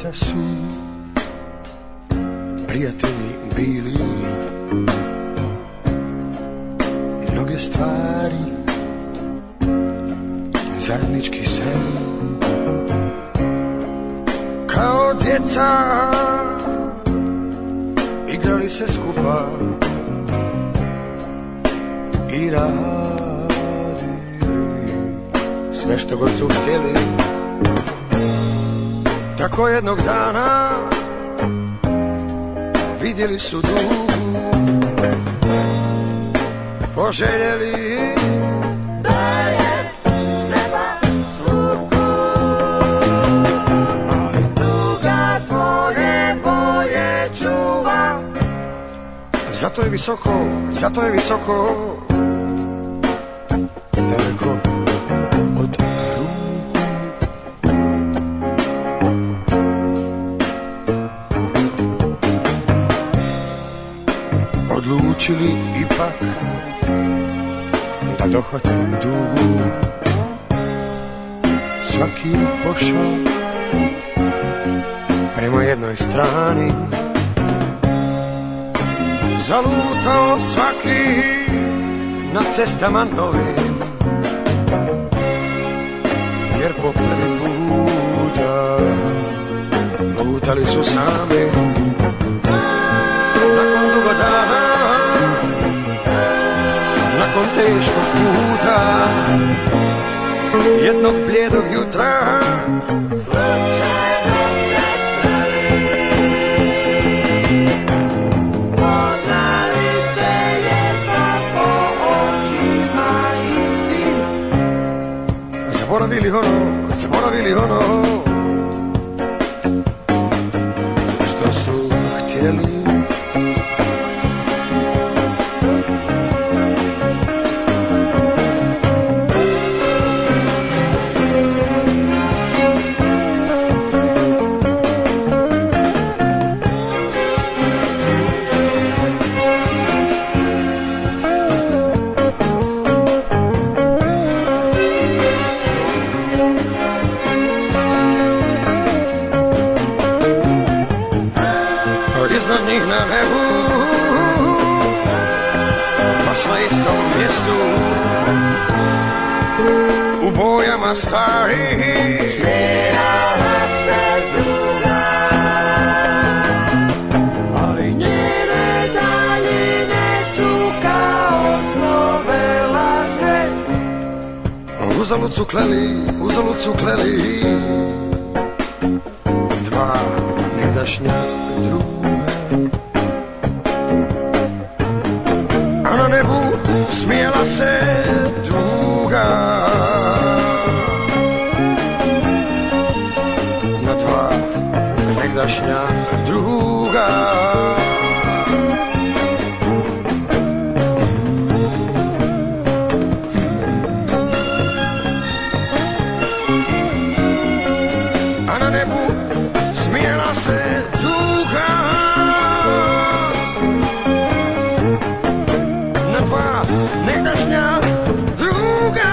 djeca su prijatelji bili, mnoge stvari zajednički sreli, kao djeca igrali se skupa i radili sve što god su htjeli. Tako jednog dana vidjeli su dugu, poželjeli da je s neba slugu, ali duga svoje boje čuva. Zato je visoko, daleko od odlučili ipak da dohvate dugu. Svaki pošao prema jednoj strani, zalutao svaki na cestama novim, jer po prvi puta lutali su sami. Nakon dugo dana, nakon teškog puta, jednog bljedog jutra, slučajno se sreli, poznali se jedno po očima istim. Zaboravili ono što su htjeli. Iznad njih na nebu, baš na istom mjestu, u bojama starih smijala se druga, ali njene daljine su kao snove lažne. Uzalud su kleli dva negdašnja druga. A na nebu smijela se tuga na dva negdašnja druga. A na nebu smijela se tuga na dva negdašnja druga.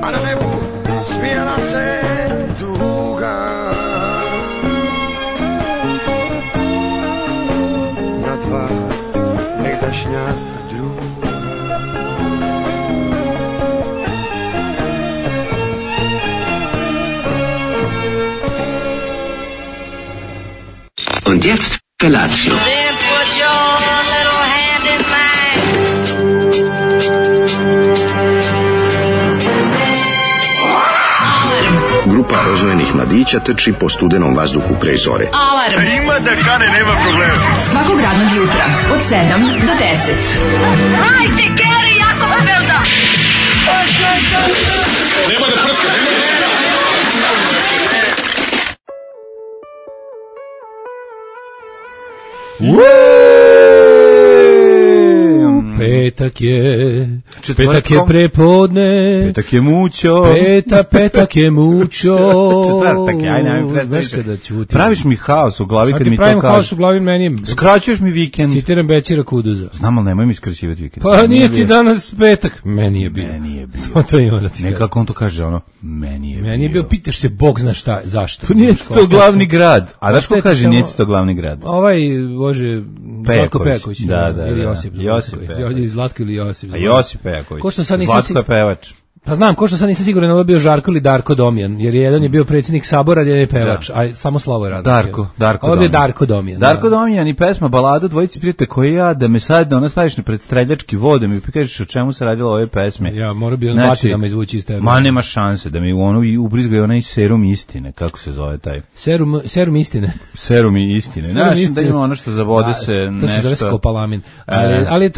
A na nebu smijela se tuga na dva negdašnja druga. Und jetzt Felatio. Then put your little hand in mine. Grupa rozvojenih mladića trči po studenom vazduhu pre zore. Alarm. Ima da kane, nema problema. Svakog radnog jutra od 7 do 10. Hajde, Geri, jako se velda. Nema da prska, nema da prska. Petak je Četvrtkom. prepodne. Petak je mućo. Petak je mućo. Četvrtak je, ajde, ajde, Znaš kada ćutim. Praviš mi haos u glavi kad mi to pravim kažeš. haos u glavi, meni je... Skraćuješ mi vikend. Citiram Bećira Kuduza. Znam, ali nemoj mi skraćivati vikend. Pa nije ti danas petak. Meni je bio. Meni je bio. Samo to ima da ti Nekako on to kaže, ono, meni je Meni je bio, pitaš se, Bog zna šta, zašto. To nije Znaš, to glavni grad. A daš ko Ostaje kaže samo- nije ti to glavni grad? Bože, Zlatko Pejaković. Da, da, Ili da. Josip. Josip Pejaković. Ili Zlatko ili Josip. A Josip Pejaković. Ko što sad nisam Zlatko je pevač. Pa znam, ko što sad nisam siguran, ovo je bio Žarko ili Darko Domjan, jer jedan je bio predsjednik Sabora, jedan je pevač, a samo Slavo je razlika. Darko Ovo je bio Domjan. Darko Domjan. Darko Domjan i pesma Balada dvojici prijatelja koji ja da me sad ona staviš na pred streljački vod, da mi kažeš o čemu se radilo ove pesme. Ja, mora bi on batinama izvući iz tebe. Ma nema šanse da mi u onu i ubrizgaju onaj serum istine, kako se zove taj. Serum istine. Serum i istine. Serum Znaš istine. da ima ono što zavode se To se zove nešto. skopalamin. Ali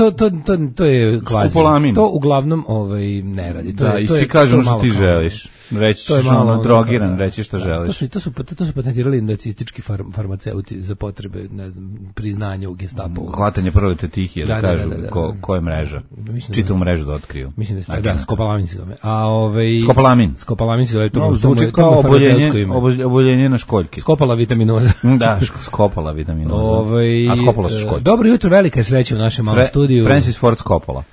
to je kvazi. Skopolamin. To uglavnom ne radi. To Da, je, i to svi je- kažu to je ono što malo ti kao- želiš. Reći To je ćeš malo ono ono drogiran, kao- reći što želiš. To su patentirali nacistički farmaceuti za potrebe, ne znam, priznanja u Gestapu. Hvatanje prolete tihije, da Da, kažu da. ko je mreža. Mislim Čitavu mrežu da otkriju. Mislim da Znači, da, skopalamin se zove. Skopalamin. Skopalamin se zove, to No, mu zvuči to kao mu farmaceutsko ime. oboljenje na školjki. Skopala vitaminoza. Da, skopala vitaminoza. A skopala su školjki. Dobro jutro, velika je sreća u našem malom studiju. Francis Ford Skopala.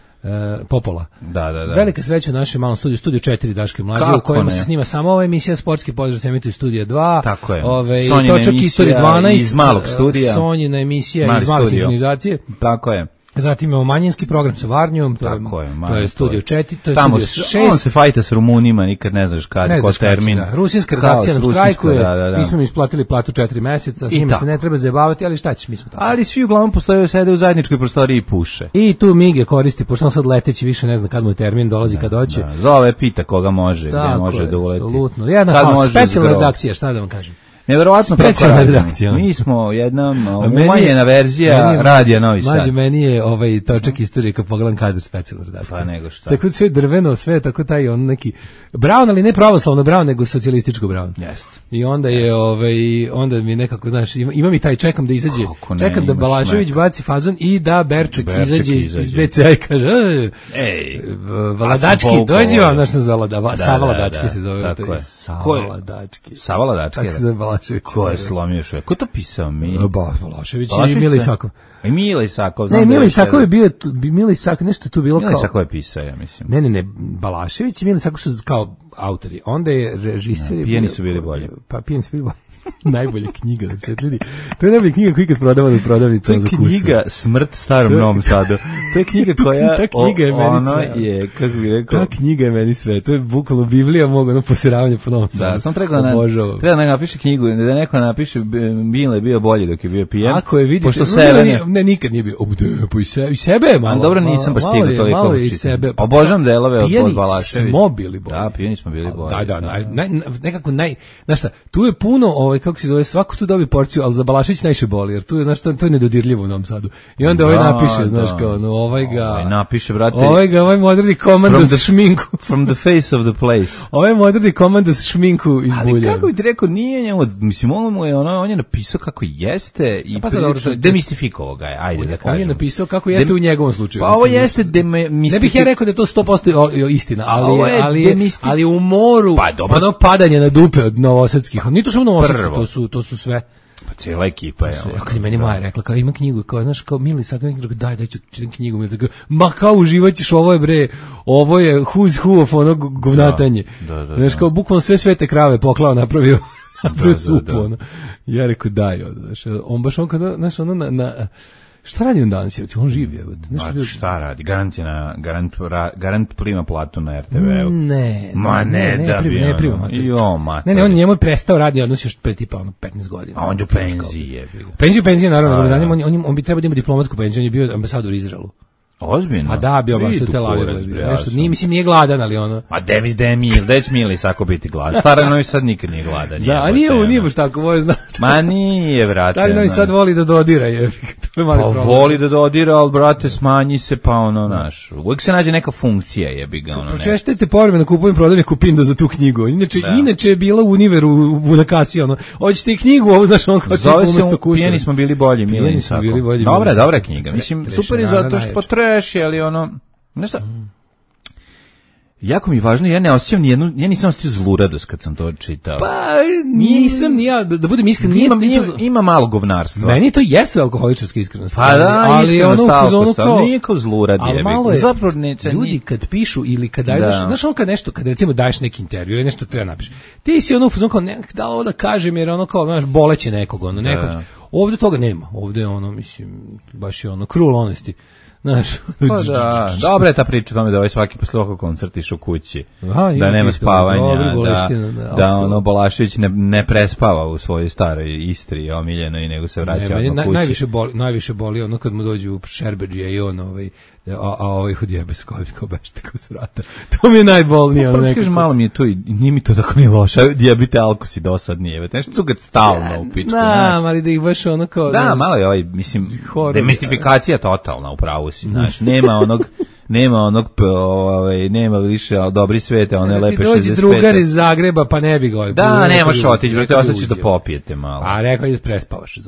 Popola. Da. Velika sreća u našem malom studiju, studio 4 Daške mlađe, Kako u kojima ne? se snima samo ova emisija Sportski pozdrav se emituje studija 2. Tako je. Sonjina Točak emisija istorije 12 iz malog studija. Sonjina emisija Mali iz male studio. sinhronizacije. Tako je. Zatim imamo manjinski program sa Varnjom, to je studio 4, to je Tamo studio on 6. se fajta s Rumunima, nikad ne znaš kad, Ne ko znaš kad će, termin. da. Rusijska redakcija nam Haos, štrajkuje, da. mi smo im isplatili platu 4 meseca, s I njima tako. se ne treba zajebavati, ali šta ćeš, mi smo tako. Ali svi uglavnom postoje, sede u zajedničkoj prostoriji i puše. I tu Mige koristi, pošto on sad leteći više ne zna kad mu je termin, dolazi kad hoće. Da, zove, pita koga može, gde Tako može je, da uleti. apsolutno. Jedna Kad haos, može specijalna zgrov. redakcija, šta da vam kažem. Neverovatno kako Specijalna radimo. redakcija. Mi smo jedna Meni je- umanjena verzija meni je- radija Novi Sad. Mlađe, meni je točak istorije kad pogledam kadar specijalna redakcija. Pa nego šta. Tako sve drveno, sve tako taj on neki brown, ali ne pravoslavno brown, nego socijalističko brown. Jeste. I onda je onda mi nekako, znaš, ima mi taj čekam da izađe, Kako ne, čekam da imaš Balašević neka. baci fazon i da Berček Berček izađe iz izađe. BCA i kaže: Ej, Valadački, povukao dođi vam, ovo. znaš sam za Savladački da, se zove. tako to je. Savladački. Savala Dačke. Tako se zove Balašević. Ko je slomio što je? Ko je to pisao? Balašević i Balašević Mila se- Isakov. I Mila Isakov. Ne, znam da Mila je Isakov je bio, Mila Isakov, nešto je tu bilo Mila kao... Isakov je pisao, ja mislim. Ne, Balašević i Mila Isakov su kao autori. Onda je režiser... Pijeni su bili bolji. Pa pijeni su bili bolji. Najbolja knjiga da se vidi. To je najbolja knjiga koju ikad prodavana u prodavnici. To je knjiga Smrt starom Novom Sadu. To je knjiga koja Ta knjiga je meni ono sve. je, kako bih rekao, Ta knjiga je meni sve. To je bukvalno Biblija mog posiravanja po Novom Sadu. da, sam treba da napiše knjigu, da neko napiše Mile je bio bolji dok je bio pijan. Ako je vidite, pošto sebe ne, nikad nije bio. Pa i sebe je malo. Ali dobro, nisam baš stigao toliko. Malo je i sebe. Obožavam delove od Pijani Balaševića. smo bili bolji. Da, pijani smo bili bolji. Da, nekako znaš šta, tu je puno, kako se zove, svako tu dobi porciju, ali za Balašević najviše boli, jer tu je, znaš, to je nedodirljivo u Novom Sadu. I onda napiše, znaš, kao, no, napiše, brate. Ovaj mu odredi komando s šminku. From the face of the place. Ovaj mu odredi komando s šminku iz Ali bulja. kako bi ti rekao, nije njemu, mislim, on je napisao kako jeste i Pa sad dobro, demistifikovao ga je, ajde da kažem. On je napisao kako jeste u njegovom slučaju. Pa ovo jeste demistifikovao. Ne bih ja rekao da je to 100% istina, ali u moru, Pa dobro. ono padanje na dupe od novosadskih, nije to samo novosadski, to su sve. Pa cijela ekipa je. Kako je meni Maja rekla, kao ima knjigu, kao, znaš, kao Mili Isakov, daj ću čitam knjigu, mi tako, ma kao uživaćeš, ovo je bre, ovo je who's who of ono govnatanje. Znaš, kao bukvalno sve svete krave poklao, napravio supu, ono. Ja rekao, daj, znaš, on baš on kada, znaš, ono šta radi on danas? On živi, šta radi? Garant prima platu na RTV-u. Ne prima. Ne, on njemu je prestao radi, odnos još pre tipa 15 godina. A on je u penziji je bilo. Penziju, naravno, on bi trebao da ima diplomatsku penziju, on je bio ambasador u Izraelu. Ozbiljno? A da, bio ambasador Tel Aviva. Nešto, nije gladan, ali ono... A Demis Mili Isakov biti gladan. Stara Novi Sad nikad nije gladan. Da, a nije baš tako, može znati. Ma nije, vrate. Stari Novi Sad voli da dodira, je. To je mali Pa problem. voli da dodira, ali brate, smanji se, pa ono, naš. Uvijek se nađe neka funkcija, jebi ga, ono, ne. Pročeštajte povremeno kupujem prodavlje Kupindo za tu knjigu. Inače je bila u Univeru na kasi, ono. Hoćete i knjigu, ovo, znaš, ono kao Zove se umesto kusa. Pijeni smo bili bolji, Milan Sako. Dobra je knjiga. Mislim, super je zato što potreš, ali ono, znaš šta, jako mi je važno, ja ne osjećam nijednu, ja nisam osjetio zluradost kad sam to čitao. Pa nisam ni ja, da budem iskren, ima malo govnarstva. Meni to jeste alkoholičarska iskrenost. Pa da, ali ono u fazonu kao, nije kao zlurad je. Malo je, zapravo ljudi kad pišu ili kad daju, znaš ono kad nešto, kad recimo daješ neki intervju ili nešto treba napiši, ti si ono u fazonu kao, da ovo da kažem jer ono kao, znaš, boleće nekog, ono, nekog. Ovdje toga nema, ovdje je ono, mislim, baš je ono, cruel honesty. Znaš, pa da, dobra je ta priča tome da ovaj svaki posle ovog koncert išao kući, da nema spavanja, da ono Bolašević ne prespava u svojoj staroj Istri omiljenoj, nego se vraća kući. Najviše boli ono kad mu dođu Šerbedžija i on ovaj odjebe se kao bešte kao se vrata. To mi je najbolnije. Pa kažem, malo mi je to i nije mi to tako ni loše. Odjebite alkosi dosadnije. Nešto cugat stalno u pičku. Da, ali da ih baš ono kao... Da, malo je ovaj, mislim, demistifikacija totalna, upravo si. Znaš, nema više dobri svete, one lepe 65. Dođi drugar iz Zagreba, pa ne bi ga... Da, nemaš otići, brate, ostaćeš da popijete malo. A rekao je prespavaš,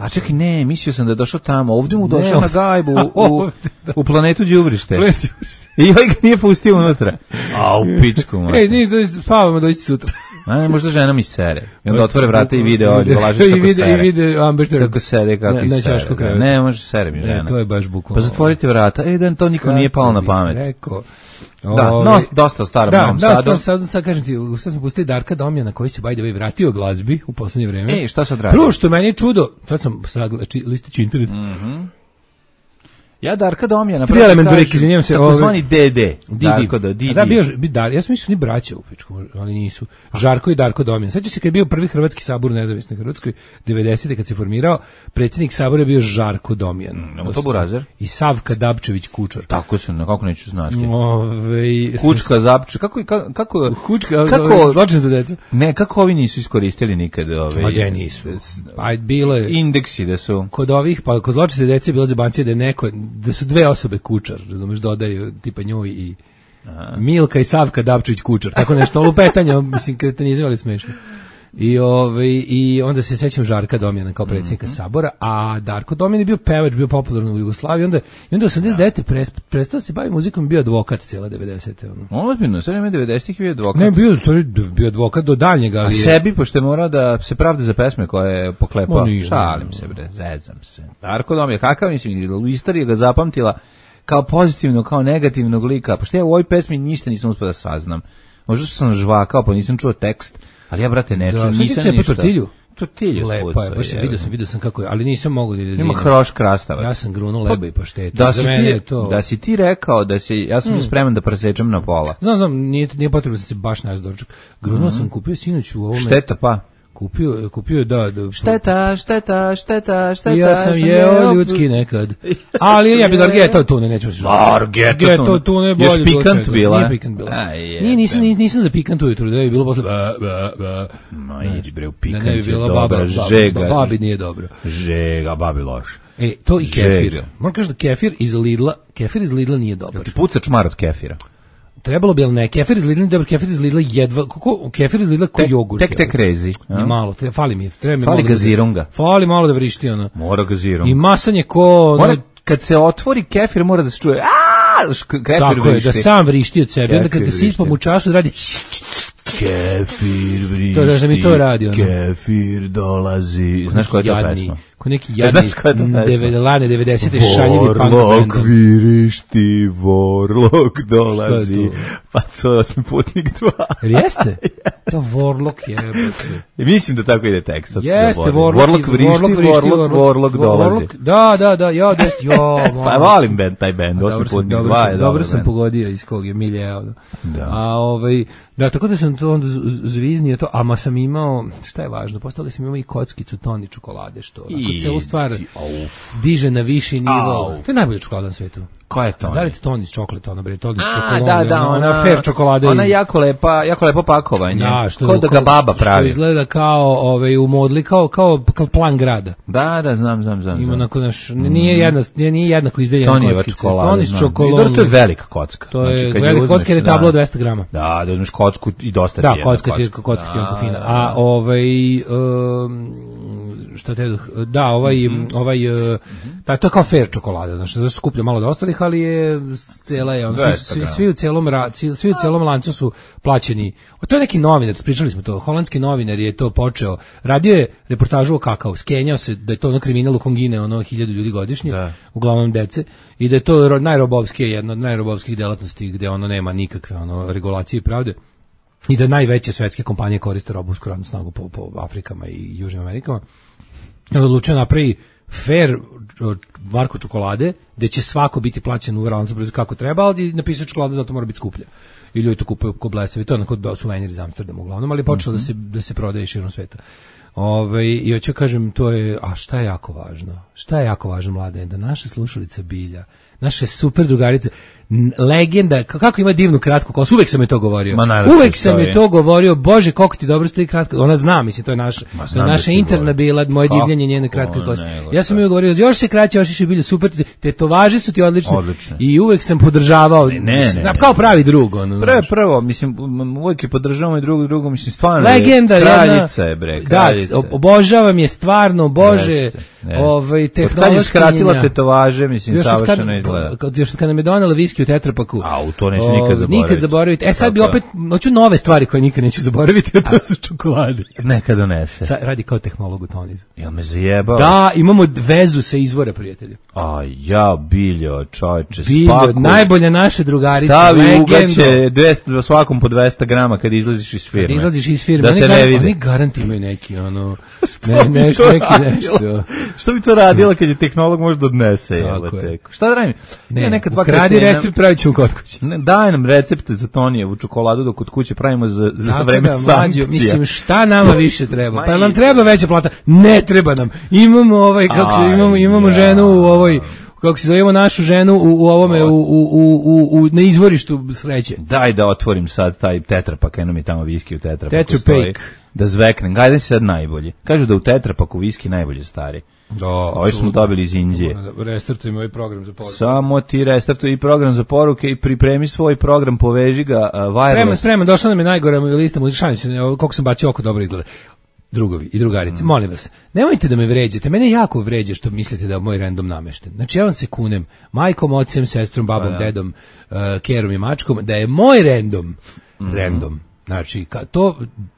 a čekaj, ne, mislio sam da je došao tamo, ovdje mu došao na gajbu, u planetu Đubrište. I ovaj ga nije pustio unutra. A, u pičku, man. Ej, niš, spavamo, doći sutra. A ne, možda žena mi sere. I onda otvore vrata i vide ovdje, Bolažić kako sere. I vide Amberter. Kako sere, kako sere. Ne, može sere mi žena. To je baš bukvalno. Pa zatvorite vrata, da to nikom nije palo na pamet. Rekao. Da, no, dosta starom Novom Sadu. Da, sad kažem ti, sad smo pustili Darka Domjana koji se by the way vratio glazbi u poslednje vreme. Šta sad radi? Prvo što meni je čudo, sad sam listići internet. Ja Darka Domjana, izvinjavam se, takozvani DD. Darko da Didi. Da, bio ja sam mislio ni braća u pičku, ali nisu. Žarko i Darko Domjan. Sećaš se kad je bio prvi hrvatski sabor nezavisne Hrvatskoj 90. kad se formirao, predsjednik sabora je bio Žarko Domjan. To Burazer i Savka Dabčević Kučar. Tako se, kako neću znati. Kučka Zabče, kako zločinska deca. Ne, kako ovi nisu iskoristili nikad ove. Ma da nisu. Pa bilo je indeksi da su. Kod ovih, pa kod zločinske dece bila zebancija da je neko, da su dve osobe Kučar, razumeš, dodaju tipa njoj i Milka i Savka Dabčević Kučar, tako nešto, lupetanja, mislim, kretenizam, ali smešno. I onda se sećam Žarka Domjana kao predsjednika sabora, a Darko Domjan je bio pevač, bio popularan u Jugoslaviji, i onda 89. prestao se bavi muzikom, bio advokat cijela 90. Ozbiljno, sve vreme 90-ih bio advokat. Ne, bio advokat do daljnjega. A sebi, pošto je morao da se pravda za pesme koje je poklepao. Šalim se, bre, zezam se. Darko Domjan, kakav mislim, u istoriji ga zapamtila kao pozitivno, kao negativnog lika, pošto ja u ovoj pesmi ništa nisam uspio da saznam. Možda sam žvakao, pa nisam čuo tekst. Ali ja, brate, ne čuo, nisam ništa. Tortilju lepa je, baš vidio sam kako je, ali nisam mogu da ima hroš krastavac. Ja sam grunuo leba i paštetu. Da si ti rekao da si, ja sam spreman da presečem na pola. Znam, nije potrebno da se baš nas doček. Grunuo sam, kupio sinoć u ovome. Šteta pa. Kupio da. Šteta. Ja sam jeo ljudski nekad. Ali ja bi Argeto tune, nećemo se žaliti. Argeto tune bolje. Još pikant bila. Nije pikant bila. Nisam za pikant ujutru, da je bilo posle. Ma idi bre, u pikant je dobro. Žega. Babi nije dobro. Žega, babi loš. To i kefir. Moram kažem da kefir iz Lidla nije dobar. Ti puca čmar od kefira. Trebalo bi, ali ne, kefir iz Lidla, dobro, kefir iz Lidla jedva, kefir iz Lidla ko jogurt. Tek rezi. Ni malo, fali mi, fali gazirunga. Fali malo da vrišti, ono. Mora gazirunga. I masanje ko... Kad se otvori kefir, mora da se čuje, kefir tako vrišti. Je, da sam vrišti od sebe, onda kada sipam u čašu, radi... Kefir vrišti. To da mi to radi, ono. Kefir dolazi. Znaš koja je to pesma? Ko neki jadni 90. šaljivi punk band. Vorlok vrišti, Vorlok dolazi. Pa to je 8. putnik 2. Jeste? To Vorlok je. Mislim da tako ide tekst. Jeste, Vorlok vrišti, Vorlok dolazi. Da, ja. Pa volim taj band, 8. putnik 2. Dobro sam pogodio iz kog je miljeo. Da, tako da sam to onda zviznio to, ama sam imao, šta je važno, postavili sam imao i kockicu Toni čokolade, što celu stvar diže na viši nivo. To je najbolja čokolada na svetu. Koja je Toni? Da li ti Toni iz čokolata, ona bre, Toni iz A, čokolade, da, ona fair čokolada. Ona jako lepo pakovanje. Da, kao da ga baba pravi. Što izgleda kao u modli, kao plan grada. Da, znam. Ima onako nije jednako izdeljena kockica. Toni iz čokolade. To je velika kocka. To je velika kocka jer je tablo 200 grama. Da uzmeš kocku i dosta ti je. Da, kocka ti je onako fina. A šta te to je kao fair čokolada, znači da se skuplja malo od ostalih, ali je cela je svi u celom lancu su plaćeni. To je neki novinar, pričali smo to, holandski novinar je to počeo, radio je reportažu o kakao, skenjao se da je to ono kriminal u Kongine, 1000 ljudi godišnje, uglavnom dece, i da je to najrobovskije, jedna od najrobovskih delatnosti gde ono nema nikakve regulacije i pravde. I da najveće svetske kompanije koriste robovsku radnu snagu po Afrikama i Južnim Amerikama. Odlučio napravi fair marku čokolade, gde će svako biti plaćen u lancu kako treba, ali napisao čokolada zato mora biti skuplja. I ljudi to kupuju ko blesavi, to je onako suvenir iz Amsterdama uglavnom, ali je počelo da se prodaje širom sveta. I hoću kažem, to je, a šta je jako važno? Šta je jako važno, Mladen? Da naša slušalica Bilja, naše super drugarice, legenda, kako ima divnu kratku kosu, uvek sam je to govorio. Uvek sam je to govorio, Bože, koliko ti dobro stoji kratka, ona zna, mislim, to je naša interna bila, moje divljenje njene kratke kose. Ja sam joj govorio, još se kraće, još više Bilju, super, tetovaže su ti odlične. I uvek sam podržavao, kao pravi drug. Prvo, mislim, uvek je podržavamo i drugo, mislim, stvarno legenda, kraljica je, bre, kraljica. Da, obožavam je stvarno, Bože, tehnološka kad je skratila tetovaže, mislim, savršeno izgleda. Još kad nam je donela viski u tetrapaku. A, to neću nikad zaboraviti. Sad bi opet, hoću nove stvari koje nikad neću zaboraviti, a to su čokolade. Neka donese. Radi kao tehnolog u Tonizu. Jel me zajebao? Da, imamo vezu sa izvora, prijatelju. A ja, Biljo, čovječe, Biljo, najbolja naša drugarica, stavi ugaće svakom po 200 grama kad izlaziš iz firme. Kad izlaziš iz firme, da te ne vide. Oni garanti imaju neki, nešto. Što bi to radila kad je tehnolog možda odnese? Šta da radim? Ukradi recept, pravit ćemo kod kuće. Daj nam recepte za Tonijevu čokoladu dok kod kuće pravimo za vreme sankcija. Mislim, šta nama više treba? Pa nam treba veća plata? Ne treba nam. Imamo imamo ženu u ovoj, kako se zovemo našu ženu u ovome na izvorištu sreće. Daj da otvorim sad taj tetrapak, eno mi tamo viski u tetrapaku stoji. Da zveknem. Gajde si sad najbolji. Kažu da u tetrapaku viski najbolje stari. Ovo smo dobili iz Indije. Restartujem ovaj program za poruke. Samo ti restartuj i program za poruke i pripremi svoj program, poveži ga wireless. Spremno, došla nam je najgora lista muzičanja, koliko sam bacio oko dobro izgleda. Drugovi i drugarice, molim vas, nemojte da me vređate, mene jako vređe što mislite da je moj random namešten. Znači ja vam se kunem, majkom, ocem, sestrom, babom, dedom, kerom i mačkom, da je moj random. Znači,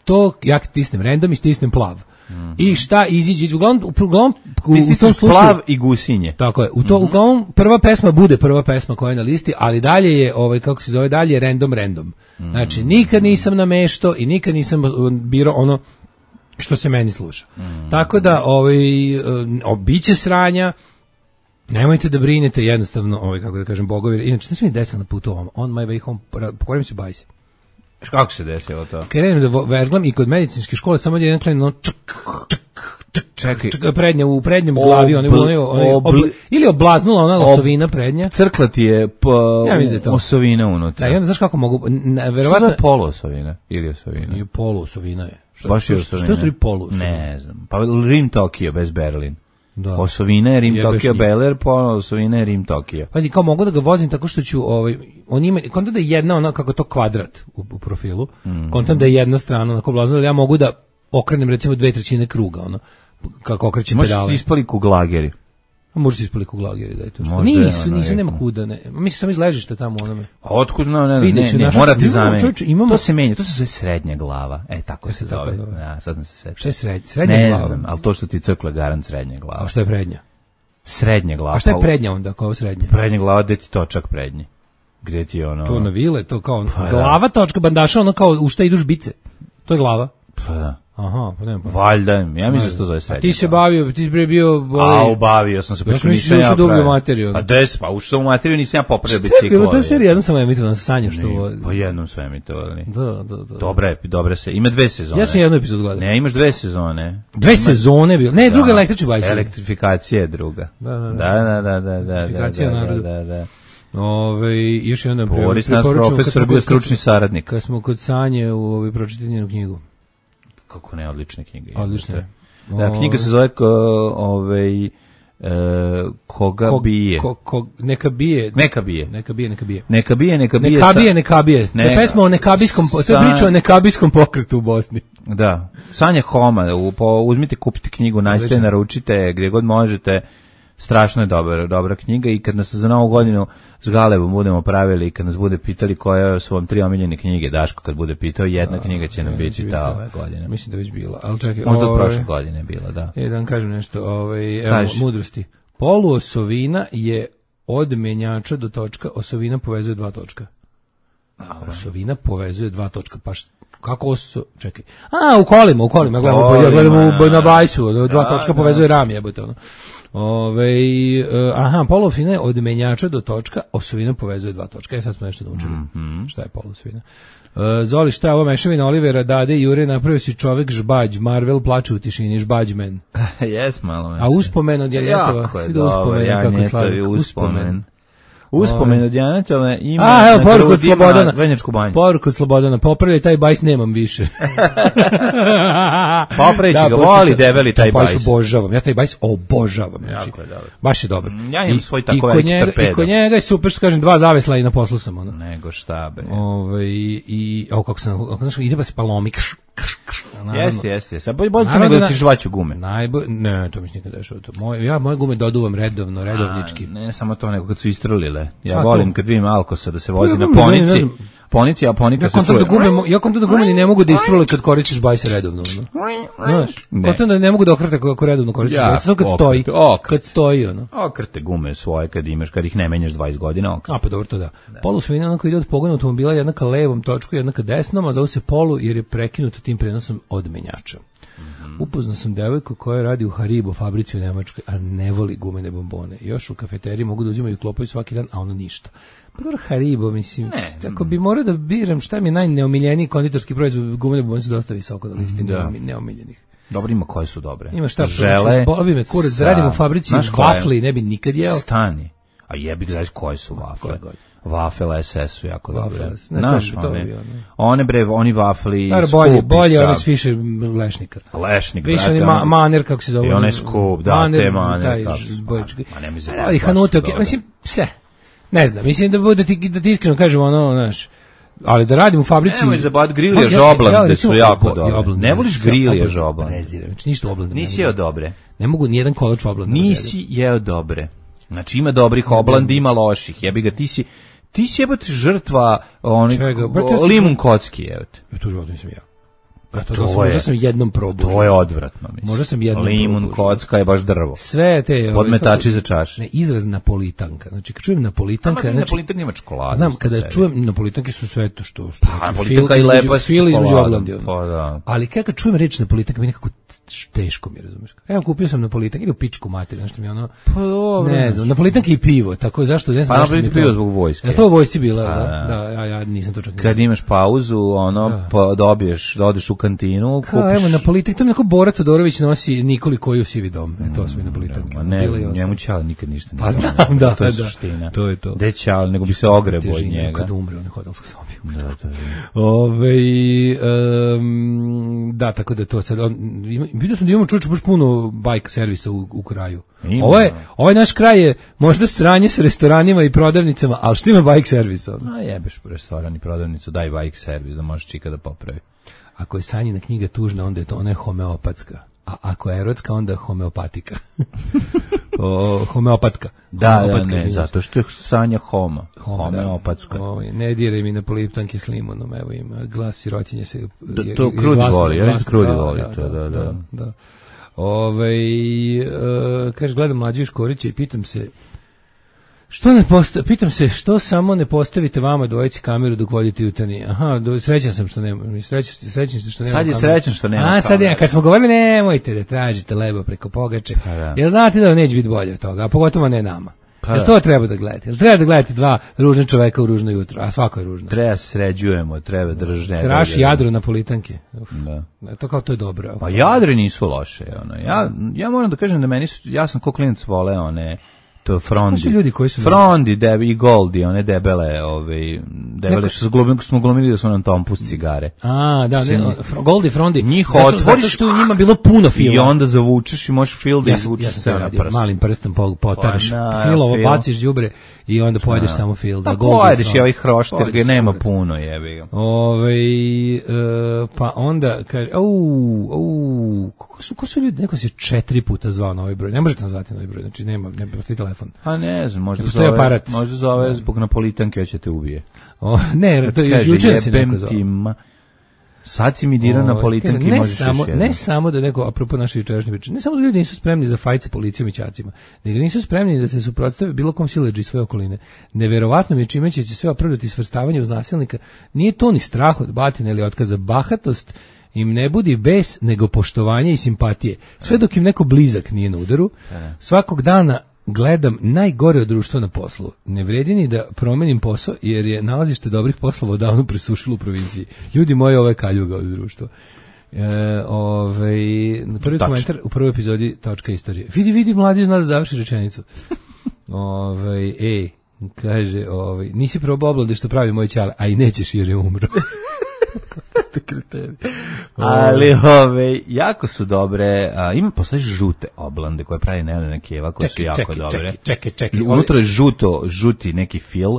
to ja stisnem random i stisnem plav. I šta iziđe, uglavnom u tom slučaju plav i gusinje. Tako je. Uglavnom prva pesma bude prva pesma koja je na listi, ali dalje je dalje je random. Znači nikad nisam nameštao i nikad nisam birao ono što se meni sluša. Tako da biće sranja. Nemojte da brinete, jednostavno, kako da kažem, bogovi. Inače, što se mi desilo na putu on my way home, pokorim se bajsi. Kako se desilo to? Krenem da verglam i kod medicinske škole samo jedan klen čekaj, u prednjem glavi ili oblaznula ona osovina prednja. Crkla ti je osovina unutra. Da, i onda znaš kako mogu, verovatno je poluosovina ili osovina. Nije poluosovina je. Baš je osovina. Što su poluosovina? Ne znam. Pa Rim Tokio bez Berlin. Da. Osovina je Rim Tokio Beler, osovina je Rim Tokio. Pazi, kao mogu da ga vozim tako što ću, on ima, kontam da je jedna ona, kako to kvadrat u profilu, kontam da je jedna strana onako blazna, ali ja mogu da okrenem recimo 2/3 kruga, ono, kako okrećem pedale. Možeš ispali kuglageri. Može se ispali kuglageri, da je to. Nisu, nema kuda, ne. Mislim, sam iz ležišta tamo onome. Otkud, ne, mora ti zameniti. To se menja, to se zove srednja glava. Tako se zove. Ja, sad sam se setio. Šta je srednja glava? Ne znam, ali to što ti crkla garant srednja glava. A što je prednja? Srednja glava. A šta je prednja onda, kao srednja? Prednja glava, gde ti točak prednji. Gde ti ono... To na vile, to kao glava točka bandaša, ono kao u šta idu žbice. To je glava. Pa da. Aha, pa nema. Valjda, ja mislim da to zove srednja. Ti se bavio, ti si bio... bavio sam se, pošto nisam ja pravio. U materiju. Pa ušao sam u materiju, nisam ja popravio biciklo. To je serija, jednom sam emitovan, sanjao što... Pa jednom sam emitovali. Da. Dobra se, ima 2 sezone. Ja sam jednu epizodu gledao. Ne, imaš 2 sezone. 2 sezone bio? Ne, druga električni bajs. Elektrifikacija je druga. Da. Elektrifikacija narodu. Da. Još jedan Boris nas profesor bio stručni saradnik. Kad smo kod Sanje u pročitati njenu knjigu. Kako ne, odlične knjige. Odlične. Da, knjiga se zove Koga bije. Neka bije. Neka bije. Neka bije, neka bije. Neka bije, neka bije. Neka bije. To je pesma o nekabijskom, to je priča o nekabijskom pokretu u Bosni. Da. Sanja Homa, uzmite, kupite knjigu, nađite, naručite, gdje god možete. Strašno je dobra knjiga i kad nas za Novu godinu s Galebom budemo pravili i kad nas bude pitali koje su vam 3 omiljene knjige, Daško kad bude pitao, jedna knjiga će nam biti ta ove godine. Mislim da već bila, ali čekaj. Možda od prošle godine je bila, da. Da vam kažem nešto, evo, mudrosti. Poluosovina je od menjača do točka, osovina povezuje 2 točka. Osovina povezuje 2 točka, pa kako čekaj. U kolima, gledamo na bajsu, 2 točka povezuje ram, jebote ono. Poluosovina je od menjača do točka, osovina povezuje 2 točka. Sad smo nešto naučili. Šta je poluosovina? Zoli, šta je ovo mešavina Olivera, Dade i Jure, napravio si čovek žbađ, Marvel plače u tišini, žbađmen. Jes, malo me. A uspomen od Janjetova, svi da uspomen, kako slavi. Uspomen od Janetove ima poruku od Slobodana. Venjačku banju. Poruku od Slobodana, popravljaj taj bajs, nemam više. Popravići ga, voli debeli taj bajs. Obožavam, ja taj bajs obožavam. Znači, jako je dobro. Baš je dobar. Ja imam svoj tako veliki torpedo. I kod njega je super, što kažem, 2 zavesla i na poslu sam. Ono. Nego šta, bre. Kako sam, ide pa se palomi, Jeste. Sad bolje to nego da ti žvaću gume. Ne, to mi se nikad dešava. Moje gume doduvam redovnički. Ne samo to, nego kad su istrulile. Ja volim kad vidim Alkosa da se vozi na ponici, a ponika se čuje. Ja kontam da gume ne mogu da istrule kad koristiš bajse redovno. Znaš, kontam da ne mogu da okrete kako redovno koristiš bajse. Samo kad stoji. Okrte gume svoje kad ih ne menjaš 20 godina. Pa dobro, to da. Polusovina onako ide od pogona automobila, jedna ka levom točku, jedna ka desnom, a zove se polu jer je prekinuta tim prenosom od menjača. Upoznao sam devojku koja radi u Haribo fabrici u Nemačkoj, a ne voli gumene bombone. Još u kafeteriji mogu da uzimaju klopaju svaki dan, a ono ništa. Pa dobro, Haribo, mislim, ako bi morao da biram šta mi je najneomiljeniji konditorski proizvod, gumene bombone su dosta visoko na listi neomiljenih. Dobro, ima koje su dobre. Ima šta, boli me kurac, da radim u fabrici vafli, ne bi nikad jeo. Stani, a jebi znaš koje su vafle. Wafel SS su jako dobre. Oni vafli bolje one s više Lešnika. Više oni Maner, kako se zove. I one skup, da, te Maner. I Hanute, mislim, sve. Ne znam, mislim da ti iskreno kažem ono, znaš, ali da radim u fabrici... Nemoj zabavati Grilije žoblande su jako dobre. Ne voliš Grilije žoblande? Znači ništa oblande. Nisi jeo dobre. Ne mogu nijedan kolač oblande. Nisi jeo dobre. Znači ima dobrih oblandi, ima loših. Jebi ga, ti si jebati žrtva limun kocki, jebati. To život nisam ja. Možda sam jednom probao. To je odvratno, mislim. Možda sam jednom limun kocka je baš drvo. Sve te... Podmetači za čaš. Ne, izraz napolitanka. Znači, kad čujem napolitanka... Znači, napolitanka ima čokoladu. Znam, kada čujem napolitanke su sve to što... Napolitanka i lepa s čokoladom. Ali kad čujem reč napolitanka, mi nekako teško mi, razumiješ. Evo, kupio sam napolitanka, ili u pičku materiju, nešto mi ono... Ne znam, napolitanka i pivo, tako zašto... Pa napolitanka pivo zbog vojske. To u vojsci bila, da, ja nisam to čak... Kad imaš pauzu, odeš u kantinu, kupiš... Evo, napolitanka, to mi neko Bora Todorović nosi Nikoli koji u sivi dom. To su mi napolitanka. Ne, njemu Ćale nikad ništa ne. Pa znam, da. To je suština. To je to. Gde Ćale, nego bi se ogrebo od njega. Kad umre, on je hodalsku sobiju. Da, tako da to sad... Vidio sam da imamo čuče baš puno bike servisa u kraju. Ovaj naš kraj je možda sranje s restoranima i prodavnicama, ali što ima bike servisa? Jebeš restoran i prodavnicu, daj bike servis da možeš čika da popravi. Ako je Sanjina knjiga tužna, onda je to ona je homeopatska. A ako je erotska, onda je homeopatika. Homeopatka. Da, ne, zato što je Sanja homeopatska. Ne diraj mi na poliptanke s limunom, evo ima glas sirotinje se... To krudi voli, ja mislim krudi voli to, da. Kaže, gledam Mlađu Škorića i pitam se, što samo ne postavite vama dvojici kameru dok vodite jutarnji. Aha, srećan sam što nema. Srećan ste što nema. Sad je srećan što nema. Sad je, kad smo govorili nemojte da tražite lebo preko pogače. Jel znate da neće biti bolje od toga, a pogotovo ne nama. Jel to treba da gledate? Jel treba da gledate dva ružna čoveka u ružno jutro, a svako je ružno? Treba sređujemo, treba držne. Kraš jadro na politanke. To kao to je dobro. Pa jadre nisu loše. Ja moram da kažem da ja sam ko klinac voleo one To Frondi. Ko su ljudi koji su... Frondi, i Goldi, one debele, debele što smo glumili da su nam tompus cigare. A, da, Goldi, Frondi. Njih otvoriš. Zato što u njima bilo puno filma. I onda zavučeš i možeš film da izvučeš sve na prst. Malim prstom potaraš filovo, baciš đubre i onda pojedeš samo fil. Da, pojedeš i ovaj hrošt, jer ga nema puno, jebi ga. Pa onda kaže, ko su ljudi, neko se 4 puta zvao na ovaj broj, ne možete nazvati na ovaj broj, znači ne postoji telefon. A ne znam, možda zove zbog Napolitanke, ja će te ubije. Ne, to je jučer si neko zvao. Sad si mi dirao Napolitanke i možeš još jedno. Ne samo da neko, apropo naše jučerašnje priče, ne samo da ljudi nisu spremni za fajt sa policijom i ćacima, nego nisu spremni da se suprotstave bilo kom siledži svoje okoline. Neverovatno mi je čime će sve opravdati svrstavanje uz nasilnika. Nije to ni strah od batine ili otkaza, bahatost im ne budi bes, nego poštovanje i simpatije. Sve dok im neko blizak nije na udaru, svakog dana gledam najgore od društva na poslu. Ne vredi ni da promenim posao, jer je nalazište dobrih poslova odavno presušilo u provinciji. Ljudi moji, ovo je kaljuga od društva. Prvi komentar u prvoj epizodi Točka istorije. Vidi, mladi zna da završi rečenicu. Kaže, nisi probao oblade što pravi moj ćale, a i nećeš jer je umro. Ali jako su dobre. Postoji žute oblande koje pravi Nelena Keva, koje su jako dobre. Čekaj. Unutra je žuti neki fil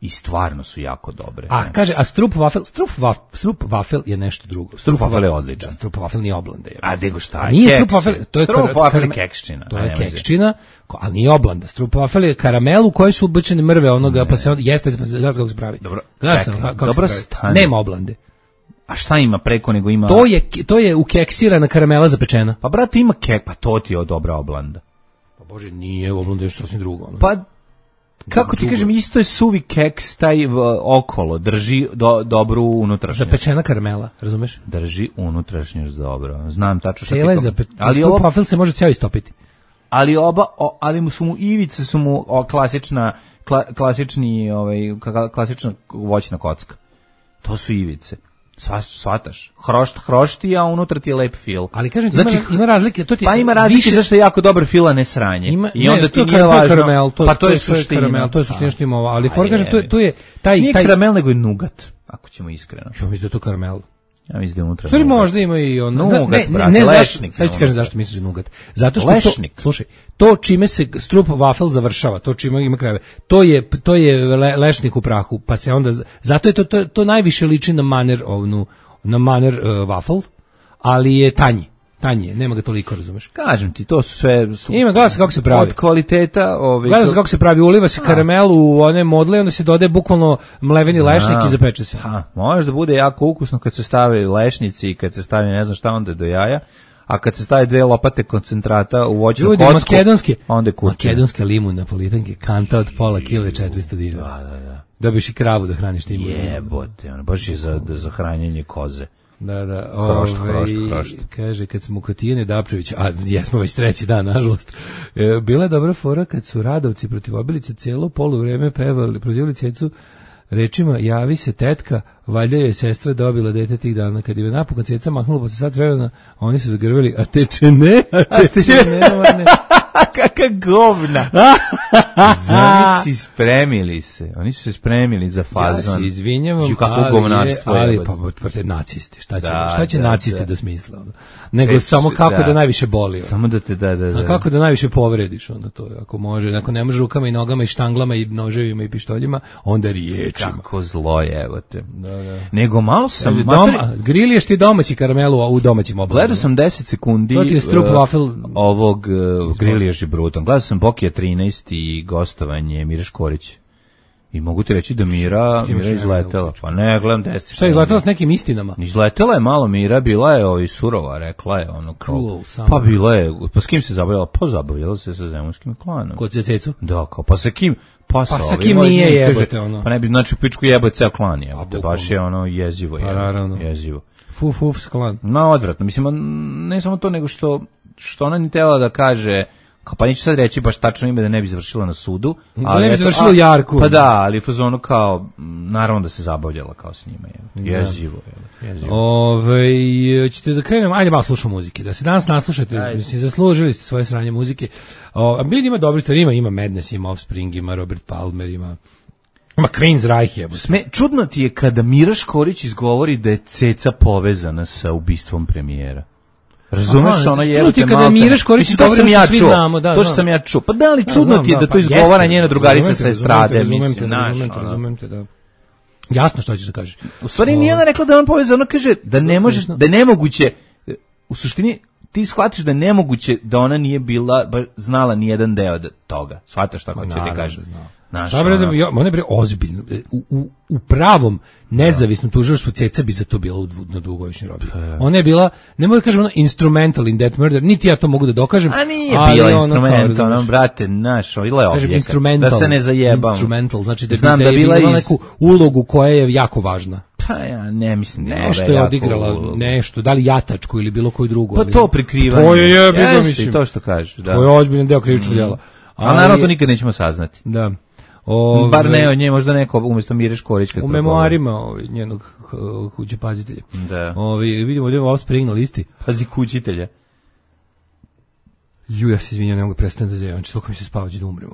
i stvarno su jako dobre. Kaže, a strup wafel je nešto drugo. Strup wafel je odličan. Strup wafel nije oblanda. A nego šta? Nije strup wafel, to je strup wafel je kekščina. To je kekščina, ali nije oblanda. Strup wafel je karamel u kojoj su ubačene mrve onoga, pa se jeste kako se pravi. Dobro, čekaj. Nema oblande. A šta ima preko nego ima... To je ukeksirana karamela zapečena. Pa brate, ima kek, pa to ti je dobra oblanda. Pa bože, nije oblanda, je što sasvim drugo. Pa kako ti kažem, isto je suvi keks, taj okolo, drži dobru unutrašnjost. Zapečena karamela, razumeš? Drži unutrašnjost dobro. Znam tačno šta ti ali strup wafel se može cijelo istopiti. Ali ivice su mu klasična voćna kocka. To su ivice. Svataš, hrošti, a unutra ti je lep fil. Ali kažem ti, ima razlike. Pa ima razlike zašto je jako dobar fil, a ne sranje. I onda ti nije važno. Pa to je suština. To je suština što ima ovo. Ali for kažem, to je taj... Nije karamel, nego je nugat, ako ćemo iskreno. Ja mislim da je to karamel. Ja mislim da je unutra. Stvari možda ima i ono... Nugat, brate, lešnik. Sad ću kažem zašto misliš nugat. Zato što slušaj, to čime se strup wafel završava, to čime ima krajeve, to je lešnik u prahu, pa se onda... Zato je to najviše liči na maner wafel, ali je tanji, nema ga toliko, razumeš. Kažem ti, to su sve... Ima, gleda se kako se pravi. Od kvaliteta... Gleda se kako se pravi, uliva se karamel u one modle, onda se dodaje bukvalno mleveni lešnik i zapeče se. Može da bude jako ukusno kad se stave lešnici i kad se stavi ne znam šta onda do jaja, a kad se stave 2 lopate koncentrata u voćnu kocku, onda je kuće. Makedonske limun napolitanke, kanta od pola kile 400 dinara. Da. Dobiš i kravu da hraniš tim. Jebote, baš je za hranjenje koze. Da. Hrošt. Kaže, kad smo kod Tijane Dapčevića, a jesmo već 3. dan, nažalost, bila je dobra fora kad su Radovci protiv Obilice cijelo poluvreme pevali, prozivali Cecu rečima, javi se tetka, valjda je sestra dobila dete tih dana. Kad je napokon Ceca mahnula posle sat vremena, oni su zagrveli, a teče ne. Kaka govna. Zamisli, spremili se. Oni su se spremili za fazon. Ja se izvinjavam, ali pa te nacisti. Šta će nacisti da smisle? Nego samo kako da najviše boli. Samo da te da. Kako da najviše povrediš, onda to. Ako može, ako ne može rukama i nogama i štanglama i noževima i pištoljima, onda riječima. Kako zlo je, evo te. Da. Nego malo sam... Griliješ ti domaći karamelu u domaćim obladima. Gledao sam 10 sekundi to ti je strup wafel ovog Griliješ je brutan. Gledao sam Bokija 13 i gostovanje Mire Škorić. I mogu ti reći da Mira izletela. Pa ne, gledam 10 sekundi. Šta je izletela s nekim istinama? Izletela je malo Mira, bila je surova, rekla je ono kao... Pa bila je, pa s kim se zabavljala? Pa zabavljala se sa zemunskim klanom. Kod Cecu? Da, kao, pa sa kim? Pa sa kim nije jebote ono? Pa ne bi, znači u pičku jebote ceo klan je. Baš je ono jezivo. Pa naravno. Jezivo. Fuf, klan. No, odvratno. Mislim, ne samo to, nego što ona ni tela da kaže pa neću sad reći baš tačno ime da ne bi završila na sudu, ali ne bi završila u jarku. Pa da, ali fazonu kao naravno da se zabavljala kao s njima, jezivo. Ćete da krenemo, ajde malo slušamo muzike, da se danas naslušate, mislim, zaslužili ste svoje sranje muzike. Billy ima dobri stvari, ima Madness, ima Offspring, ima Robert Palmer, ima Queen's Reich je. Čudno ti je kada Mira Škorić izgovori da je Ceca povezana sa ubistvom premijera. Razumeš, ona je čudno ti je kada Mira Škorić izgovori da svi znamo. To što sam ja čuo. Pa da li čudno ti je da to izgovara njena drugarica sa estrade, mislim, razumem te, da. Jasno što ćeš da kažeš. U stvari nije ona rekla da je on povezan, ona kaže da ne može, da je nemoguće, u suštini ti shvatiš da je nemoguće da ona nije bila, znala ni jedan deo toga. Shvataš šta hoće ti kaže. Ona je ozbiljno. U pravom nezavisnom tužilaštvu Ceca bi za to bila na dugogodišnjoj robiji. Ona je bila, ne mogu da kažem, instrumental in that murder, niti ja to mogu da dokažem. A nije bila instrumental, brate, naš, ili je objekat, da se ne zajebam. Instrumental, znači da je bila neku ulogu koja je jako važna. Pa ja ne mislim da je nešto je odigrala, nešto, da li jatačku ili bilo koju drugu. Pa to prikrivanje. To je mislim. To što kažeš, da. To je ozbiljan deo krivičnog djela. A naravno to nikad nećemo saznati. Da. Bar ne od nje, možda neko umjesto Mire Škorić. U memoarima njenog kuće pazitelja. Da. Vidimo ovdje Offspring na listi. Pazi kućitelja. Ja se izvinjam, ne mogu prestati da zjevam, toliko mi se spavađe da umrem.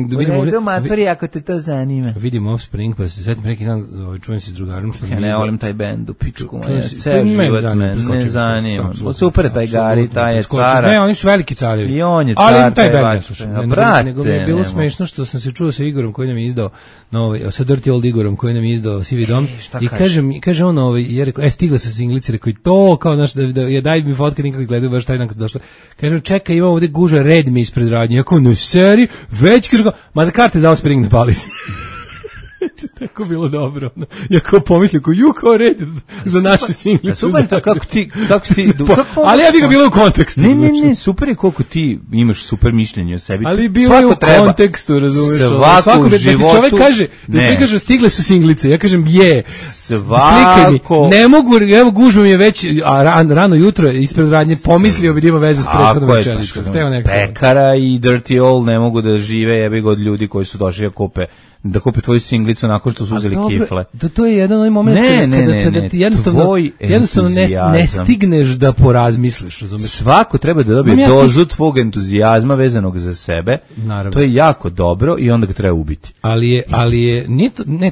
Da vidimo ovdje. Matori, ako te to zanima. Vidimo Offspring, pa se setim neki dan, čujem se s drugarom. Ja ne volim taj bend u pičku. Ceo život ne zanima. Super je taj Gari, taj je cara. Ne, oni su veliki carevi. I on je car. Ali taj bend ne slušam. Nego mi je bilo smešno što sam se čuo sa Igorom koji nam je izdao, sa Dirty Old Igorom koji nam je izdao Sivi dom. I kaže on, je rekao, stigle su singlice, rekao i to, kao naš, daj mi fotke, nikako gledaju baš taj dan kad došla. Kažem, čekaj, ima ovdje guža, red mi ispred radnje. Ako no seri, već kažem, ma za karte za Offspring ne pali se. Tako bilo dobro. Ja kao pomislio, kao red za naše single. Super to, kako ti... Ali ja bih ga bilo u kontekstu. Ne, super je koliko ti imaš super mišljenje o sebi. Ali bilo je u kontekstu, razumiješ. Svako u životu... Čovjek kaže, stigle su singlice. Ja kažem, slikaj mi. Ne mogu, evo gužba mi je već, rano jutro ispred radnje pomislio bi da ima veze s prethodnom večericom. Pekara i Dirty Old ne mogu da žive jebi ga od ljudi koji su došli da kupe tvoju singlicu nakon što su uzeli kifle. To je jedan onaj moment kada ti jednostavno ne stigneš da porazmisliš, razumiješ? Svako treba da dobije dozu tvog entuzijazma vezanog za sebe. Naravno. To je jako dobro i onda ga treba ubiti. Ali je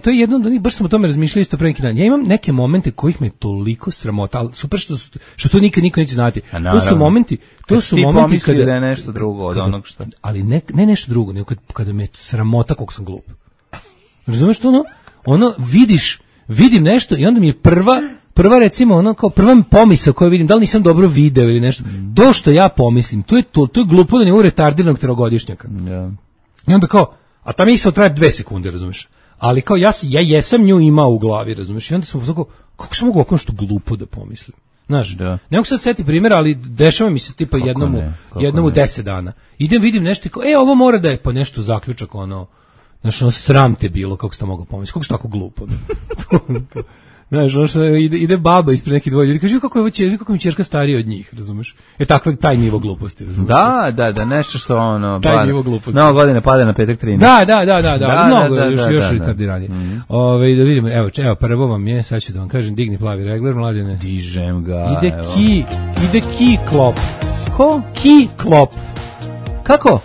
to je jedno, baš sam o tome razmišljao isto pre neki dan. Ja imam neke momente kojih me toliko sramota, ali super što to nikad niko neće znati. To su momenti kada da je nešto drugo od onog što... Ali ne nešto drugo, nego kada me sramota koliko sam glup. Razumeš to ono vidim nešto i onda mi je prva recimo ono kao prva pomisao koju vidim, da li nisam dobro video ili nešto, to što ja pomislim, to je glupo da ne u retardiranog trogodišnjaka. I onda kao, a ta misao traje 2 sekunde, razumeš? Ali kao ja jesam nju imao u glavi, razumeš? I onda sam kao, kako sam mogu ovako nešto glupo da pomislim? Znaš, ne mogu sad seti primjera, ali dešava mi se tipa jednom u 10 dana. Idem, vidim nešto i kao, ovo mora da je pa nešto zaključak, ono, znaš, sram te bilo, kako si to mogao pomisliti, kako si tako glupo. Znaš, ono što ide baba ispred neki dvoje ljudi, kaže, kako mi ćerka starija od njih, razumeš? Taj nivo gluposti, razumeš? Da, nešto što ono... Taj nivo gluposti. Novo godine pada na petak 13. Da, mnogo, još retardiranije. Da vidimo, evo, prvo vam je, sad ću da vam kažem, digni plavi regler, Mladene. Dižem ga, Ide ki klop. Ko? Ki klop. Kako?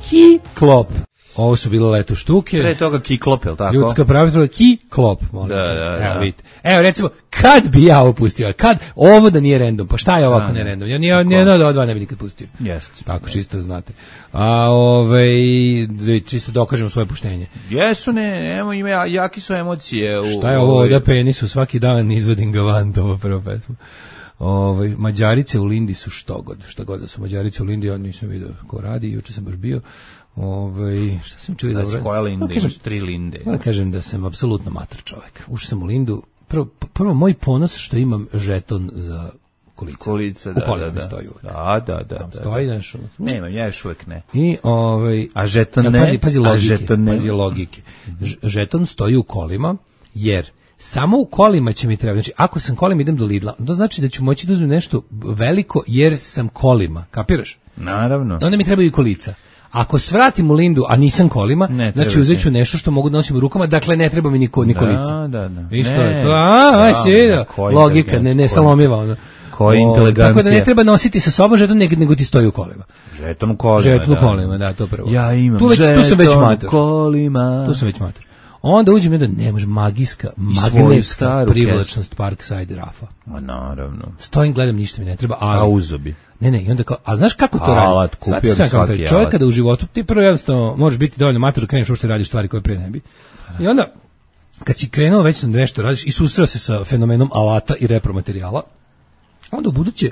Ki klop. Ovo su bile leto štuke. Pre toga Kiklop, je li tako? Ljudska pravila, Kiklop. Da. Evo, recimo, kad bi ja ovo pustio? Ovo da nije random, pa šta je ovako ne random? Ja nijedno od dva ne bi nikad pustio. Jeste. Tako, čisto znate. Čisto dokažemo svoje puštenje. Jesu, jaki su emocije. Šta je ovo da penisu, svaki dan izvodim galant, ovo prvo pesmu. Mađarice u Lindi su što god da su Mađarice u Lindi, ja nisam vidio ko radi, juče sam baš bio. Šta sam čuli dobro? Koja Linde? Imaš 3 Linde. Moram kažem da sam apsolutno mator čovjek. Ušao sam u Lindu. Prvo moj ponos što imam žeton za kolica. Da. Stoji uvijek. Da. Stoji nešto. Nemam, ja još uvijek ne. A žeton ne? Pazi logike. Žeton stoji u kolima, jer samo u kolima će mi trebati. Znači, ako sam kolima idem do Lidla, to znači da ću moći da uzmem nešto veliko jer sam kolima, kapiraš? Naravno. Onda mi trebaju i kolica. Ako svratim u Lindu, a nisam kolima, znači uzet ću nešto što mogu da nosim u rukama, dakle ne treba mi ni kolica. Da. Viš to je to? Logika, ne salomiva ono. Koja inteligencija. Tako da ne treba nositi sa sobom žeton, nego ti stoji u kolima. Žeton u kolima, da, to prvo. Ja imam tu sam već mater. Kolima. Tu sam već mater. Onda uđem jedan, ne može, magnetska privlačnost Parkside Rafa. Ma naravno. Stojim, gledam, ništa mi ne treba, ali... A uzobi. Ne, i onda kao, a znaš kako to radi? Alat, kupio bi svaki čovjek kada u životu, ti prvo jednostavno možeš biti dovoljno mater da kreneš uopšte radiš stvari koje prije ne bi. I onda, kad si krenuo već da nešto radiš i susreo se sa fenomenom alata i repromaterijala, onda u buduće,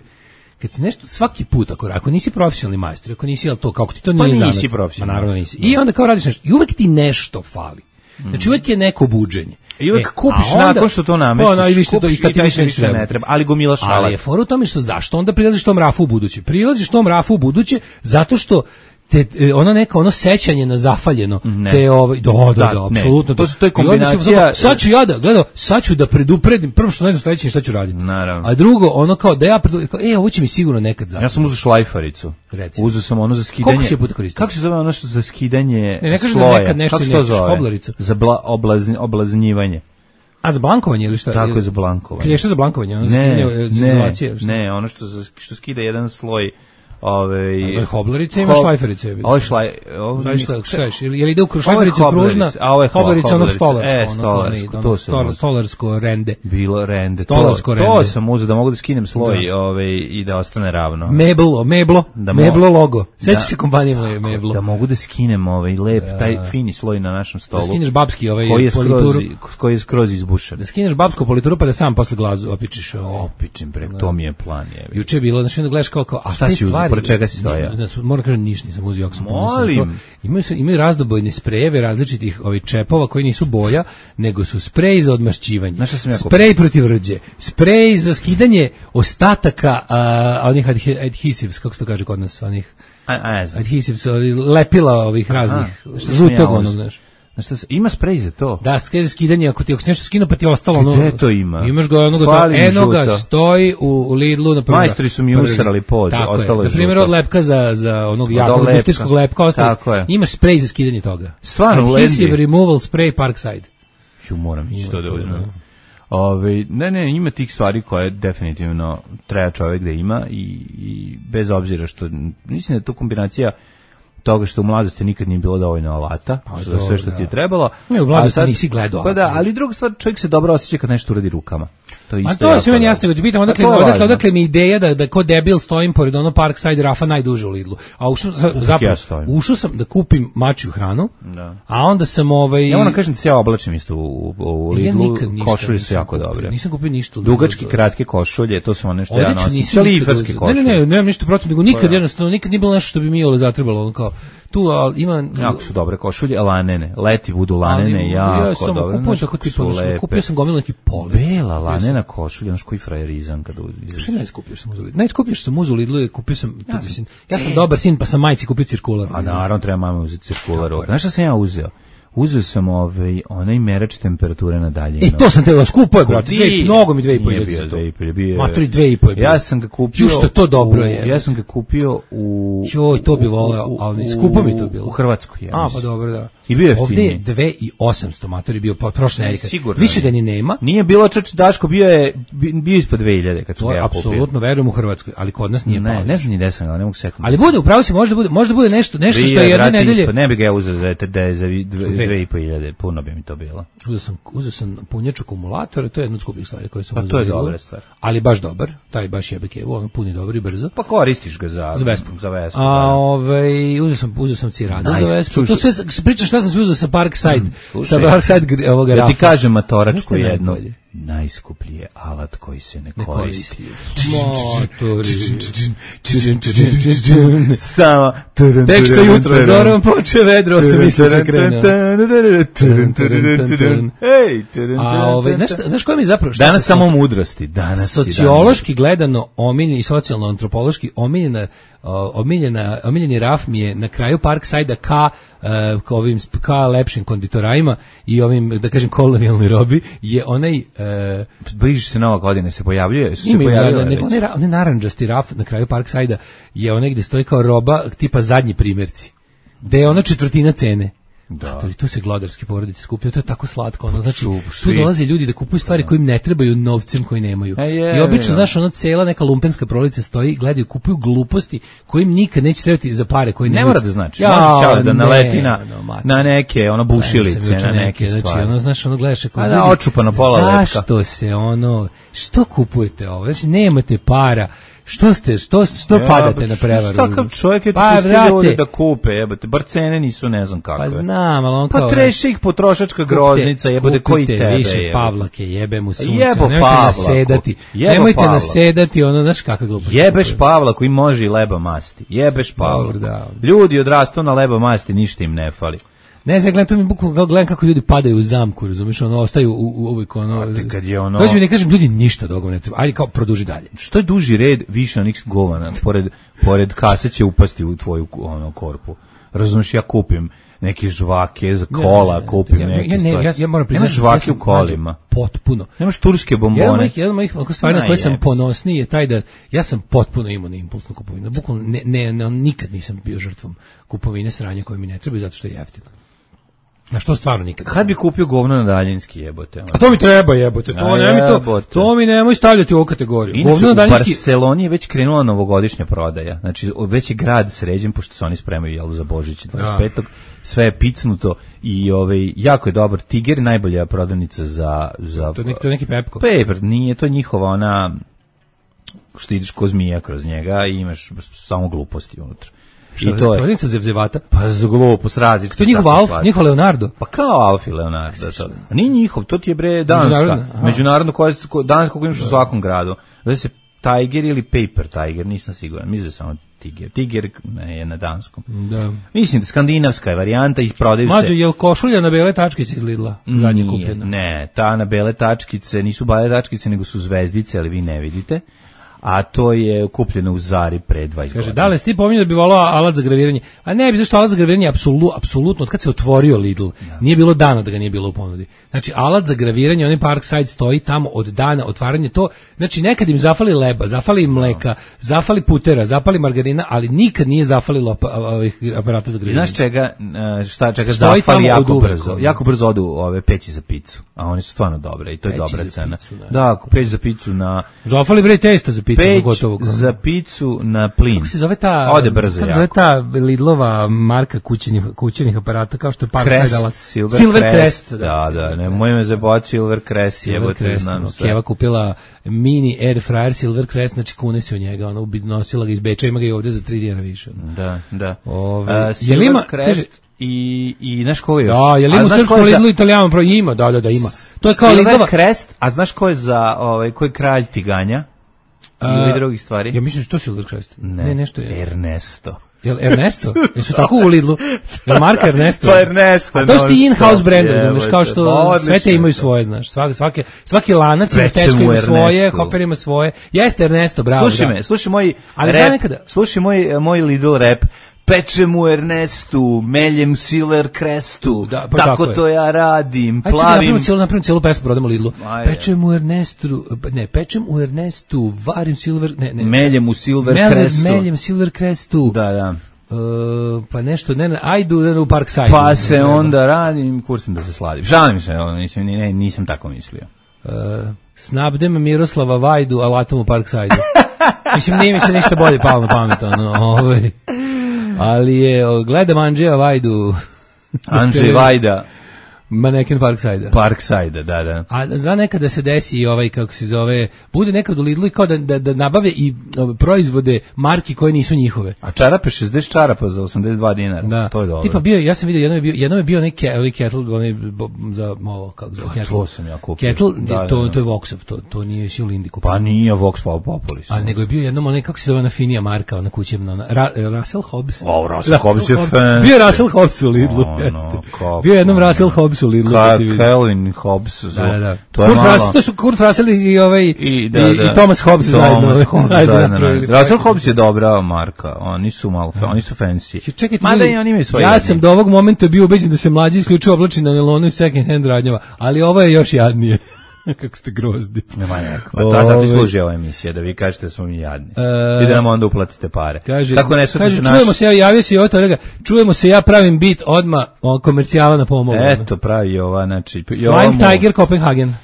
kad si nešto, svaki put, ako nisi profesionalni majstor, ako nisi, to, kako ti to nije zanat. Pa nisi profesionalni. Naravno nisi. I onda kao radiš nešto, i uvek ti nešto fali. Znači uvek je neko buđenje. I uvek kupiš nakon što to namestiš, kupiš i taj više ne treba, ali gomilaš alat. Ali je fora u tome što zašto onda prilaziš tom rafu u buduće? Prilaziš tom rafu u buduće zato što te ono sećanje na zafaljeno, te da, apsolutno to je kombinacija. Sad ću da predupredim, prvo što ne znam sledeće šta ću raditi. Naravno. A drugo, ono kao da ja ovo će mi sigurno nekad zapravo. Ja sam uzeo šlajfaricu. Uzeo sam ono za skidanje. Koliko si je puta koristio? Kako se zove ono što za skidanje sloja? Ne kažeš da nekad nešto nećeš, koblaricu. Za oblaznjivanje. A za blankovanje ili šta? Tako je za blankovanje. Klješta za blankovanje, ono ne, ono što skida jedan sloj. Hoblerice ima šlajferice. Ili ide u šlajfericu kružna, hoblerica onog stolarsko rende. Bilo rende. Stolarsko rende. To sam uzeo da mogu da skinem sloj i da ostane ravno. Meblo logo. Sećaš se kompanije Meblo? Da mogu da skinem lep, taj fini sloj na našem stolu. Da skineš babski polituru. Koji je skroz izbušen. Da skineš babsku polituru pa da sam posle glazu opičiš. Opičim preko, to mi je plan. Juče je bilo, znači da gledaš kao, a šta si uzeo? Pored čega si stoja? Moram kažem, ništa nisam uzio. Molim. Imaju razdobojne sprejeve različitih čepova koji nisu boja, nego su sprej za odmašćivanje, sprej protiv rđe, sprej za skidanje ostataka onih adhesives, kako se to kaže kod nas, onih adhesives, lepila ovih raznih, žutog onog, znaš. Ima sprej za to? Da, za skidanje, ako si nešto skinuo pa ti je ostalo ono... Gde to ima? Imaš ga onoga, enoga stoji u Lidlu, na primjer. Majstori su mi usrali pod, ostalo je žuto. Na primjer, od lepka za onog jakog industrijskog lepka, ostalo. Imaš sprej za skidanje toga. Stvarno, u Adhesive removal spray Parkside. Moram ići to da uzmem. Ne, ima tih stvari koje definitivno treba čovjek da ima i bez obzira što, mislim da je to kombinacija toga što u mladosti nikad nije bilo dovoljno alata, za sve što ti je trebalo. Ne, u mladosti nisi gledao. Pa da, ali druga stvar, čovjek se dobro osjeća kad nešto uradi rukama. To je sve meni jasno, ti pitam odakle mi ideja da ko debil stojim pored ono Parkside Rafa najduže u Lidlu. A ušao sam da kupim mačju hranu, a onda sam Ja moram kažem da se ja oblačim isto u Lidlu, košulje su jako dobre. Nisam kupio ništa. Dugački, kratke košulje, to su one što ja nosim. Šaliferske košulje. Ne, nemam ništa protiv, nego nikad jednostavno, nikad nije bilo nešto što bi mi zatrebalo, kao tu ima jako su dobre košulje, lanene, leti budu lanene, jako dobro. Kupio sam gomilu neki polic. Bela lanena košulja, znaš koji frajerizam kada uđeš. Što najskupljiš sam uzeli? Najskupljiš sam uzeli Lidlu, kupio sam, ja sam dobar sin, pa sam majci kupio cirkular. A naravno treba mama uzeti cirkular. Znaš šta sam ja uzeo? Uzeo sam onaj merač temperature na daljinu. To sam te skupo je, brate. Mnogo mi 2,5 bio. Maturi 2,5. Ja sam ga kupio. Što to dobro je. Ja sam ga kupio u to bi voleo, ali skupo mi to bilo. U Hrvatskoj, ja. Pa dobro, da. I bio je jeftiniji. Ovdje je 2.800 matori bio prošle nedelje. Više ga ni nema. Nije bilo Daško, bio ispod 2000 kad sam ga ja kupio. Apsolutno verujem u Hrvatskoj, ali kod nas nije pao. Ne znam ni gde sam ga, ne mogu setiti. Ali bude, upravo si, možda bude nešto što je jedne nedelje. Ne bi ga ja uzeo za 2.500, puno bi mi to bilo. Uzeo sam punjač akumulatora, to je jedna od skupih stvari koje sam uzeo. Pa to je dobra stvar. Ali baš dobar, taj baš jebe kevu, on puni dobro i brzo. Pa koristiš ga za Vespu. A uzeo sam Cirada za Vespu. To sve pričam šta sam sve uzeo sa Parkside, ovoga Rafa. Ja ti kažem matoračku jednu. Najskuplji je alat koji se ne koristi. Samo tek što jutro zorom poče vedro, sam mislio se krenuo. Znaš koja mi zapravo... Danas samo mudrosti. Sociološki gledano omiljena i socijalno-antropološki omiljena omiljeni raf mi je na kraju Parkside-a ka lepšim konditorajima i ovim, da kažem, kolonijalnoj robi, je onaj... Bliži se Nova godina, se pojavljuje? Onaj narandžasti raf na kraju Parkside-a je onaj gde stoji kao roba tipa zadnji primjerci, gde je ona četvrtina cene. Da. To se glodarske porodice skupljaju, to je tako slatko, ono, znači, tu dolaze ljudi da kupuju stvari koje im ne trebaju novcem koji nemaju. I obično, znaš, ona cela neka lumpenska prolica stoji, gledaju, kupuju gluposti koje im nikad neće trebati za pare koje ne mora da znači. Može čao da naleti na neke, ono, bušilice, na neke stvari. Znači, ono, znaš, ono, gledaš ako ljudi, očupano pola lepka. Zašto se, ono, što kupujete ovo? Znači, nemate para. Što padate na prevaru? Takav čovjek je pustio ljude da kupe, jebote, bar cene nisu ne znam kakve. Pa znam, ali on kao... Pa treši ih potrošačka groznica, jebote, koji tebe jebote. Više Pavlake, jebe mu sunce, nemojte nasedati, ono, znaš kakve gluposti. Jebeš Pavlaku i može i leba masti, jebeš Pavlaku. Ljudi odrastu na leba masti, ništa im ne fali. Ne znam, gledam kako ljudi padaju u zamku, razumiješ, ono, ostaju uvijek, ono... Kad je ono... Dođe mi ne kažem, ljudi ništa dogo ne treba, ajde kao produži dalje. Što je duži red, više onih govana, pored kase će upasti u tvoju korpu. Razumiješ, ja kupim neke žvake za kola, kupim neke stvari. Ja moram priznati, nemaš žvake u kolima. Potpuno. Nemaš turske bombone. Jedan od mojih stvari na koje sam ponosniji je taj da ja sam potpuno imao na impulsnu kupovinu. Bukvalno nikad nisam bio žrtvom kupovine sranja koje mi ne treba zato što je jeftino. Na što stvarno nikad. Kad bi kupio govno na daljinski, jebote? A to mi treba, jebote. To mi nemoj stavljati u ovu kategoriju. Inače, u Barceloni je već krenula novogodišnja prodaja. Znači, već je grad sređen, pošto se oni spremaju jelu za Božić 25. Sve je picnuto i jako je dobar. Tiger, najbolja prodavnica za... To je neki Pepko. Paper, nije, to je njihova ona... što ideš ko zmija kroz njega i imaš samo gluposti unutra. I to je prodavnica zevzevata. Pa za glupost različite. To je njihov Alf, njihov Leonardo. Pa kao Alf i Leonardo. A nije njihov, to ti je bre danska. Međunarodno danska koju imaš u svakom gradu. Zove se Tiger ili Paper Tiger, nisam siguran. Mislim da je samo Tiger. Tiger je na danskom. Da. Mislim da skandinavska je varijanta i prodaju se... Mađo, je li košulja na bele tačkice iz Lidla? Nije, ne. Ta na bele tačkice nisu bele tačkice, nego su zvezdice, ali vi ne vidite. A to je kupljeno u Zari pre 20 godina. Kaže, da li si ti pominjao da bi volao alat za graviranje? A ne, zašto alat za graviranje je apsolutno, od kad se otvorio Lidl, nije bilo dana da ga nije bilo u ponudi. Znači, alat za graviranje, onaj Parkside stoji tamo od dana otvaranja to, znači nekad im zafali leba, zafali mleka, zafali putera, zafali margarina, ali nikad nije zafalilo aparata za graviranje. Znaš čega zafali jako brzo? Jako brzo odu ove peći za picu, a oni su stvarno dobre i to je dobra cena. Da, peć za picu na... Zafali bre testa za peć za picu na plin. Kako se zove ta? Ode brzo jako. Kako se zove ta Lidlova marka kućenih aparata kao što je Parkside? Silver Crest. Da, nemoj me zabavati Silver Crest. Keva kupila mini air fryer Silver Crest, znači kune se u njega, ona nosila ga iz Beča, ima ga i ovdje za 3 dinara više. Da. Silver Crest i znaš ko je još? Da, je li ima u srpskom Lidlu Italijama? Ima, da, ima. To je kao Silver Crest, a znaš ko je za, ko je kralj tiganja? Ili drugih stvari? Ja mislim što Silver Crest. Ne, nešto je. Ernesto. Jel Ernesto? Jesu tako u Lidlu? Jel marka Ernesto? To je Ernesto. A to su ti in-house brand, razumiješ, kao što sve te imaju svoje, znaš. Svaki lanac ima Tesco ima svoje, Hofer ima svoje. Jeste Ernesto, bravo. Slušaj moj Lidl rap. Pečem u Ernestu, meljem Silver Crestu, tako to ja radim, plavim... Ajde, napravim cijelu pesmu, prodamo Lidlu. Pečem u Ernestu, varim Silver... Meljem u Silver Crestu. Meljem Silver Crestu. Da. Pa nešto, ajdu u Parkside. Pa se onda radim, kursim da se sladim. Žalim se, nisam tako mislio. Snabdem Miroslava Vajdu, alatom u Parkside. Mislim, nije mi se ništa bolje palo na pamet, ali je, gledam Andžeja Vajdu. Andžej Vajda. Maneken Parkside. Parkside, da. A zna nekada se desi kako se zove, bude nekad u Lidlu i kao da nabave i proizvode marki koje nisu njihove. A čarape, 60 čarapa za 82 dinara. Da. To je dobro. Tipa bio, ja sam vidio, jednom je bio neki kettle, onaj za ovo, kako zove, kettle. To sam ja kupio. Kettle, to je Voxov, to nije si u Lindi kupio. Pa nije Vox Populis. A nego je bio jednom onaj, kako se zove, na finija marka, ona kućevna, Russell Hobbs. Russell Hobbs je fan. Bio Russell Hobbs u Lidlu, jeste. Bio jednom Russell Hobbs Hobbes u Lidlu. Calvin Hobbes. Da. To je malo. To su Kurt Russell i Thomas Hobbes zajedno. Russell Hobbes je dobra marka. Oni su fancy. Čekajte, mada i oni imaju svoje. Ja sam do ovog momenta bio ubeđen da se mlađi isključivo oblači na nelonu i second hand radnjama, ali ovo je još jadnije. Kako ste grozni. Nema neko. Pa zato i služi ova emisija, da vi kažete da smo mi jadni. I da nam onda uplatite pare. Kaže, čujemo se, ja javio se i oto, čujemo se, ja pravim bit odmah komercijala na pomogu. Eto, pravi ova, znači... Flying Tiger, Copenhagen.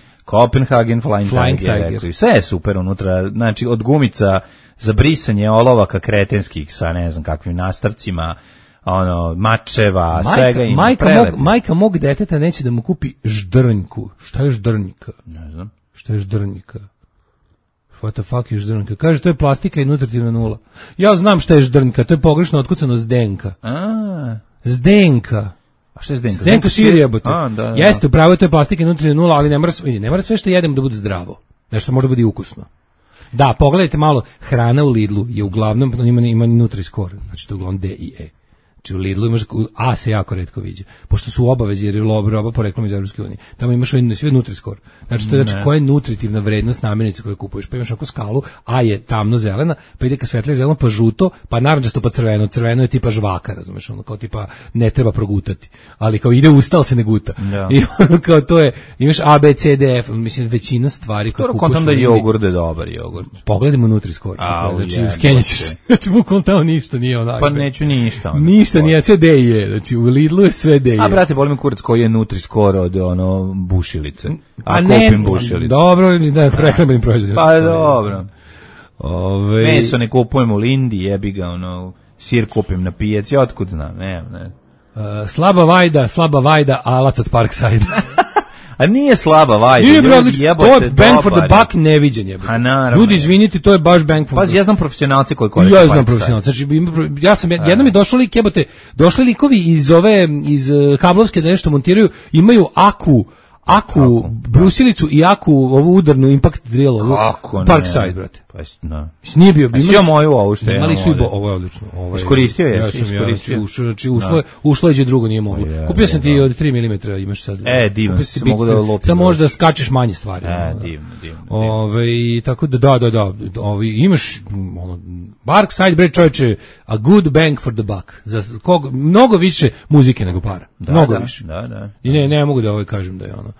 Flying Tiger. Sve je super unutra, znači od gumica za brisanje olovaka kretenskih sa ne znam kakvim nastavcima, mačeva, svega ima. Majka mog deteta neće da mu kupi ždrnjku. Šta je ždrnjka? Ne znam. Šta je ždrnjka? What the fuck je ždrnjka? Kaže, to je plastika i nutritivna nula. Ja znam šta je ždrnjka, to je pogrešno otkucano zdenka. Zdenka. A šta je zdenka? Zdenka sir jebote. Jeste, upravo to je plastika i nutritivna nula, ali ne mora sve što jedemo da bude zdravo. Nešto može biti ukusno. Da, pogledajte malo, hrana u Lidlu je uglavnom, ima Nutri-Score, znači to je uglavnom D i E. Znači u Lidlu imaš, A se jako retko viđe, pošto su obavezi jer je roba poreklom iz Evropske unije. Tamo imaš sve Nutri-Score. Znači to je koja je nutritivna vrednost namirnice koju kupuješ. Pa imaš ako skalu, A je tamno zelena, pa ide ka svetlije zeleno, pa žuto, pa narandžasto, pa crveno. Crveno je tipa žvaka, razumeš, kao tipa ne treba progutati. Ali kao ide usta, ali se ne guta. I kao to je, imaš A, B, C, D, F, mislim većina stvari koje kupuješ. Kontam da je jogurt je dobar jogurt. Pogledajmo Nutri-Score. Znači skenjaćeš se. Znači bukvalno tamo ništa nije onako. Pa neću ništa. Ništa nije, sve D i E, znači u Lidlu je sve D i E. A brate, boli me kurac koji je Nutri-Score od bušilice. A kupim bušilice. Dobro, da prehrambenim proizvodima. Pa dobro. Meso ne kupujem u Lindi, jebi ga, sir kupim na pijaci, otkud znam, ne. Slaba vajda, alat od Parkside. A nije slaba vajda. Nije bre, to je bang for the buck neviđen je. Ljudi, izvinite, to je baš bang for the buck. Pa ja znam profesionalce koji koriste. Ja znam profesionalce. Znači, jednom mi došli likovi iz kablovske da nešto montiraju, imaju Aku brusilicu i Aku ovu udarnu impact drill. Kako ne? Parkside, brate. Pa no. Nije bio. Ja moju ovu što je. Imali su ovo je odlično. Iskoristio je. Ušlo je drugo nije moglo. Kupio sam ti od 3 mm, imaš sad. Divno, se mogu da lopim. Samo možda skačeš manje stvari. Divno. Tako da, imaš Parkside, bre čoveče, a good bang for the buck. Za mnogo više muzike nego para. Mnogo više. Da. I ne mogu da kažem da je ono.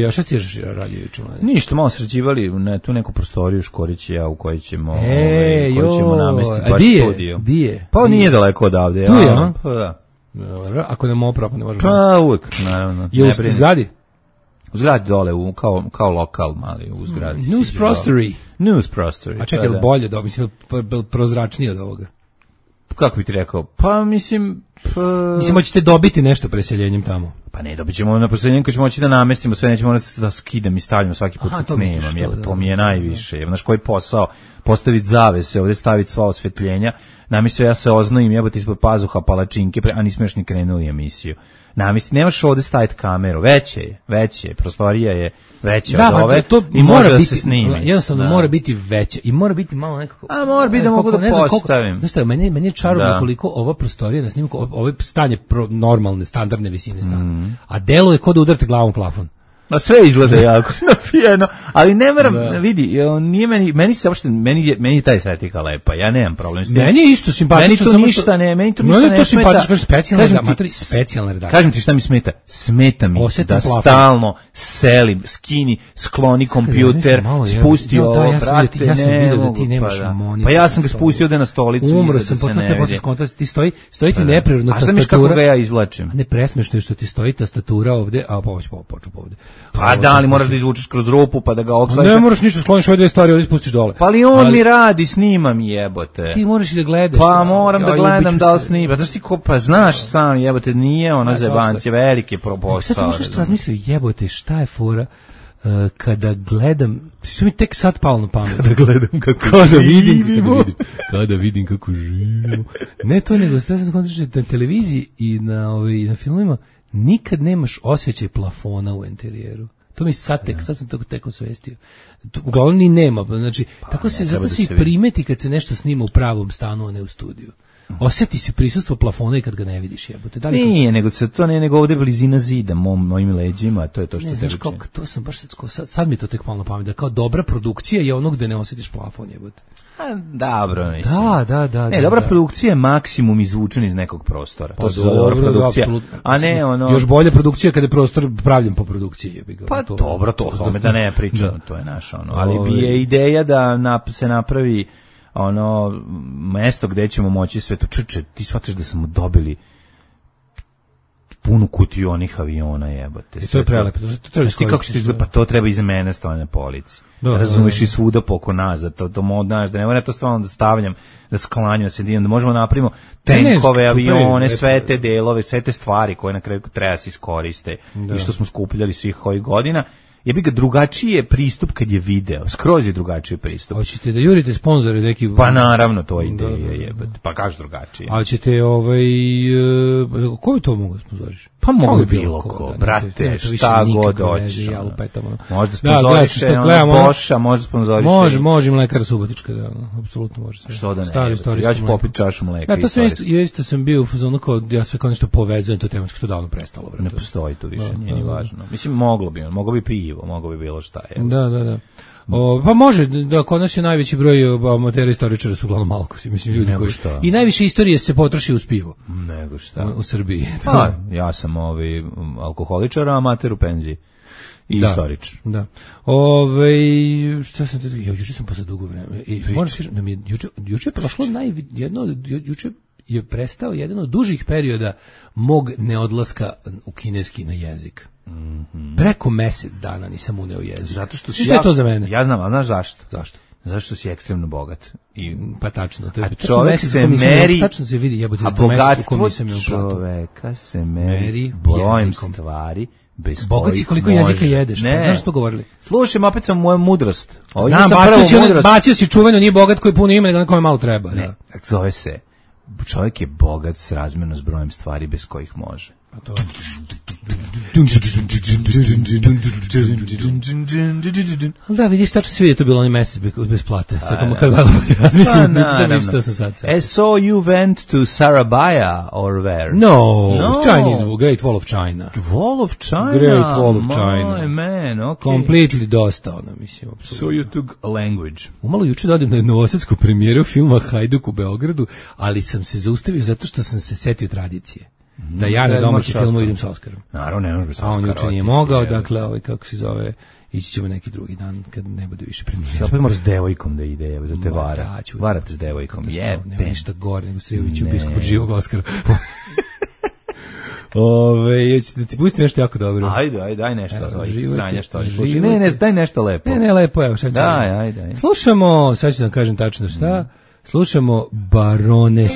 A šta ti je radio juče? Ništa, malo sređivali tu neku prostoriju Škorić i ja u kojoj ćemo namestiti baš studio. Di? Pa nije daleko odavde. Tu je, a? Pa da. Ako ne mogu ne možemo. Pa uvek, naravno. Je u zgradi? U zgradi dole, kao lokal mali u zgradi. News Prostory. A čekaj, bolje da, mislim, prozračnije od ovoga. Kako bi ti rekao? Pa mislim, hoćete dobiti nešto preseljenjem tamo. Pa ne, dobit ćemo na preseljenjem koji ćemo moći da namestimo, sve nećemo morati da skidam i stavljamo svaki put kad snimam. To mi je najviše. Znaš koji posao? Postaviti zavese, ovdje staviti sva osvetljenja. Namestio ja se oznojim, jebote ispod pazuha palačinke, a nismo još ni krenuli emisiju. Namesti, nemaš ovdje staviti kameru, veće je, prostorija je veća od ove i može da se snimi. Jednostavno mora biti veće i mora biti malo nekako... A mora biti da mogu da postavim. Znaš šta, meni je čarobno koliko ova prostorija na snimku, ovo stanje normalne, standardne visine stana, a delo je kod da udarite glavom plafon. A sve izgleda jako nafijeno, ali ne moram, vidi, nije meni se uopšte, meni je taj estetika lepa, ja nemam problem s tim. Meni je isto simpatično. Meni to ništa ne smeta. Specijalna redakcija. Kažem ti šta mi smeta. Smeta mi da stalno selim, skini, skloni kompjuter, spusti ovo, brate, ja sam vidio da ti nemaš monitor. Pa ja sam ga spustio ovde na stolicu. Umro sam, potom te posle skontati, ti stoji ti neprirodno tastatura. A znaš kako ga ja izvlačim? Ne, presmešno je što ti stoji tastatura ovde, a poču ovde. Pa da, ali moraš da izvučeš kroz rupu pa da ga okslaš. Ne moraš ništa, skloniš ove dve stvari, ovdje spustiš dole. Pa ali on mi radi, snima mi jebote. Ti moraš i da gledaš. Pa moram da gledam da li snima. Znaš ti ko, pa znaš sam jebote, nije ona zebancija, velike posao. Sad sam što razmislio, jebote, šta je fora kada gledam, što mi tek sad palo na pamet. Kada vidim kako živimo. Ne to nego, sad sam kontrašao na televiziji i na filmima, nikad nemaš osjećaj plafona u interijeru. To mi sad sam tek osvestio. Uglavnom ni nema, znači, zato se i primeti kad se nešto snima u pravom stanu, a ne u studiju. Osjeti se prisustvo plafona i kad ga ne vidiš, jebote. Da li nije, nego se to ne, nego ovde blizina zida mojim leđima, to je to što ne, se znaš kako, to sam baš sad mi to tek palo na pamet, da kao dobra produkcija je ono gde ne osjetiš plafon, jebote. Dobro, mislim. Da. Ne, dobra produkcija je maksimum izvučen iz nekog prostora. To je dobra produkcija. A ne ono... Još bolja produkcija kada je prostor pravljen po produkciji. Jebiga, pa to, dobro, to o tome da ne pričam, to je naš ono. Ali bi je ideja da se napravi ono mesto gde ćemo moći sve to. Ti shvataš da smo dobili punu kutiju onih aviona, jebote. I to je prelepo. Ti kako što izgleda, pa to treba iza mene stoje na polici. Razumiješ i svuda poko nas, da to znaš, da ne mora to stvarno da stavljam, da sklanjam se, da možemo napravimo tenkove, avione, sve te delove, sve te stvari koje na kraju treba se iskoriste i što smo skupljali svih ovih godina. Jebi ga, drugačiji je pristup kad je video, skroz je drugačiji pristup. Hoćete da jurite sponzore neki? Pa naravno, to je ideja, jebate, pa kaži drugačije. A ćete, ko bi to mogu sponzoriš? Pa mogu bilo ko, brate, šta god hoćeš. Možda sponzoriš Boša, možda sponzoriš... Može Mlekar Subotička, da, apsolutno može. Što da ne, ja ću popiti čašu mleka. Da, to sam isto sam bio u fazonu kao, ja sve kao nešto povezujem, to tematski to davno prestalo. Ne postoji tu više, nije ni važno. Mislim, moglo bi pivo, moglo bi bilo šta. Da. Pa može, da kod nas je najveći broj amatera istoričara su uglavnom alkosi, mislim ljudi koji i najviše istorije se potroši uz pivo. Nego šta? U Srbiji. Ja sam alkoholičar, amater u penziji. I istoričar. Da. Šta sam te juče sam posle dugo vremena. Možeš da mi juče prošlo juče je prestao jedan od dužih perioda mog neodlaska u kineski na jezik. Preko mesec dana nisam uneo jezik. Zato što je to za mene? Ja znam, a znaš zašto? Zašto? Zato što si ekstremno bogat. Pa tačno, to je čovjek se meri, tačno se vidi, jebote, a bogatstvo čoveka se meri brojem stvari bez bogat si koliko jezika jedeš. Ne. Znaš što govorili? Slušaj, opet sam moju mudrost. Znam, bacio si čuveno, nije bogat koji puno ima, nego na kome malo treba. Ne, zove se, čovjek je bogat s razmjerno s brojem stvari bez kojih može. A to da, vidiš, tačno svi je to bilo onaj mesec bez plate. Sad kad razmislim da mi što sam sad. So you went to Sarabaya or where? No, Chinese, Great Wall of China. Wall of China? Great Wall of China. My man, okay. Completely dosta, ono, mislim. So you took a language. Umalo juče dođem na novosadsku premijeru filma Hajduk u Beogradu, ali sam se zaustavio zato što sam se setio tradicije. Da ja na domaći filmu idem sa Oskarom. Naravno, ne može bez Oskara. A on juče nije mogao, dakle, kako se zove, ići ćemo neki drugi dan kad ne bude više premijera. Opet mora s devojkom da ide, da te vara. Varate s devojkom, Nema ništa gore nego Srejoviću biskup od živog Oskara. Hoćete da ti pustim nešto jako dobro? Ajde, daj nešto. Sranja što li. Ne, daj nešto lepo. Ne, lepo, evo, šta ću. Daj. Slušamo, sad ću da kažem tačno šta, slušamo Baroness.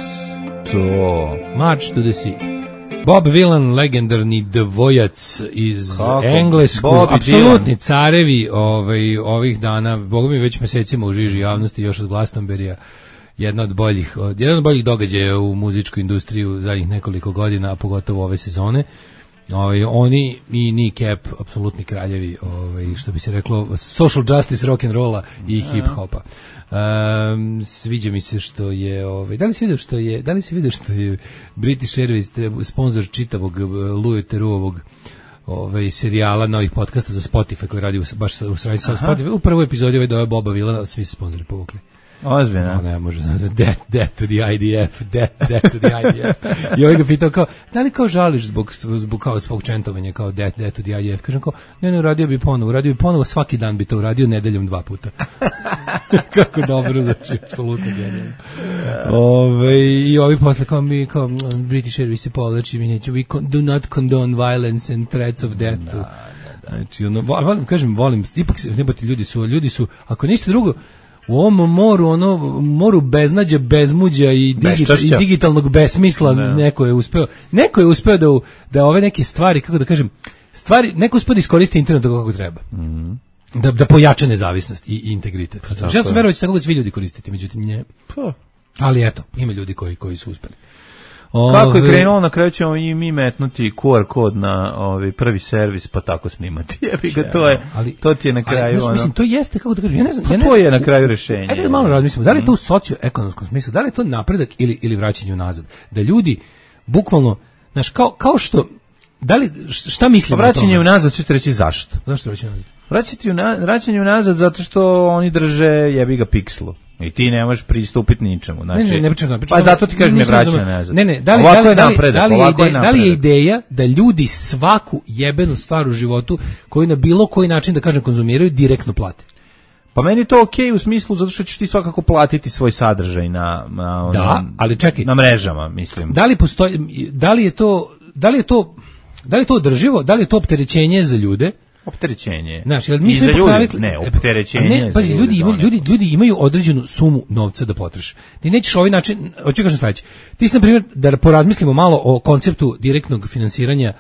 To. March to the Sea. Bob Dylan, legendarni dvojac iz Engleskog, apsolutni carevi ovih dana, boga mi već mesecima u žiži javnosti, još od Glastonberija, jedan od boljih događaja u muzičkoj industriji u zadnjih nekoliko godina, a pogotovo ove sezone. Oni i Nick Cap, apsolutni kraljevi, što bi se reklo, social justice, rock and rolla i hip hopa. Sviđa mi se što je, da li si vidio što je British Airways sponsor čitavog Louis Therouxovog serijala novih podcasta za Spotify koji radi baš u sredi sa Spotify. U prvoj epizodi dojao Boba Villana, svi se sponzori povukli. Ozbiljno. Ne može, death to the IDF, death to the IDF. I ga pitao kao, da li kao žališ zbog čentovanja, kao death to the IDF? Kažem kao, ne, uradio bi ponovo, svaki dan bi to uradio, nedeljom 2 puta. Kako dobro, znači, apsolutno genijalno. I ovi posle kao mi, kao British Airways se povlači, mi neću, we do not condone violence and threats of death. Znači, volim, ipak se, nebati, ljudi su, ako ništa drugo, u ovom moru beznađa, bezmuđa i digitalnog besmisla neko je uspeo da ove neke stvari, kako da kažem, neko uspeo da iskoristi internet kako treba. Da pojača nezavisnost i integritet. Ja sam verovao da će tako da svi ljudi koristiti, međutim ne. Ali eto, ima ljudi koji su uspeli. Kako je krenulo, na kraju ćemo i mi metnuti QR kod na prvi servis, pa tako snimati. Jebi ga, to ti je na kraju ono. Mislim, to jeste, kako da kažem, ja ne znam. To je na kraju rešenje. Ajde da malo razmislimo, da li je to u socioekonomskom smislu, da li je to napredak ili vraćanje unazad? Da ljudi, bukvalno, znaš, kao što, da li, šta mislimo o tome? Vraćanje unazad, ćete reći zašto? Zašto vraćanje unazad? Vraćanje unazad zato što oni drže jebi ga pikslu. I ti ne možeš pristupiti ničemu. Znači, ne pričam. Pa zato ti kažem ne vraćanje nazad. Ne, da li je ideja da ljudi svaku jebenu stvar u životu koju na bilo koji način, da kažem, konzumiraju, direktno plate? Pa meni je to okej u smislu zato što ćeš ti svakako platiti svoj sadržaj ali čekaj, na mrežama, mislim. Da li postoji, da li je to održivo, da li je to opterećenje za ljude? Opterećenje. Znaš, jel mi za ljudi, ne, opterećenje. Pazi, ljudi imaju određenu sumu novca da potroše. Ti nećeš ovaj način, hoću kažem sledeće. Ti si, na primjer, da porazmislimo malo o konceptu direktnog finansiranja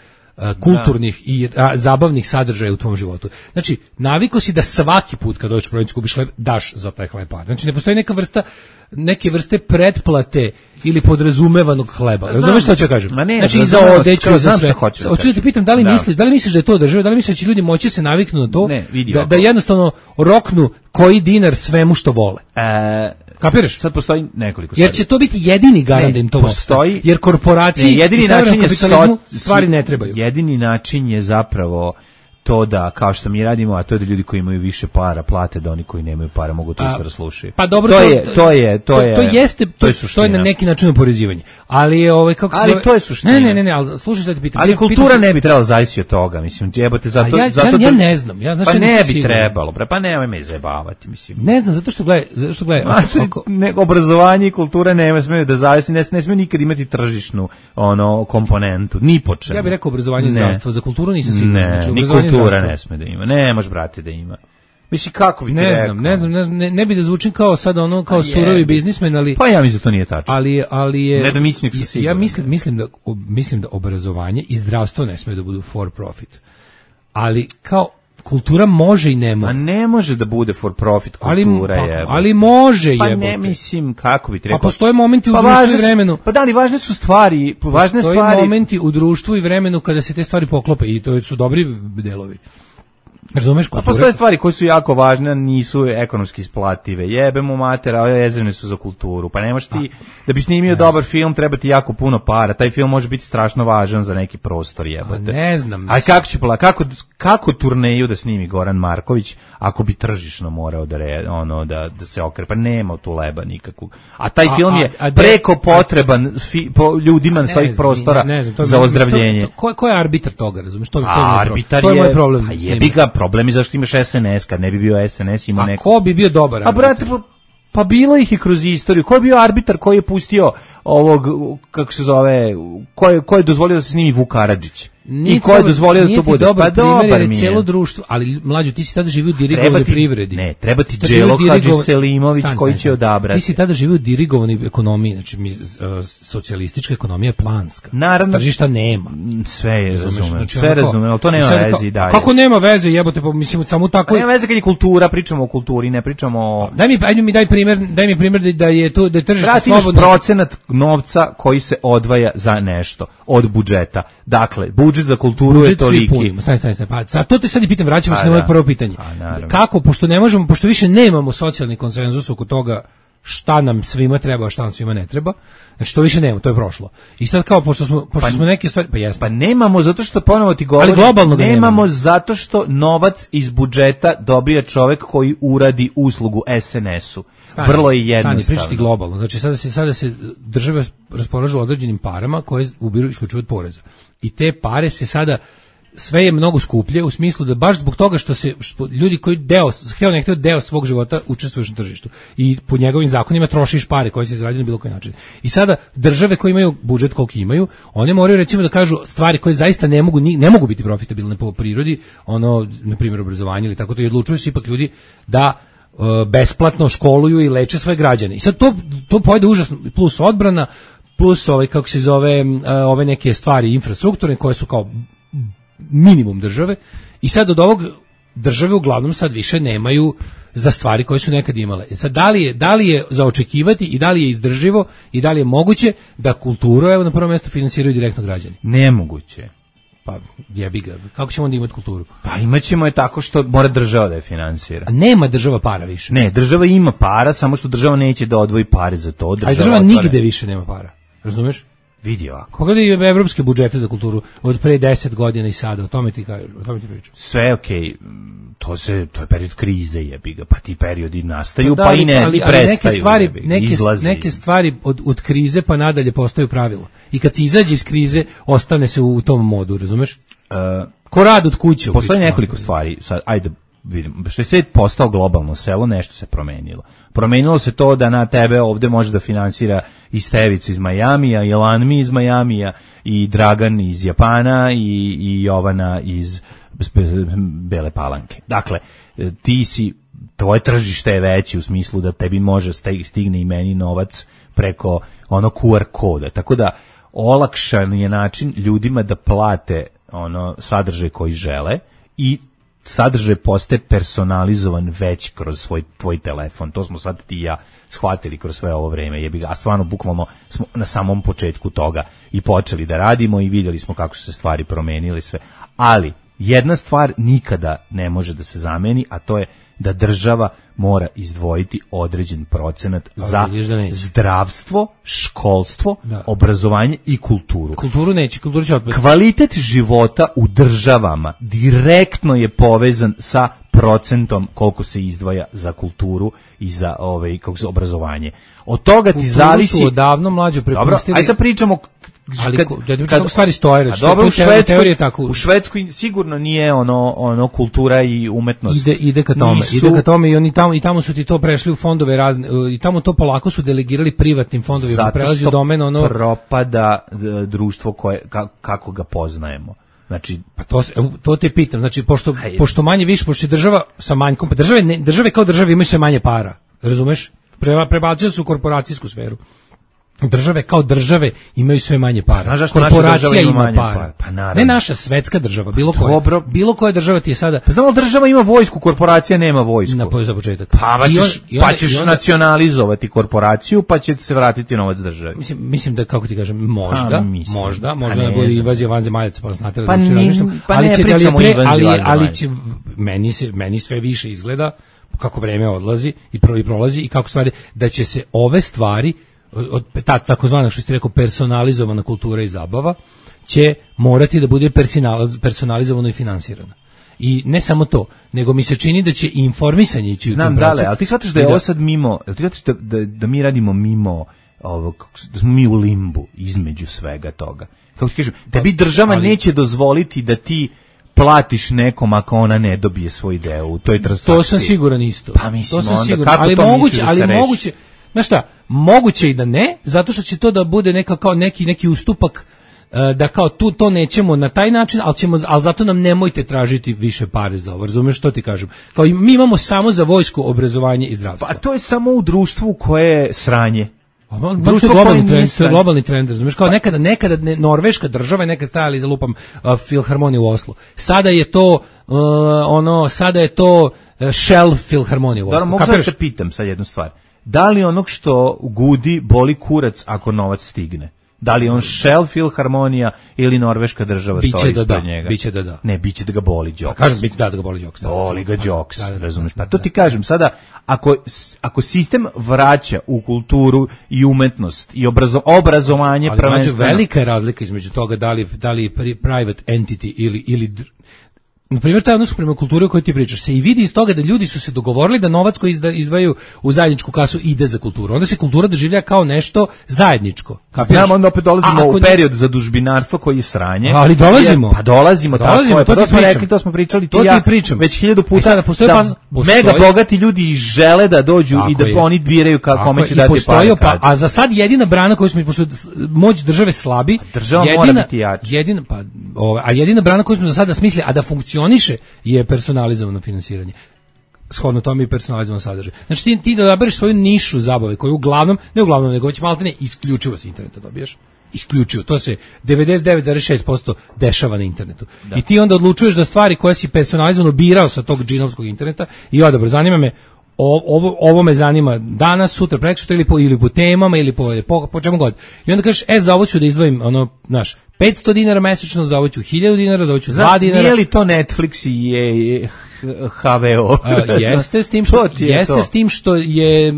kulturnih i zabavnih sadržaja u tvom životu. Znači, naviko si da svaki put kad dođeš u prodavnicu kupiš hleb, daš za taj hleb par. Znači, ne postoji neke vrste pretplate ili podrazumevanog hleba. Razumeš što ću kažem? Znači, i za odeću, i za sve. Hoću da te pitam, da li misliš da je to održivo, da li misliš da će ljudi moći se naviknu na to, da jednostavno roknu koji dinar svemu što vole? Kapiraš? Sad postoji nekoliko stvari. Jer će to biti jedini garant da im to postoji. Jer korporaciji jedini način je stvari ne trebaju. Jedini način je zapravo to da, kao što mi radimo, a to je da ljudi koji imaju više para plate, da oni koji nemaju para mogu to isto da slušaju. Pa dobro, to je na neki način oporezivanje. Ali je to je suština. Ne, ali slušaj šta ti pitam. Ali kultura ne bi trebala zavisiti od toga, mislim, jebote zato ja ne znam, pa ne bi trebalo, pa nemoj me zajebavati, mislim. Ne znam, zato što gledaj, obrazovanje i kultura ne smeju da zavisi, ne smeju nikad imati tržišnu komponentu, ni po čemu. Ja bih rekao obrazovanje i zdravstvo, za kulturu nisam siguran. Kultura ne sme da ima. Ne može, brate, da ima. Mislim, kako bi ti rekao? Ne bi da zvučim kao sad kao surovi biznismen, ali... Pa ja mislim da to nije tačno. Ali je... Ne da mislim sa sigurno. Ja mislim da obrazovanje i zdravstvo ne sme da budu for profit. Ali kao kultura može i ne može. A ne može da bude for profit kultura, ali može jebote. Pa ne mislim, kako bi ti rekao. Pa postoje momenti u društvu i vremenu. Pa da li važne su stvari, Postoje momenti u društvu i vremenu kada se te stvari poklope i to su dobri delovi. Razumeš, kultura? Postoje stvari koje su jako važne, nisu ekonomski isplative. Jebemo matera, ove jezerne su za kulturu. Pa nemaš ti, da bi snimio dobar film, treba ti jako puno para. Taj film može biti strašno važan za neki prostor, jebote. Ne znam. A kako turneju da snimi Goran Marković ako bi tržišno morao da se okreće? Pa nema tu leba nikakvog. A taj film je preko potreban ljudima sa ovih prostora za ozdravljenje. Ko je arbitar toga, razumeš? To je moj problem. Problem je zašto imaš SNS, kad ne bi bio SNS imao neko. A ko bi bio dobar arbitar? A brate, pa bilo ih i kroz istoriju. Ko je bio arbitar koji je pustio ovog, kako se zove, ko je dozvolio da se snimi Vuk Karadžić? I ko je dozvolio da to bude? Pa dobar mi je. Cijelo društvo, ali mlađo, ti si tada živio u dirigovanoj privredi. Ne, treba ti Đelo Hadžiselimović koji će odabrati. Ti si tada živio u dirigovanoj ekonomiji, znači socijalistička ekonomija je planska. Naravno. Tržišta nema. Sve je razumem, sve razumem, ali to nema veze i dalje. Kako nema veze, jebote, pa mislim samo tako. Nema veze kad je kultura, pričamo o kulturi, ne pričamo o... Daj mi primjer da je to da je tržište slobodno. Procenat novca koji se odvaja za nešto od budžeta. Dakle, budžet za kulturu je toliki. Stani. Pa to te sad i pitam, vraćamo se na moje prvo pitanje. Kako, pošto više nemamo socijalni konsenzus oko toga šta nam svima treba, a šta nam svima ne treba. Znači to više nemamo, to je prošlo. I sad kao pošto smo neke stvari, pa jesmo. Pa nemamo zato što ponovo ti govorim, nemamo zato što novac iz budžeta dobija čovek koji uradi uslugu SNS-u. Vrlo je jednostavno. Stani, pričati globalno. Znači sada se države raspolažu određenim parama koje ubiru isključivo od poreza. I te pare se sada sve je mnogo skuplje u smislu da baš zbog toga što ljudi koji deo svog života učestvuješ na tržištu i po njegovim zakonima trošiš pare koje se izrađuju na bilo koji način. I sada države koje imaju budžet koliki imaju, one moraju recimo da kažu stvari koje zaista ne mogu biti profitabilne po prirodi, na primjer obrazovanje ili tako to, i odlučuju se ipak ljudi da besplatno školuju i leče svoje građane. I sad to pojede užasno, plus odbrana, plus ove neke stvari infrastrukturne koje su kao minimum države. I sad od ovog države uglavnom sad više nemaju za stvari koje su nekad imale. Sad, da li je za očekivati i da li je izdrživo i da li je moguće da kulturu, evo na prvo mjesto, finansiraju direktno građani? Nemoguće. Pa jebi ga, kako ćemo onda imati kulturu? Pa imaćemo je tako što mora država da je finansira. A nema država para više. Ne, država ima para, samo što država neće da odvoji pare za to. Država nigde više nema para. Razumeš? Vidi ovako. Pogledaj evropske budžete za kulturu od pre 10 godina i sada, o tome ti pričam. Sve okej. To je period krize, jebi ga, pa ti periodi nastaju, pa i prestaju. Neke stvari od krize pa nadalje postaju pravilo. I kad se izađe iz krize, ostane se u tom modu, razumeš? Ko rad od kuće. Postoji nekoliko stvari, sad, ajde vidim, što je svijet postao globalno selo, nešto se promenilo. Promenilo se to da na tebe ovde može da finansira i Stevic iz Majamija, i Lanmi iz Majamija, i Dragan iz Japana, i Jovana iz Bele Palanke. Dakle, tvoje tržište je veće u smislu da tebi može stigne i meni novac preko ono QR koda. Tako da olakšan je način ljudima da plate ono sadržaj koji žele i sadržaj postaje personalizovan već kroz tvoj telefon. To smo sad ti i ja shvatili kroz sve ovo vreme. Jebi ga, a stvarno bukvalno smo na samom početku toga i počeli da radimo i vidjeli smo kako su se stvari promenile sve. Ali jedna stvar nikada ne može da se zameni, a to je da država mora izdvojiti određen procenat za zdravstvo, školstvo, obrazovanje i kulturu. Kulturu će odbiti. Kvalitet života u državama direktno je povezan sa procentom koliko se izdvaja za kulturu i za obrazovanje. Od toga ti zavisi... Kulturu su odavno mlađe prepustili... Dobro, ajde sad pričamo... Ali kako stvari stoje, dobro, u Švedskoj sigurno nije ono kultura i umetnost. Ide ka tome i tamo su ti to prešli u fondove razne, i tamo to polako su delegirali privatnim fondovima, prelazi u domen ono... Zato što propada društvo kako ga poznajemo. Znači, pa to te pitam, znači pošto manje više, pošto je država sa manjkom, pa države kao države imaju sve manje para, razumeš? Prebacuju se u korporacijsku sferu. Države kao države imaju sve manje para. Znaš zašto korporacija ima manje para? Pa ne naša svetska država, bilo koja država ti je sada... Pa znamo, država ima vojsku, korporacija nema vojsku. Za početak. Pa ćeš nacionalizovati korporaciju, pa će se vratiti novac državi. Mislim da, kako ti kažem, možda ne bude invazija vanzemaljaca, pa znate da ali će, meni sve više izgleda, kako vreme odlazi i prolazi i kako stvari, da će se ove stvari takozvana, što ste rekao, personalizovana kultura i zabava će morati da bude personalizovano i finansirano. I ne samo to, nego mi se čini da će informisanje ići u tom pravcu. Znam, ali ti shvataš da je ovo sad mimo, ti shvataš da mi radimo mimo ovog, da smo mi u limbu između svega toga. Kako ti kažem, tebi država neće dozvoliti da ti platiš nekom ako ona ne dobije svoj deo u toj transakciji. To sam siguran isto. Pa mislim, onda kako to misliš da se reši? Znaš šta, moguće i da ne, zato što će to da bude kao neki ustupak, da kao to nećemo na taj način, ali zato nam nemojte tražiti više pare za ovo, razumeš što ti kažem? Kao mi imamo samo za vojsku, obrazovanje i zdravstvo. Pa to je samo u društvu koje je sranje. To je globalni trend, razumeš? Kao nekada Norveška država je nekad stajala iza lupam Filharmonije u Oslu. Sada je to Shell Filharmonije u Oslu. Da, mogu sad te pitam sad jednu stvar. Da li onog što gudi boli kurac ako novac stigne? Da li on Shell Filharmonija ili Norveška država stoji ispred njega? Biće da da. Ne, biće da ga boli Đoks. Kažem, biće da ga boli Đoks. Boli ga Đoks, razumiješ? Pa to ti kažem, sada, ako sistem vraća u kulturu i umetnost i obrazovanje prvenstveno... Ali velika je razlika između toga da li private entity ili na primjer, taj odnos prema kulturi o kojoj ti pričaš se i vidi iz toga da ljudi su se dogovorili da novac koji izdvajaju u zajedničku kasu ide za kulturu. Onda se kultura doživlja kao nešto zajedničko. Znam, onda opet dolazimo u period zadužbinarstva koji je sranje. Ali dolazimo. Pa dolazimo, tako je. To smo rekli, to smo pričali ti ja već 1000 puta da mega bogati ljudi žele da dođu i da oni biraju kome će dati pare. A za sad jedina brana koju smo, pošto moć države slabi, država mora biti jača. Jedina brana koju smo za sada smislili, a da funkcioniše, je personalizovano finansiranje. Shodno tome i personalizovano sadržaj. Znači ti da odabereš svoju nišu zabave koju uglavnom, nego već maltene isključivo s interneta dobiješ. isključivo. To se 99,6% dešava na internetu. I ti onda odlučuješ da stvari koje si personalizovano birao sa tog džinovskog interneta i odabro, zanima me ovo me zanima danas, sutra, prekosutra ili po temama ili po čemu god. I onda kažeš, za ovo ću da izdvojim ono, znaš, 500 dinara mesečno, za ovo ću 1000 dinara, za ovo ću 2 dinara. Nije li to Netflix i HVO? Jeste s tim što je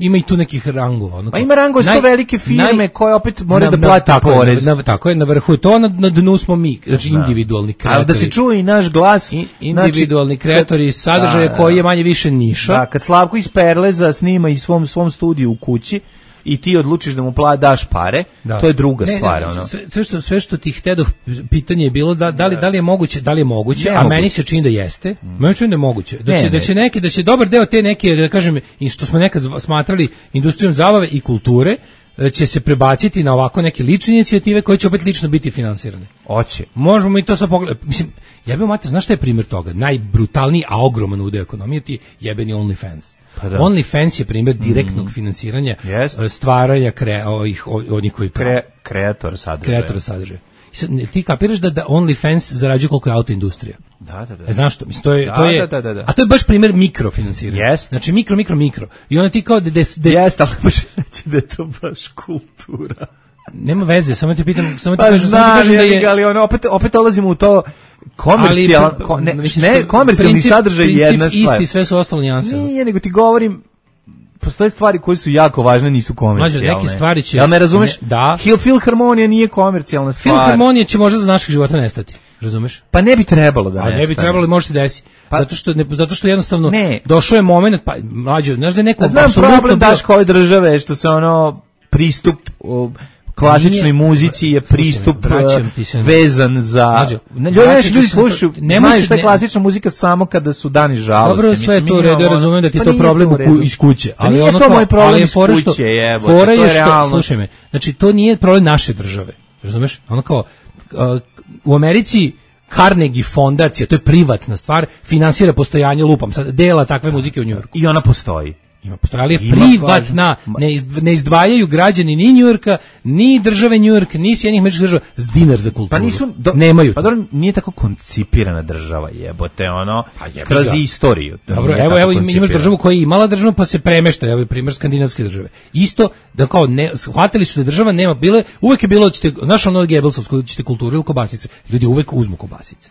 ima i tu nekih rangova. Pa ima rangova su velike firme koje opet moraju da plate porez. Tako je, na vrhu je to, na dnu smo mi, znači individualni kreatori. Ali da se čuje i naš glas. Individualni kreatori sadržaja koji je manje više niša. Da, kad Slavko iz Perleza snima i svom studiju u kući, i ti odlučiš da mu daš pare, to je druga stvar. Sve što ti htedoh, pitanje je bilo da li je moguće, a meni se čini da jeste, meni se čini da je moguće, da će dobar deo te neke, da kažem, i što smo nekad smatrali industrijom zabave i kulture, će se prebaciti na ovako neke lične inicijative koje će opet lično biti finansirane. Hoće. Možemo mi to sad pogledati. Mislim, jebeo mater, znaš šta je primjer toga? Najbrutalniji, a ogroman udeo ekonomije ti jebeni OnlyFans. Pa da. OnlyFans je primjer direktnog finansiranja stvaranja onih koji kreatora sadržaja. Ti kapiraš da OnlyFans zarađuje koliko je autoindustrija? Da. Znaš što? Mislim, to je. A to je baš primjer mikrofinansiranja. Znači mikro. I onda ti kao Jeste, ali može reći da je to baš kultura. Nema veze, samo ti pitam, kažem da je, ali ono opet dolazimo u to komercijalni sadržaj je jedna stvar. Isti, sve su ostalo nijanse. Nije, nego ti govorim, postoje stvari koje su jako važne, nisu komercijalne. Neke stvari će... Jel me razumeš? Da. Filharmonija nije komercijalna stvar. Filharmonija će možda za naših života nestati. Razumeš? Pa ne bi trebalo da nestane. Ne bi trebalo, može se desiti. Zato što jednostavno došao je moment, pa mlađe, znaš da je neko... Znam problem Daško ove države, što se pristup... klasičnoj muzici je pristup vezan za... Ljudi slušaju, znaju šta je klasična muzika samo kada su dani žalosti. Dobro, sve je to redu, ja razumijem da ti je to problem iz kuće. Ali nije to moj problem iz kuće, to je realno. Slušaj me, znači to nije problem naše države, razumeš? Ono kao, u Americi Carnegie fondacija, to je privatna stvar, finansira postojanje, lupam sad, dela takve muzike u Njujorku. I ona postoji. Ali je privatna, ne izdvajaju građani ni Njujorka, ni države Njujork, ni Sjedinjenih Američkih Država s dinar za kulturu. Nemaju. Pa dobro, nije tako koncipirana država, jebote, kroz istoriju. Dobro, evo imaš državu koja je imala državu pa se premešta, evo primjer skandinavske države. Isto, da kao shvatili su da država nema, uvek je bilo, znaš ono Gebelsovsko, ćete kulturu ili kobasice, ljudi uvek uzmu kobasice.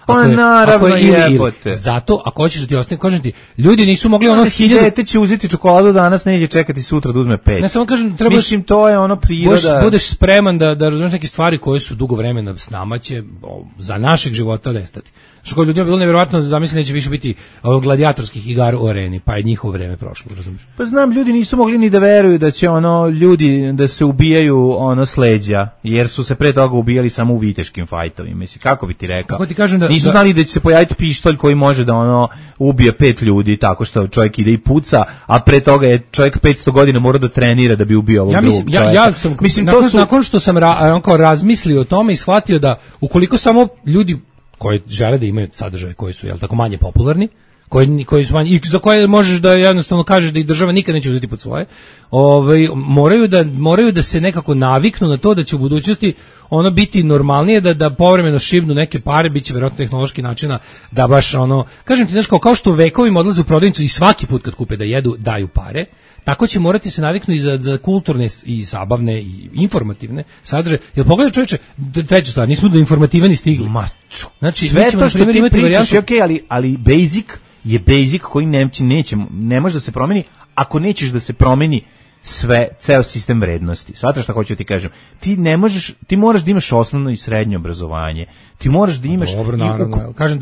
Pa naravno jebote. Zato, ako hoćeš da ti ostane, kažem ti, ljudi nisu mogli dete će uzeti čokoladu danas, neće čekati sutra da uzme 5. Ne, samo kažem, trebaš... Mislim, to je priroda... Budeš spreman da razumiješ neke stvari koje su dugo vremena s nama će za našeg života nestati. Što kod ljudima bilo nevjerovatno, zamisli neće više biti gladijatorskih igara u areni, pa je njihovo vreme prošlo, razumiješ? Pa znam, ljudi nisu mogli ni da veruju da će ljudi da se ubijaju s leđa, jer su se pre toga ubijali samo u viteškim fajtovima. Mislim, kako bi ti rekao? Kako ti kažem nisu znali da će se pojaviti pištolj koji može da ubije 5 ljudi tako što čovjek ide i puca, a pre toga je čovjek 500 godina mora da trenira da bi ubio ovog drugog čovjeka. Nakon što sam razmislio o tome i shvatio da ukoliko samo ljudi koji žele da imaju sadržaje koji su tako manje popularni, koji su manje, i za koje možeš da jednostavno kažeš da ih država nikad neće uzeti pod svoje, moraju da se nekako naviknu na to da će u budućnosti biti normalnije, da povremeno šibnu neke pare, bit će vjerojatno tehnološki načina da baš kažem ti, znaš, kao što vekovima odlaze u prodavnicu i svaki put kad kupe da jedu daju pare, tako će morati se naviknu i za kulturne i zabavne i informativne sadržaje. Jer pogledaj čovječe, treća stvar, nismo do informativani stigli. Znači, sve to što ti pričaš je okej, ali basic je basic koji ne može da se promeni ako nećeš da se promeni ceo sistem vrednosti. Shvataš šta hoću ti kažem? Ti moraš da imaš osnovno i srednje obrazovanje. Ti moraš da imaš... Dobro, naravno. Kažem,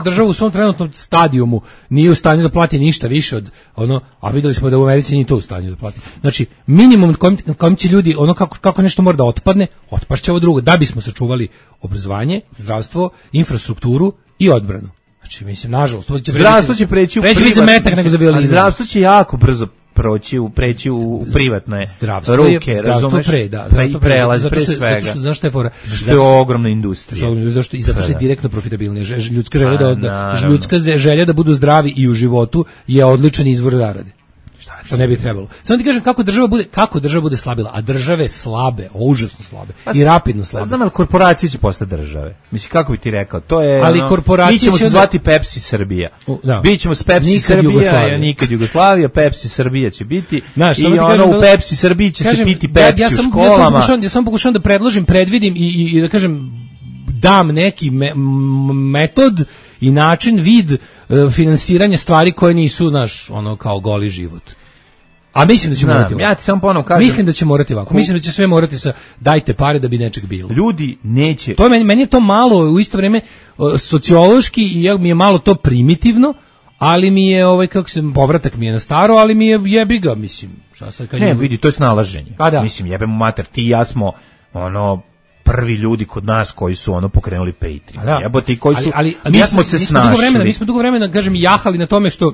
država u svom trenutnom stadijumu nije u stanju da plati ništa više od a videli smo da u Americi nije to u stanju da plati. Znači, minimum kojim će ljudi, kako nešto mora da otpadne, otpašće ovo drugo, da bismo sačuvali obrazovanje, zdravstvo, infrastrukturu i odbranu. Znači, mislim, nažalost, zdravstvo će preći u privatne, zdravstvo će jako brzo preći u privatne ruke, razumeš? Prelazi pre svega. Znaš šta je fora? Zašto je ogromna industrija. I zato što je direktno profitabilnije. Ljudska želja da budu zdravi i u životu je odličan izvor zarade. što ne bi trebalo. Samo ti kažem kako država bude slabila, a države slabe, užasno slabe i rapidno slabe. Znam, ali korporacije će postati države. Mislim, kako bi ti rekao, to je ali korporacije mi ćemo se zvati Pepsi Srbija. Bićemo s Pepsi nikad Srbija, nikad Jugoslavija, Pepsi Srbija će biti. Znaš, i ono u Pepsi Srbiji će se piti Pepsi u školama. Ja sam pokušao da predložim, i da kažem dam neki metod i način, vid finansiranja stvari koje nisu, znaš, ono kao goli život. A mislim da će morati ovako. Ja ti samo ponovno kažem. Mislim da će morati ovako. Mislim da će sve morati sa dajte pare da bi nečeg bilo. Ljudi neće. To je meni je to malo u isto vrijeme sociološki i mi je malo to primitivno, ali mi je povratak mi je na staro, ali mi je jebi ga, mislim. Šta sad kad vidi, to je snalaženje. Mislim, jebemo mater, ti i ja smo prvi ljudi kod nas koji su pokrenuli Patreon. Jebote, koji su mi smo se snašli. Mi smo dugo vremena, kažem, jahali na tome što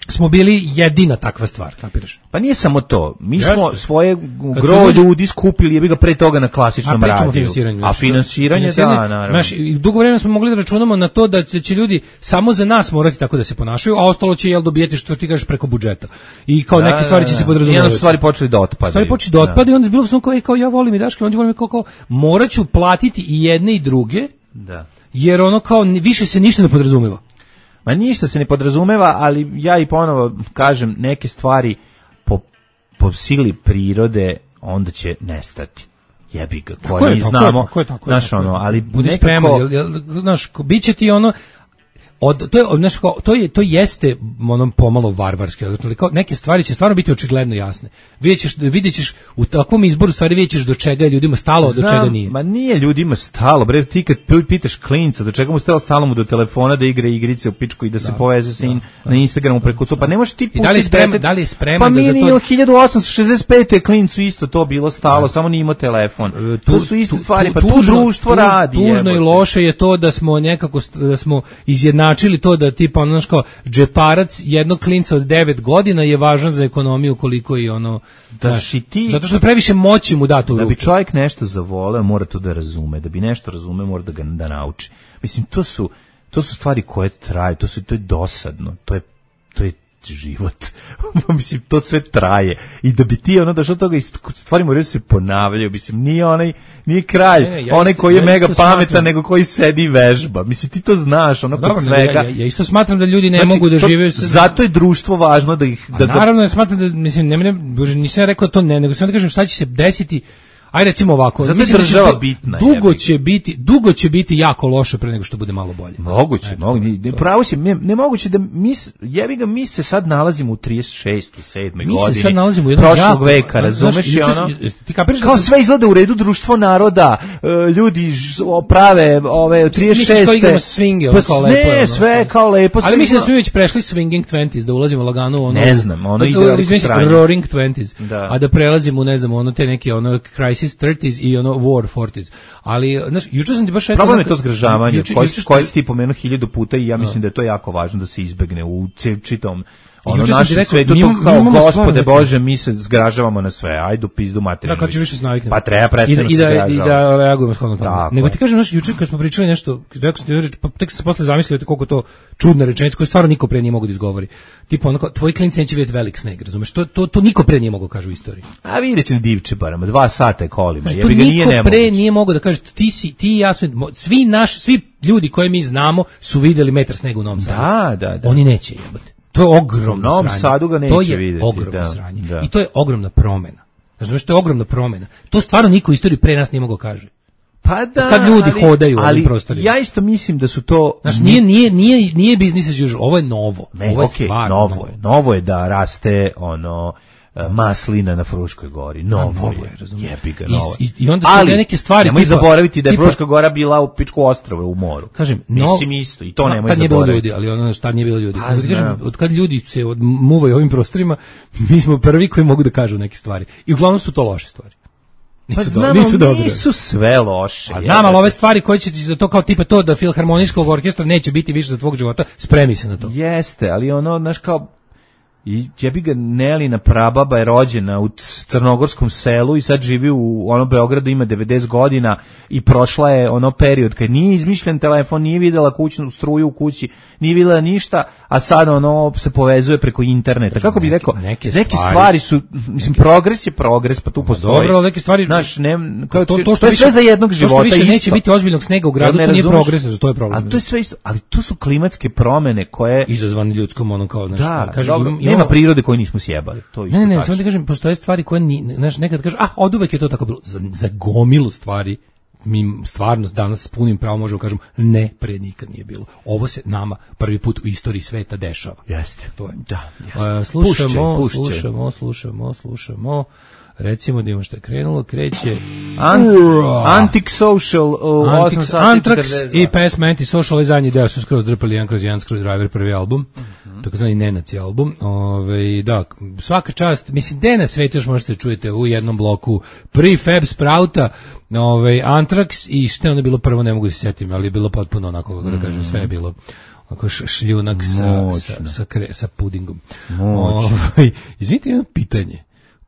smo bili jedina takva stvar, kapiraš? Pa nije samo to. Mi smo svoje gro ljudi skupili, jebi ga pre toga na klasičnom radiju. A finansiranje, da, naravno. Znaš, dugo vremena smo mogli da računamo na to da će ljudi samo za nas morati tako da se ponašaju, a ostalo će dobijeti što ti kažeš preko budžeta. I kao neke stvari će se podrazumevati. Jedno stvari počeli da otpadaju. I onda je bilo kao ja volim i Daške, onda volim kao morat ću platiti i jedne i druge, jer kao više se ništa ne podrazumeva. Ma ništa se ne podrazumeva, ali ja i ponovo kažem, neke stvari po sili prirode onda će nestati. Jebi ga, koje mi znamo. Znaš, ali budi spreman, znaš, bit će ti to jeste pomalo varvarski, znači neke stvari će stvarno biti očigledno jasne. Vidjet ćeš u takvom izboru stvari, vidjet ćeš do čega je ljudima stalo, do čega nije. Ma nije ljudima stalo, bre, ti kad pitaš klinca do čega mu stalo mu do telefona da igra igrice u pičku i da se poveze sa na Instagramu preko pa ne možeš ti pustiti. Da li je spreman pa da za to? Pa mi 1865. klincu isto to bilo stalo, samo nije imao telefon. To su iste stvari, pa tu društvo radi. Tužno i loše je to da smo nekako izjednačili to da tipa kao džeparac jednog klinca od 9 godina je važan za ekonomiju koliko i zato što previše moći mu da to u ruke. Da bi čovjek nešto zavoleo, mora to da razume. Da bi nešto razume, mora da ga da nauči. Mislim, to su stvari koje traju, to je dosadno, to je život. Mislim, to sve traje. I da bi ti došao toga i stvari moraju se ponavljaju. Mislim, nije kralj, onaj koji je mega pametan, nego koji sedi i vežba. Mislim, ti to znaš, kod svega. Ja isto smatram da ljudi ne mogu da žive. Zato je društvo važno da ih... Naravno, ja smatram da, mislim, nisam rekao to ne, nego sam da kažem šta će se desiti. Ajde recimo ovako, zato je država bitna. Dugo će biti jako loše pre nego što bude malo bolje. Moguće. Pravo si, nemoguće da mi se sad nalazimo u 36. 7. godini. Mi se sad nalazimo u jednom prošlog veka, razumeš i kao sve izgleda u redu, društvo naroda, ljudi prave ove 36. Misliš kao igramo swinge, kao lepo. Ne, sve kao lepo. Ali mislim da smo već prešli swinging 20s, da ulazimo lagano ne znam, igra roaring 20s, a da prelazimo, ne znam, te neke crisis 30s i War 40s. Ali, znaš, juče sam ti baš... Problem je to zgražavanje, koje si ti pomenuo 1000 puta i ja mislim da je to jako važno da se izbegne u čitom našem svetu, kao Gospode Bože, mi se zgražavamo na sve, ajde u pizdu materiju. Da, kad ću više se naviknemo. Pa treba prestano se zgražavamo. I da reagujemo shodno tome. Nego ti kažem, znaš, juče kad smo pričali nešto, tek sam se posle zamislio koliko to čudna rečenica koju stvarno niko pre nije mogo da izgovori. Tipa tvoji klinci neće vidjeti velik sneg, razumeš? To niko pre nije mogo kaže u istoriji. A vidjet će na Divčebarama, 2 sata je kolima. To niko pre nije mogo da kaže, ti i ja, svi ljudi koje mi znamo su vidjeli metar snega u Novom Sadu. Da. Oni neće jebati. To je ogromno sranje. Sadu ga neće vidjeti. To je ogromno sranje. I to je ogromna promena. Znači, to je ogromna promena. To stvarno niko u istoriji pre nas nije mogao kaže. Pa da, kad ljudi hodaju u ovim prostorima. Ja isto mislim da su to... Znači, nije business as usual, ovo je novo. Ovo je stvarno novo je da raste maslina na Fruškoj gori. Novo je, jebi ga, novo. I onda su neke stvari... Nemoj zaboraviti da je Fruška gora bila u pičku ostrova u moru. Kažem, mislim isto, i to nemoj zaboraviti. Tad nije bilo ljudi, ali šta nije bilo ljudi. Od kad ljudi se muvaju ovim prostorima, mi smo prvi koji mogu da kažu neke stvari. I uglavnom su to loše stvari. Nisu sve loše. Znam, ali ove stvari koje će ti za to kao tipa to da filharmonijskog orkestra neće biti više za tvog života, spremi se na to. Jeste, ali znaš kao I jebi ga, Nelina prababa je rođena u crnogorskom selu i sad živi u Beogradu, ima 90 godina i prošla je period kad nije izmišljen telefon, nije videla kućnu struju u kući, nije videla ništa, a sad se povezuje preko interneta. Kako bih rekao, neke stvari su, mislim, progres je progres, pa tu postoji. Dobro, neke stvari, to je sve za jednog života isto. To što više neće biti ozbiljnog snega u gradu, to nije progres, to je problem. Ali to je sve isto, ali to su klimatske promene koje izazvane ljudskom kao, nema prirode koju nismo sjebali. To ne, samo da kažem, postoje stvari koje nekad kažu, oduvek je to tako bilo. Za gomilu stvari mi stvarno danas s punim pravom možemo kažem ne, pre nikad nije bilo. Ovo se nama prvi put u istoriji sveta dešava. Jeste. To je. Da, jeste. Slušamo. Recimo da imamo što je krenulo, kreće Antisocial Anthrax i pesma Antisocial, ovaj zadnji deo su skroz drpali jedan kroz jedan Screwdriver, prvi album, takozvani nenaci album. Da, svaka čast, mislim, gde na svetu još možete čujete u jednom bloku Prefab Sprouta, Anthrax i što je onda bilo prvo, ne mogu se sjetiti, ali je bilo potpuno onako, kako da kažem, sve je bilo onako šljunak sa pudingom. Izvinite, jedno pitanje.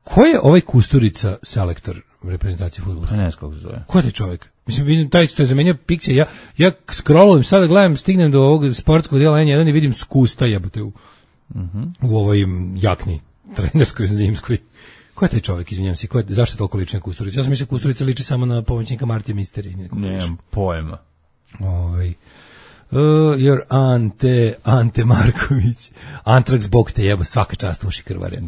Ko je ovaj Kusturica selektor reprezentacije fudbala? Ne znam kako se zove. Ko je taj čovjek? Mislim, vidim taj što je zamenio Pixija. Ja scrollujem, sada gledam, stignem do ovog sportskog dijela N1 i vidim Skusta jebote u ovoj jakni trenerskoj zimskoj. Ko je taj čovjek, izvinjam se? Zašto je toliko liči na Kusturica? Ja sam mislio Kusturica liči samo na pomoćnika Martija Misteri. Nemam pojma. Your Ante Marković. Antrax, bog te jebo, svaka čast uši krvare,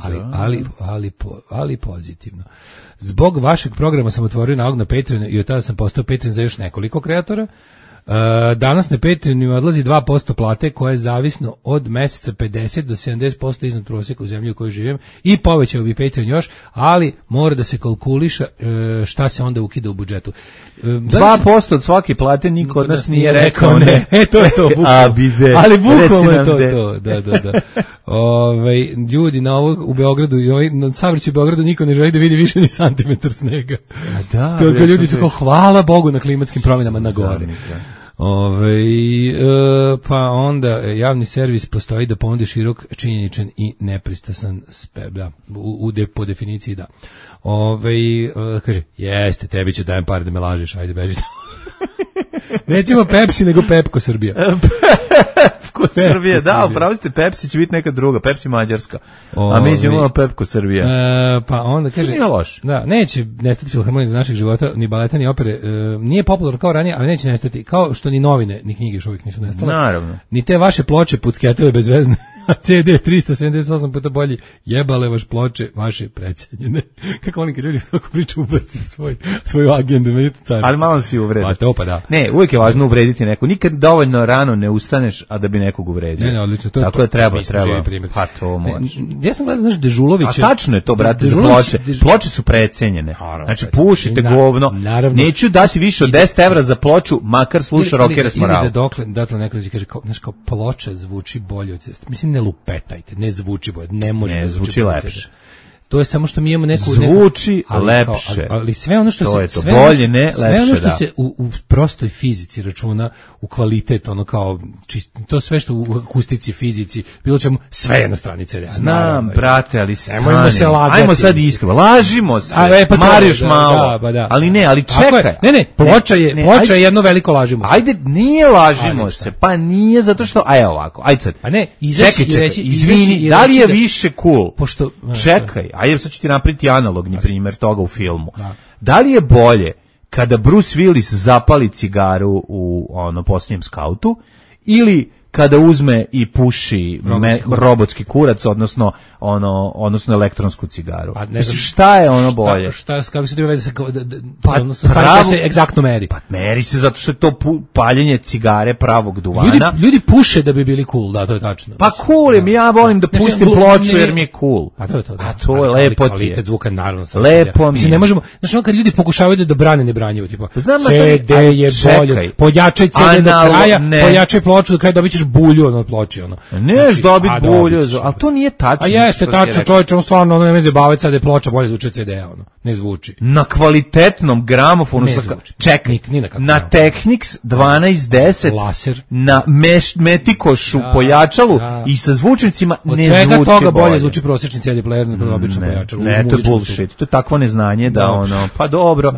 ali pozitivno. Zbog vašeg programa sam otvorio nalog na Patreonu i od tada sam postao Patreon za još nekoliko kreatora. Danas na Patreonu odlazi 2% plate koje je zavisno od meseca 50 do 70% iznad prosjeka u zemlji u kojoj živim i povećao bi Patreon još, ali mora da se kalkuliša šta se onda ukida u budžetu. 2% od svake plate niko od nas nije rekao ne. To je to, ali bukvalno je to. Da. Ljudi na ovo u Beogradu, na savrći u Beogradu niko ne želi da vidi više ni santimetar snega. Ljudi su kao hvala Bogu na klimatskim promjenama na gore. Pa onda javni servis postoji da ponudi širok, činjeničan i nepristrasan po definiciji da. Kaže, jeste, tebi ću dajem par da me lažeš, ajde beži. Nećemo Pepsi, nego Pepko Srbija. Pepko Srbija, da, upravo ste, Pepsi će biti neka druga, Pepsi Mađarska, a mi ćemo Pepko Srbija. Pa onda kaže, nije loš. Da, neće nestati filharmonija iz našeg života, ni baleta, ni opere, nije popularno kao ranije, ali neće nestati, kao što ni novine, ni knjige još uvijek nisu nestale. Naravno. Ni te vaše ploče pucketove bezvezne, a CD 378 puta bolji, jebale vaš ploče, vaše precenjene. Kako oni kad ljudi tako priču ubaci svoju agendu, ali malo si uvredio. Pa to pa da. Ne, uvijek je važno uvrediti neko. Nikad dovoljno rano ne ustaneš, a da bi nekog uvredio. Ne, odlično. To je tako to. Je treba. Pa to može. Ja sam gledao, znaš, Dežulovića. A tačno je to, brate, za ploče. Ploče su precenjene. Znači, pušite govno. Neću dati više od 10 evra za ploču, makar sluša rockere s moralom. Ili da dokle neko kaže, znaš, kao ploča zvuči bolje od ceste. Mislim, ne lupetajte, ne zvuči bolje, ne može da zvuči lepše. To je samo što mi imamo neku zvuči lepše. Ali sve ono što to se je to bolje, ne lepše, sve ono što se u prostoj fizici računa u kvalitet, ono kao to sve što u akustici, fizici, bilo čemu, sve je na strani CD. Znam, brate, ali nemojmo se lagati. Ajmo sad iskreno, lažimo se. Mariš malo. Da. Ali ne, ali čekaj. Ne, ploča je jedno veliko lažimo se. Ajde, nije lažimo se. Pa nije zato što ovako. Ajde sad. Pa ne, čekaj, izvini, da li je više cool? Pošto čekaj. Ajde, sad ću ti napraviti analogni primjer toga u filmu. Da li je bolje kada Bruce Willis zapali cigaru u posljednjem skautu ili kada uzme i puši robotski kurac, odnosno elektronsku cigaru? Mislim, šta je ono bolje? Kako se to veze sa se egzaktno meri? Pa meri se zato što je to paljenje cigare pravog duvana. Ljudi puše da bi bili cool, da, to je tačno. Pa cool je, ja volim da pustim ploču jer mi je cool. A to je lepo ti je. Kvalitet zvuka naravno. Lepo mi je. Ne možemo, znači kad ljudi pokušavaju da brane nebranjivo, tipa CD je bolje, pojačaj CD do kraja, pojačaj ploču do kraja, dobit ćeš bulju od ploče. Neš dobit bulju, ali to nije tačno. Jeste tačno, čovječe, on stvarno ne me zabaviti sad je ploča bolje zvuči od CD-a, Ne zvuči. Na kvalitetnom gramofonu čekaj, na Technics 1210 laser na Metikošu pojačalu i sa zvučnicima ne zvuči bolje. Od svega toga bolje zvuči prosječni CD player na običnom pojačalu. Ne, to je bullshit. To je takvo neznanje da ono, pa dobro.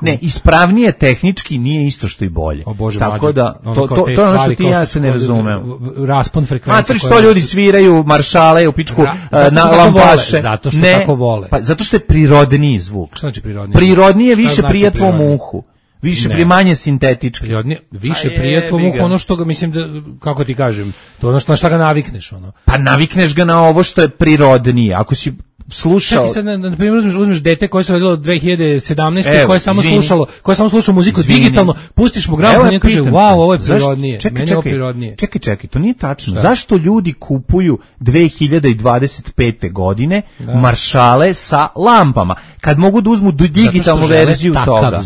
Ne, ispravnije tehnički nije isto što i bolje. Tako da to je ono što ti ja se ne razumem. Raspon frekvencije. A što ljudi sviraju maršale u pičku na lampaše. Zato što tako vole. Pa zato što je prirodniji zvuk. Šta znači prirodniji? Prirodnije više prija tvom uhu. Više primanje sintetički. Prirodnije, više prija tvom uhu ono što ga, mislim da, kako ti kažem, to ono što ga navikneš. Ono. Pa navikneš ga na ovo što je prirodnije. Ako si slušao. Čekaj sad, na primjer, uzmeš dete koje se rodilo 2017. koje je samo slušalo muziku digitalno, pustiš mu gramofon i kaže, wow, ovo je prirodnije. Meni je ovo prirodnije. Čekaj, to nije tačno. Šta? Zašto ljudi kupuju 2025. godine maršale sa lampama, kad mogu da uzmu digitalnu verziju toga?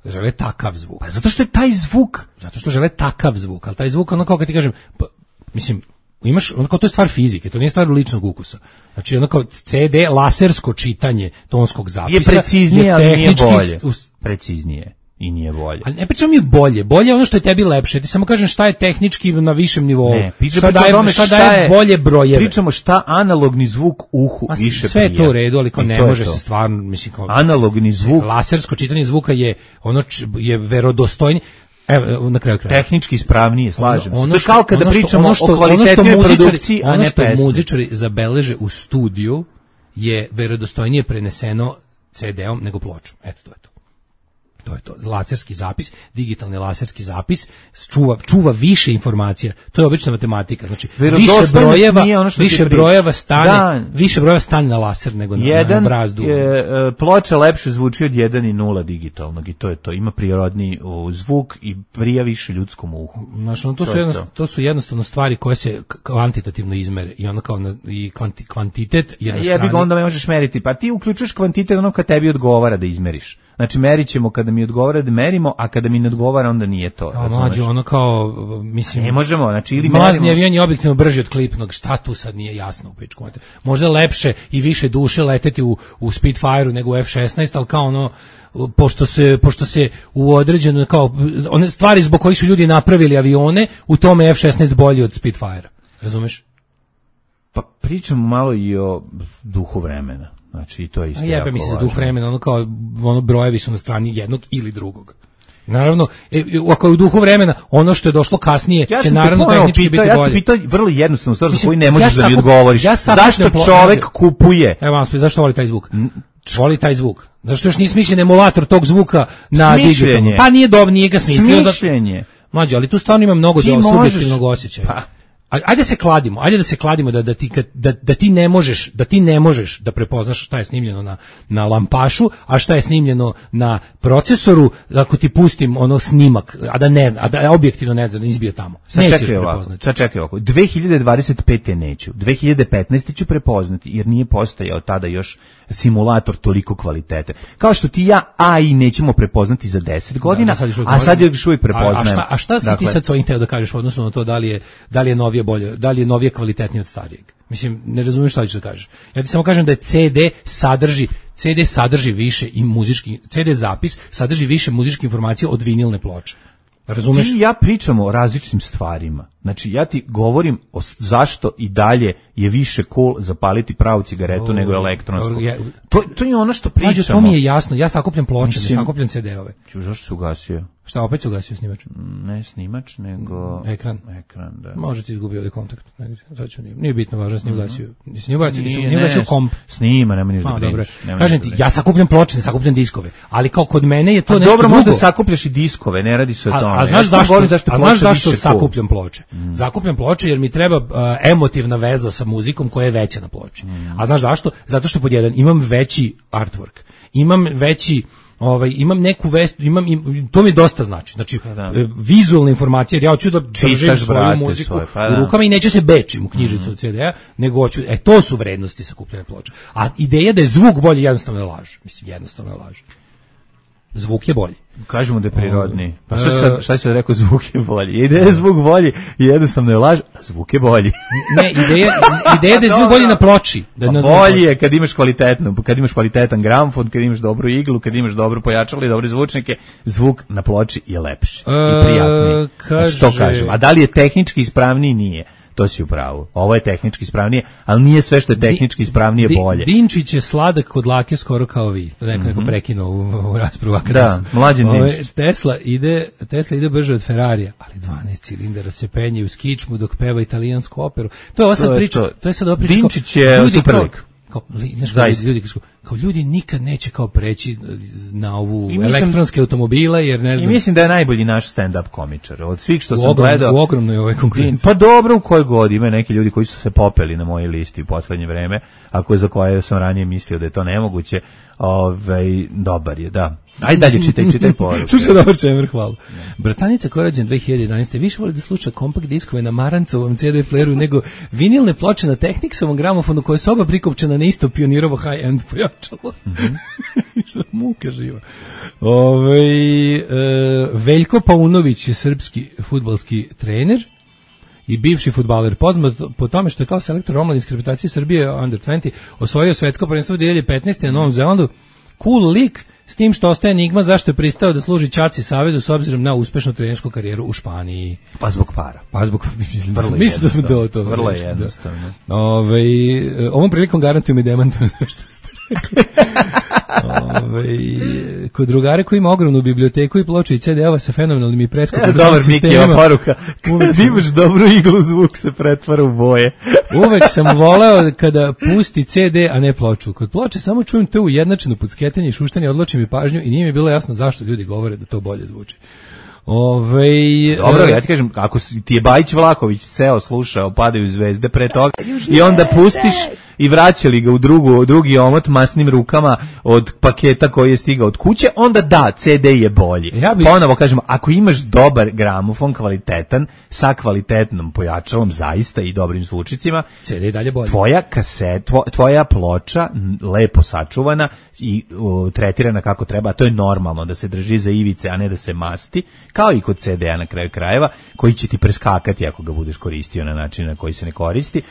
Žele takav zvuk. Pa zato što je taj zvuk. Zato što žele takav zvuk, ali taj zvuk, ono kao kad ti kažem, mislim, imaš, ono kao to je stvar fizike, to nije stvar ličnog ukusa. Znači ono kao CD, lasersko čitanje tonskog zapisa je preciznije, ali nije bolje. Preciznije i nije bolje. Ali ne pričam je bolje, bolje je ono što je tebi lepše. Ti samo kažem šta je tehnički na višem nivou. Ne, šta daje bolje brojeve. Pričamo šta analogni zvuk uhu više prija. Sve je to u redu, ali kao ne može se stvarno, mislim kao analogni zvuk. Lasersko čitanje zvuka je ono je verodostojnije. Evo, na kraju kraja. Tehnički ispravnije, slažem se. To je kao kada pričamo o kvalitetnoj produkciji, a ne pesmi. Ono što muzičari zabeleže u studiju je verodostojnije preneseno CD-om nego pločom. Eto, to je to. To je to. Laserski zapis, digitalni laserski zapis čuva više informacija. To je obična matematika. Znači, više brojeva stane na laser nego na brazdu. Ploča lepše zvuči od 1 i 0 digitalnog i to je to. Ima prirodni zvuk i prija više ljudskom uhu. Znači, to su jednostavno stvari koje se kvantitativno izmere i ono kao i kvantitet je na strani. Onda ne možeš meriti. Pa ti uključuješ kvantitet ono kad tebi odgovara da izmeriš. Znači, merit ćemo kada mi odgovara da merimo, a kada mi ne odgovara onda nije to. Mlađe, ono kao, mislim... Ne možemo, znači ili mlazni avion je objektivno brži od klipnog, šta tu sad nije jasno u pičku. Možda je lepše i više duše leteti u Spitfire-u nego u F-16, ali kao ono, pošto se u određeno, kao, one stvari zbog kojih su ljudi napravili avione, u tome je F-16 bolji od Spitfire-a. Razumeš? Pa pričamo malo i o duhu vremena. Znači, to je isto jako važno. Mislim, duh vremena, ono kao, brojevi su na strani jednog ili drugog. Naravno, ako je u duhu vremena, ono što je došlo kasnije će naravno tehnički biti bolje. Ja sam pitao vrlo jednostavno stvar za koju ne možeš da mi odgovoriš. Zašto čovek kupuje? Evo, zašto voli taj zvuk? Voli taj zvuk. Zašto još nije smišljen emulator tog zvuka na digitalnom? Pa nije dobro, nije ga smislio. Smišljenje. Mlađe, ali tu stvarno ima mnogo subjektivnog osjećaja. Ajde da se kladimo da ti ne možeš da prepoznaš šta je snimljeno na lampašu, a šta je snimljeno na procesoru, ako ti pustim ono snimak, a da objektivno ne znam, da izbio tamo. Nećeš prepoznati. Sad čekaj ovako, 2025. neću, 2015. ću prepoznati, jer nije postojao tada još simulator toliko kvalitete. Kao što ti ja AI nećemo prepoznati za 10 godina, a sad još uvijek prepoznajem. A šta si ti sad svojim teo da kažeš odnosno na to da li je novije bolje, da li je novije kvalitetnije od starijeg? Mislim, ne razumiješ šta ćeš da kažeš. Ja ti samo kažem da je CD sadrži više i muzički, CD zapis sadrži više muzičke informacije od vinilne ploče. Razumeš? Ti i ja pričamo o različitim stvarima. Znači, ja ti govorim o zašto i dalje je više cool zapaliti pravu cigaretu nego elektronsku. To je ono što pričamo. To mi je jasno. Ja sakupljam ploče, ne sakupljam CD-ove. Zašto se ugasio? Šta, opet se ugasio snimač? Ne snimač, nego... Ekran, da. Može ti izgubio ovdje kontakt. Nije bitno važno, nije ugasio. Nije ugasio komp. Snima, nema ništa da brineš. Kažem ti, ja sakupljam ploče, ne sakupljam diskove. Ali kao kod mene je to nešto drugo. Dobro, možda sakupljaš i diskove, ne radi se o tome. A znaš zašto sakupljam ploče? Sakupljam ploče jer mi treba emotivna veza sa muzikom koja je veća na ploči. A znaš zašto? Zato što pod jedan imam veći artwork. Imam neku vest, to mi dosta znači. Znači, vizualna informacija, jer ja hoću da držim svoju muziku u rukama i neću se bečim u knjižicu od CD-a, nego hoću, to su vrednosti sakupljene ploče. A ideja da je zvuk bolji jednostavno je laž. Mislim, jednostavno je laž. zvuk je bolji. Kažemo da je prirodniji. Pa šta si sad rekao, zvuk je bolji? Ideja je zvuk bolji, jednostavno je laž, a zvuk je bolji. Ne, ideja da je zvuk bolji na ploči. Bolji je kad imaš kvalitetno, kad imaš kvalitetan gramofon, kad imaš dobru iglu, kad imaš dobro pojačalo i dobre zvučnike, zvuk na ploči je lepši i prijatniji. Znači, to kažem. A da li je tehnički ispravniji? Nije. To si u pravu. Ovo je tehnički ispravnije, ali nije sve što je tehnički ispravnije bolje. Dinčić je sladak kod lake skoro kao vi. Neko prekinuo u raspravu. Da, mlađen Dinčić. Tesla ide brže od Ferrarija, ali 12 cilindara se penje u skičmu dok peva italijansku operu. To je ova sad priča. To je sad priča. Dinčić je superlik. Kao ljudi nikad neće kao preći na ovu elektronske automobile, jer ne znam. I mislim da je najbolji naš stand-up komičar. Od svih što sam gledao. U ogromnoj ovoj konkurenciji. Pa dobro, u kojoj god ima neki ljudi koji su se popeli na mojoj listi u poslednje vreme, a za koje sam ranije mislio da je to nemoguće. Dobar je, da. Ajde dalje, čitaj poruke. Slušaj, dobar čemer, hvala. Bratanica koja je rođen 2011. više voli da sluša kompakt diskove na Marancovom CD playeru nego vinilne ploče na Technicsovom gramofonu koja je soba prikopčena na isto Pionirovo high-end pojačalo. Što muka živa. Veljko Paunović je srpski fudbalski trener i bivši fudbaler, poznat po tome što je kao selektor omladinske reprezentacije Srbije Under 20 osvojio svetsko prvenstvo 2015. na Novom Zelandu. Cool lik, s tim što ostaje enigma zašto je pristao da služi Ćaci savezu s obzirom na uspešnu trenersku karijeru u Španiji. Pa zbog para. Mislim da smo to. Vrlo je jednostavno. Ovom prilikom garantujem i demantujem sve što ste rekli. Kod drugare koji ima ogromnu biblioteku i ploče i CD-ova sa fenomenalnim i preskupim dobar Mikijeva poruka. Kad imaš dobru iglu, zvuk se pretvara u boje. Uvek sam voleo kada pusti CD, a ne ploču. Kod ploče samo čujem to ujednačeno pucketanje i šuštanje, odločim i pažnju i nije mi bilo jasno zašto ljudi govore da to bolje zvuči. Dobro, ja ti kažem, ako ti je Bajić Vlahović ceo slušao Padaju zvezde pre toga i onda pustiš i vraćali ga u drugi omot masnim rukama od paketa koji je stigao od kuće, onda da, CD je bolji. Ponovo kažemo, ako imaš dobar gramofon, kvalitetan, sa kvalitetnom pojačalom zaista i dobrim zvučicima, CD je dalje bolji. Tvoja ploča lepo sačuvana i tretirana kako treba, a to je normalno da se drži za ivice, a ne da se masti, kao i kod CD-a na kraju krajeva, koji će ti preskakati ako ga budeš koristio na način na koji se ne koristi.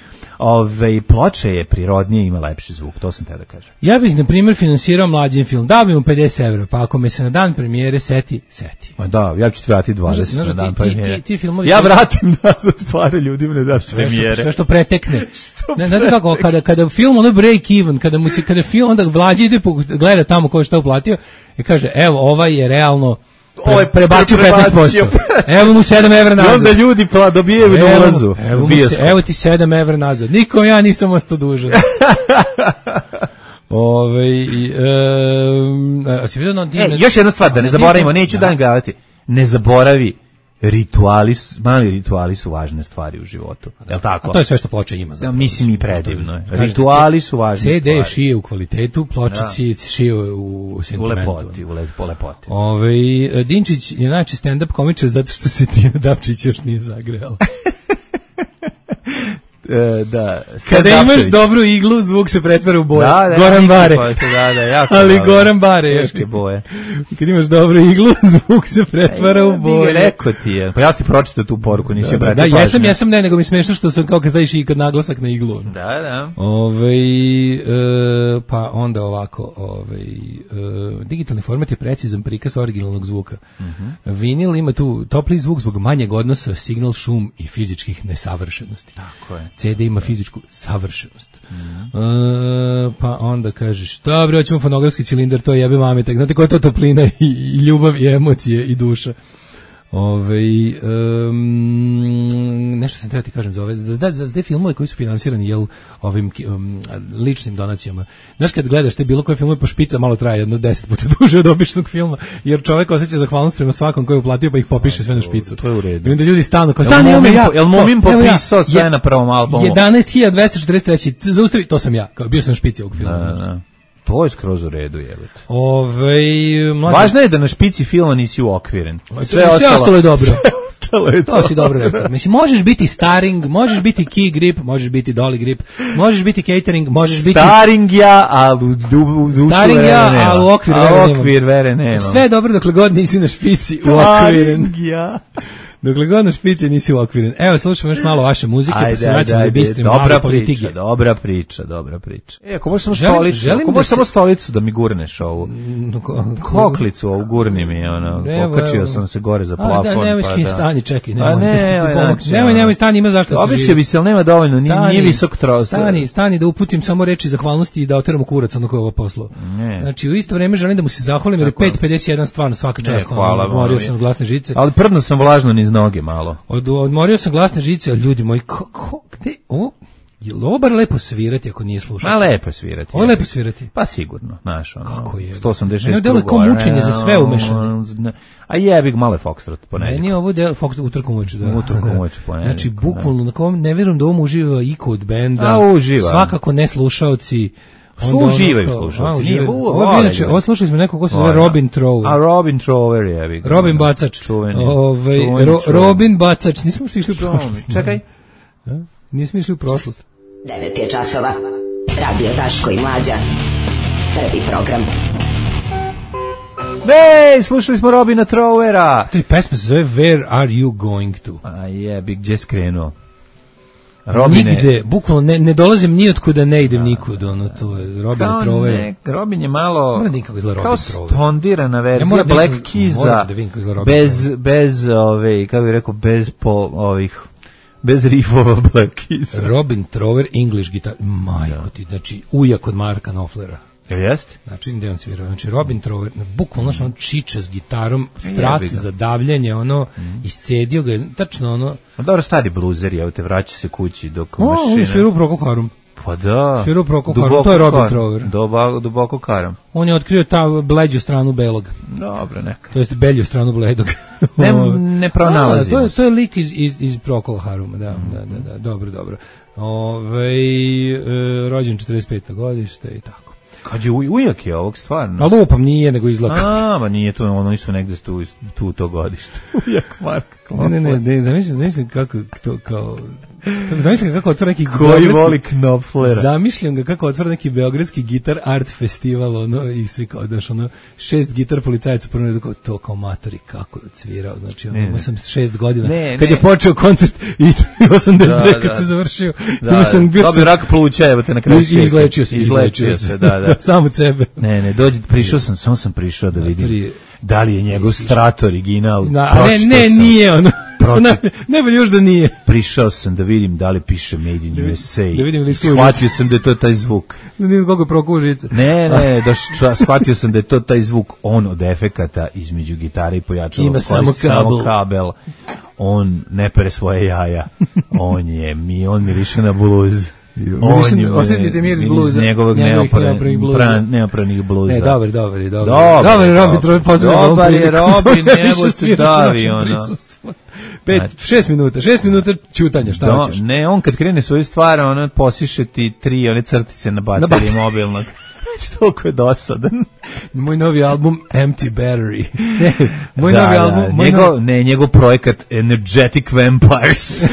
Ploča je prirodnije, ima lepši zvuk, to sam te da kažem. Ja bih, na primjer, finansirao mlađim film, dao bi mu 50 evra, pa ako me se na dan premijere seti. Da, ja ću ti vratiti 20 na dan premijere. Ja vratim nazad pare ljudima ne daš premijere. Sve što pretekne. Znate kako, kada film ono break even, kada film onda Vlađi ide gleda tamo ko je šta uplatio i kaže, evo, ovaj je realno prebacio 15%. Evo mu 7 evra nazad. I onda ljudi dobijaju na ulazu. Evo ti 7 evra nazad. Nikom ja nisam ostao dužan. Još jedna stvar, da ne zaboravimo, neću dan gledati. Ne zaboravi, mali rituali su važne stvari u životu. Jel' tako? A to je sve što ploča ima. Da, mislim i predivno. Rituali su važne stvari. CD šije u kvalitetu, pločići šije u sentimentu. U lepoti. Dinčić je najče stand-up komičar zato što se Tijana Dapčić još nije zagrela. Da, kada imaš dobru iglu, zvuk se pretvara u boje. Goran Bare. Ali Goran Bare još boje. Kad imaš dobru iglu, zvuk se pretvara u boje. Rekao ti je. Pa ja ti pročitao tu poruku, nisi obratio pažnju. Jesam, nego mi smešno što sam kao kad staviš i kad naglasak na iglu. Da. Pa onda ovako, digitalni format je precizan prikaz originalnog zvuka. Vinil ima tu topli zvuk zbog manjeg odnosa signal, šum i fizičkih nesavršenosti. Tako je. CD ima fizičku savršenost. Pa onda kažeš, šta bre, hoćemo fonografski cilindar, to jebe mametak. Znate koja je to toplina i ljubav i emocije i duša. Nešto sam teo ti kažem za ove, za te filmove koji su finansirani ovim ličnim donacijama. Znaš, kad gledaš te bilo koje filmove, pa špica malo traje 10 puta duže od običnog filma, jer čovjek osjeća zahvalnost prema svakom koji je uplatio, pa ih popiše sve na špicu. To je u redu. I onda ljudi stanu kao, jel Momin popisao sve na prvom albumu? 11.243, zaustavi, to sam ja, bio sam špici ovog filma. Da. To je skroz u redu, jebate. Važno je da na špici filma nisi uokviren. Sve ostalo je dobro. Ostalo je to si dobro rekao. Mislim, možeš biti staring, možeš biti key grip, možeš biti dolly grip, možeš biti catering, možeš biti... Staring ja, ali u dušu staring ja, ali u okvir vere nema. Sve je dobro dokle god nisi na špici uokviren. Staring ja. Dokle god na špici nisi uokviren. Evo, slušamo još malo vaše muzike, pa se vraćamo da bistrim malo politike. Dobra priča. Ako možeš samo stolicu da mi gurneš ovu. Koklicu ovu gurni mi, okačio sam se gore za plafon. Stani, čekaj, nemoj stani, ima zašto se živi. Obisio bi se, ali nema dovoljno, nije visok trost. Stani da uputim samo reči zahvalnosti i da oteramo kurac ono koje je ovo poslo. Znači, u isto vreme želim da mu se zahvalim, jer je 5.51 stvarno svaka čast. Odmorio sam glasne žice. Ali prdno sam vlažno niz noge malo. Odmorio sam glasne žice, ali ljudi moji, gde ovo? Je li ovo bar lepo svirati ako nije slušati? Lepo svirati. Ovo je lepo svirati? Pa sigurno, znaš, kako je? 186 ne, delo je kao mučenje za sve umešano. A jebik malo je Foxtrot ponedjeljak. Meni je ovo Foxtrot utorkom uveče, da. Utorkom uveče ponedjeljak. Znači, bukvalno, ne vjerujem da ovom uživa iko od benda. A, uživa. Svakako ne slušaoci. Uživaju slušalci. Ovo slušali smo nekog ko se zove Robin Trower. A Robin Trower je. Robin Bacač. Čuveni. Robin Bacač. Nismo išli u prošlost. Čekaj. Nismo išli u prošlost. 9 je časova. Radio Daško i Mlađa. Prvi program. Slušali smo Robina Trowera. To je pesma se zove Where Are You Going To? A jebi, gdje skrenuo? Nigde, bukvalno ne dolazim ni otkuda, ne idem nikud, to je Robin Trower. Robin je malo kao stondirana verzija Black Keysa, bez kako bih rekao, bez riffova Black Keysa. Robin Trower, English guitar, majko ti, znači ujak od Marka Knopflera. Jeste? Znači, gde on svirao? Znači, Robin Trower, bukvalno on čiča s gitarom, strat za davljanje, iscedio ga, tačno Dobro, stari bluzer, evo te, vraća se kući dok mašina. On svirao Procol Harum. Pa da. Svirao Procol Harum, to je Robin Trower. Duboko karam. On je otkrio ta bleđu stranu belog. Dobro, neka. To jest belju stranu bledog. Ne pronalazimo. To je lik iz Procol Haruma, da, dobro. Rođen 45. godište i tako. Kad je ujak je ovog stvarno? A lupam, nije, nego izlaka. Ma nije to, oni su negde tu to godište. Ujak Mark Knopfler. Ne, zamislim kako to kao... Zamišljam ga kako otvara neki koji voli Knopflera. Zamišljam ga kako otvara neki beogradski gitar art festival, i svi kao daš 6 gitar policajaca prvo kao to kao matori kako je odsvirao. Znači imao sam 6 godina kad je počeo koncert i 82 kad se završio. Dobio rak pluća, evo te na kraju. Izlečio se, da. Sam od sebe. Ne, samo sam prišao da vidim da li je njegov Strat original. Ne, nije ono. Ne bolje još da nije. Prišao sam da vidim da li piše Made in USA. Shvatio sam da je to taj zvuk. Da vidim koliko je prokuo žica. Ne, shvatio sam da je to taj zvuk, on od efekata između gitare i pojačala. Ima samo kabel. On ne pere svoje jaja. On miriše na bluz. Osjetite miris bluza. Njegovog neopranih bluza. Ne, dobar. Dobar je Robin Trower, pozdravljamo. Dobar je Robin, evo se davi, 6 minuta ćutanja, šta hoćeš? Ne, on kad krene svoju stvar, posiše ti 3 one crtice na bateriji mobilnog. Toliko je dosadan. Moj novi album Empty Battery. Moj novi album... Njegov projekat Energetic Vampires.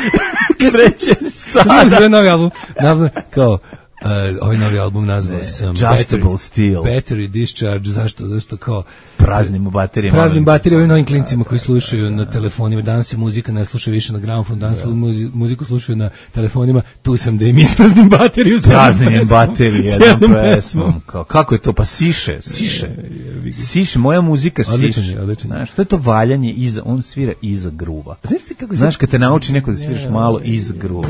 Kreće sada. Sve novi album. Kao, ovaj novi album nazvao sam Battery Discharge. Zašto kao praznim baterijama, ovim novim klincima koji slušaju na telefonima. Danas se muzika ne sluša više na gramofon, danas muziku slušaju na telefonima. Tu sam da im ispraznim bateriju. Praznim bateriju jednom pesmom. Kako je to? Pa siše. Moja muzika siše. Znaš, to je to valjanje on svira iza gruva. Znaš, kad te nauči neko da sviraš malo iz gruva.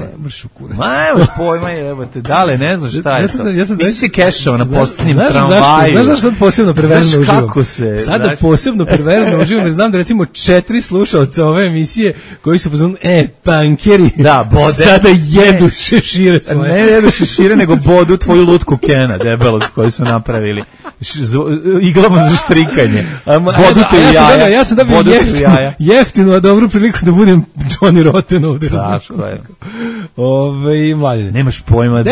Nemaš pojma, evo te, dale, ne znaš šta je to. Nisi si kešao na posljednjem tramvaju. Znaš sad posebno perverzno uživam? Sada posebno perverzno uživam, jer znam da recimo 4 slušalca ove emisije koji su pozvani, pankeri, sada jedu šešire svoje. Ne jedu šešire, nego bodu tvoju lutku Kena, debelog, koju su napravili. Iglama za štrikanje. Bodu jaja. Ja sam dobio jeftinu, a dobru priliku da budem Johnny Rotten ovdje. Tako je. Mladine. Nemaš pojma,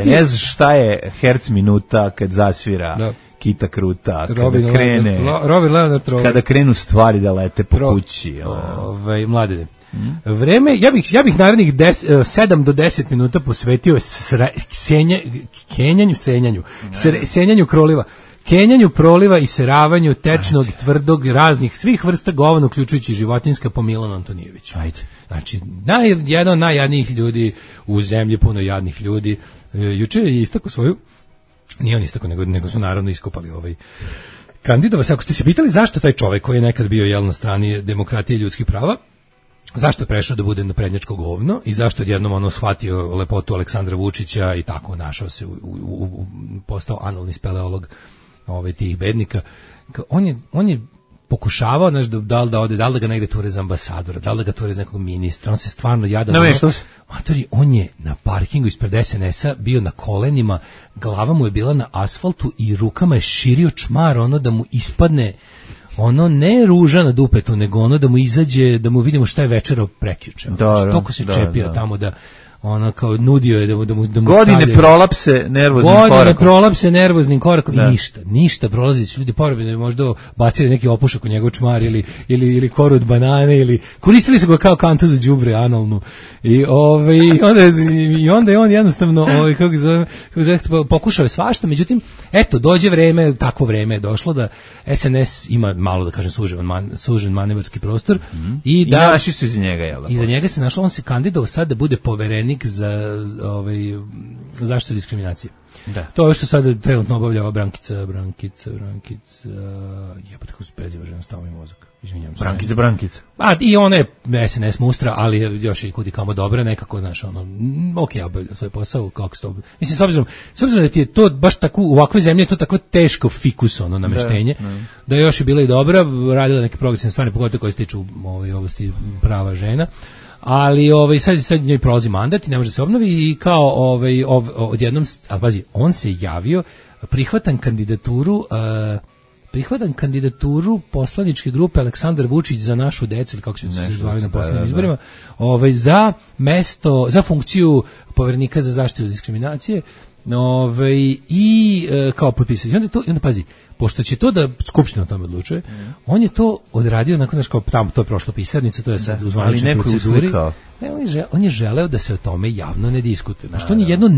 ne znaš šta je herc minuta kad zasvira Kita kruta, Robin Leonard Trower. Kada krenu stvari da lete po kući. Mladene. Vreme, ja bih narednih 7 do 10 minuta posvetio senjanju kroliva. Kenjanju proliva i seravanju tečnog, tvrdog, raznih, svih vrsta govana, uključujući životinjska, po Milanu Antonijeviću. Ajde. Znači, jedan od najjadnijih ljudi u zemlji, puno jadnih ljudi. Juče je istakao svoju, nije on istakao, nego su naravno iskopali kandidova. Ako ste se pitali zašto taj čovek koji je nekad bio na strani demokratije i ljudskih prava, zašto je prešao da bude naprednjačko govno i zašto je jednom shvatio lepotu Aleksandra Vučića i tako našao se postao analni speleolog tih bednika. On je pokušavao, znaš, da li da ode, da li da ga negde ture za ambasadora, da li da ga ture za nekog ministra, on se stvarno jada. On je na parkingu ispred SNS-a bio na kolenima, glava mu je bila na asfaltu i rukama je širio čmar, da mu ispadne ne ruža na dupetu, nego da mu izađe, da mu vidimo šta je večerao prekjuče. Toko se čepio tamo da kao nudio je da mu godine prolapse nervoznim korakom i ništa prolazi, ljudi porobili možda bacili neki opušak u njegov čmar ili koru od banane ili koristili su ga kao kantu za đubre analnu i onda je on jednostavno pokušao je svašta, međutim eto dođe vreme, takvo vreme je došlo da SNS ima malo da kažem sužen manevarski prostor i našli su iza njega, jel? Iza njega se našlo, on se kandidovao sad da bude poverenik za zaštitu diskriminacije. Da. To je što sad trenutno obavlja Brankica, jebate kako se preziva žena, stava mi mozak. Izvinjam se. Brankica. I ona je SNS mustra, ali je još i kudi kamo dobra, nekako, znaš, obavlja svoj posao, kako se to... Mislim, s obzirom da ti je to baš tako, u ovakvoj zemlji je to tako teško fikus, nameštenje, da je još i bila i dobra, radila neke progresivne stvari, pogotovo koje se tiču oblasti prava žena, ali sad njoj prolazi mandat i ne može se obnovi i kao odjednom, ali pazi, on se javio, prihvatan kandidaturu poslaničke grupe Aleksandar Vučić za našu decu, ili kako se zvali na poslednjim izborima, za mesto, za funkciju poverenika za zaštitu diskriminacije, i kao potpisati. I onda pazi, pošto će to da Skupština o tome odlučuje, on je to odradio, nakon kao tamo to je prošlo pisarnicu, to je sad u zvaničnoj proceduri. On je želeo da se o tome javno ne diskutuje. Što on je jedno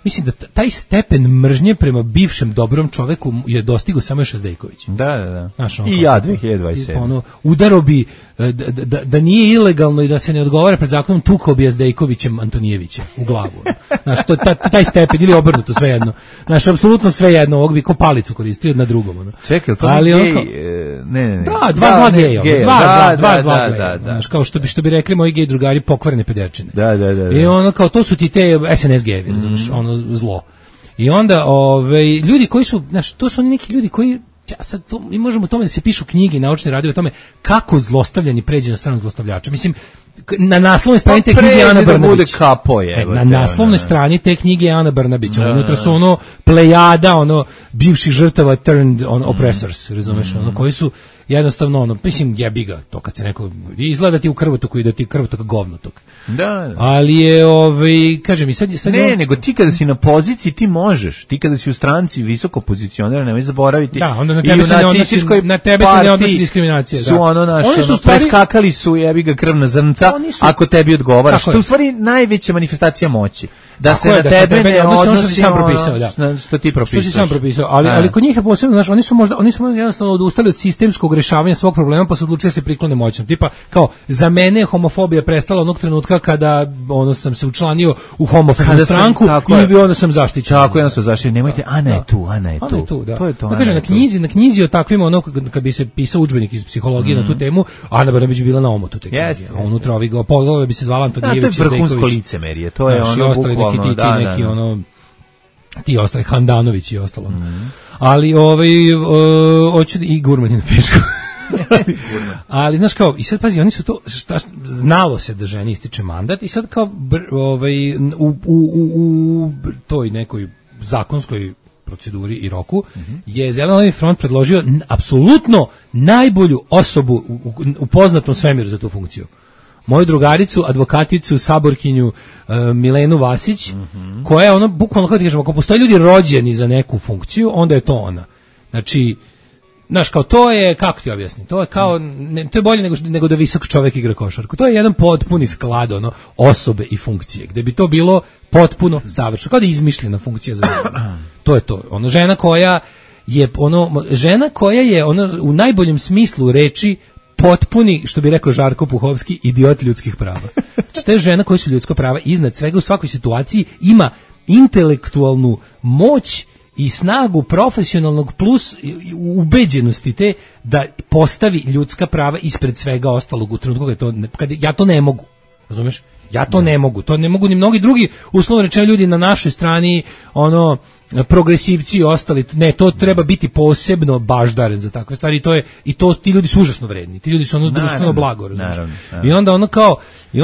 mislim da taj stepen mržnje prema bivšem dobrom čoveku je dostigao samo još Zdejković. Da. I ja 2027. Udaro bi da nije ilegalno i da se ne odgovara pred zakonom, tukao bi Zdejkovićem Antonijevića u glavu. Znaš, taj stepen ili obrnuto, svejedno. Znaš, apsolutno svejedno, ovog bi ko palicu koristio na drugom. Čekaj, to je gej? Ne. Da, dva zla geja. Dva zla geja. Znaš, kao što bi rekli moji gej drugari, pokvarene pederčine. Da. I kao to su ti te SNS gejevi, znaš, zlo. I onda ljudi koji su, znaš, to su oni neki ljudi koji mi možemo o tome da se pišu knjige i naučne radove o tome kako zlostavljani pređe na stranu zlostavljača. Mislim, na naslovnoj strani te knjige Ana Brnabić. Na naslovnoj strani te knjige Ana Brnabić. Unutra su plejada, bivših žrtava turned oppressors, razumeš, koji su jednostavno, mislim, jebi ga, to kad se neko, izgleda ti u krvotoku i da ti krvotok govnotok. Da. Ali je, kažem, i sad nego ti kada si na poziciji, ti možeš. Ti kada si u stranci visoko pozicioniran, nemoj zaboraviti. Da, onda na tebe se ne odnosi diskriminacija. Su preskakali su, jebi ga, krvna zrnca, ako tebi odgovara. Što u stvari najveća manifestacija moći. Da se na tebe ne odnosi što ti propisaš. Što si sam propisao, ali kod njih je posebno, znaš, oni su jednostavno odustali od sistemskog rešavanja svog problema, pa su odlučili da se priklone moćnom. Tipa, kao, za mene je homofobija prestala onog trenutka kada sam se učlanio u homofobnu stranku i onda sam zaštićen. Tako, onda sam zaštićen. Nemojte, Ana je tu. Da. To je to. Kaže, na knjizi o takvim, kad bi se pisao udžbenik iz psihologije na tu temu, Ana Brnabić bila na omotu te knjige. A unutra poglavlje bi se zvala Antonijević. To je vrhunsko licemerje. To je ti ostali Handanović i ostalo. Ali hoću i Gurmani na pešku. Ali znaš kao, i sad pazi, oni su to, znalo se da ženi ističe mandat i sad kao u toj nekoj zakonskoj proceduri i roku je Zeleno-levi front predložio apsolutno najbolju osobu u poznatom svemiru za tu funkciju. moju drugaricu, advokaticu, saborkinju Milenu Vasić, koja je ono, bukvalno, kako ti kažemo, ako postoje ljudi rođeni za neku funkciju, onda je to ona. Znači, znaš, kao to je, kako ti objasnim, to je kao, to je bolje nego da visok čovjek igra košarku. To je jedan potpuni sklad ono, osobe i funkcije, gde bi to bilo potpuno savršeno, kao da je izmišljena funkcija za njega. To je to. Ono, žena koja je u najboljem smislu reči potpuni, što bi rekao Žarko Puhovski, idiot ljudskih prava. Znači, te žena koja su ljudska prava iznad svega u svakoj situaciji ima intelektualnu moć i snagu profesionalnog plus ubeđenosti te da postavi ljudska prava ispred svega ostalog u trenutku kad ja to ne mogu. Razumeš? Ja to ne mogu. To ne mogu ni mnogi drugi, uslovno rečeno, ljudi na našoj strani, ono, progresivci i ostali. Ne, to treba biti posebno baždaren za takve stvari i ti ljudi su užasno vredni. Ti ljudi su ono društveno blago, razumeš? I onda ono kao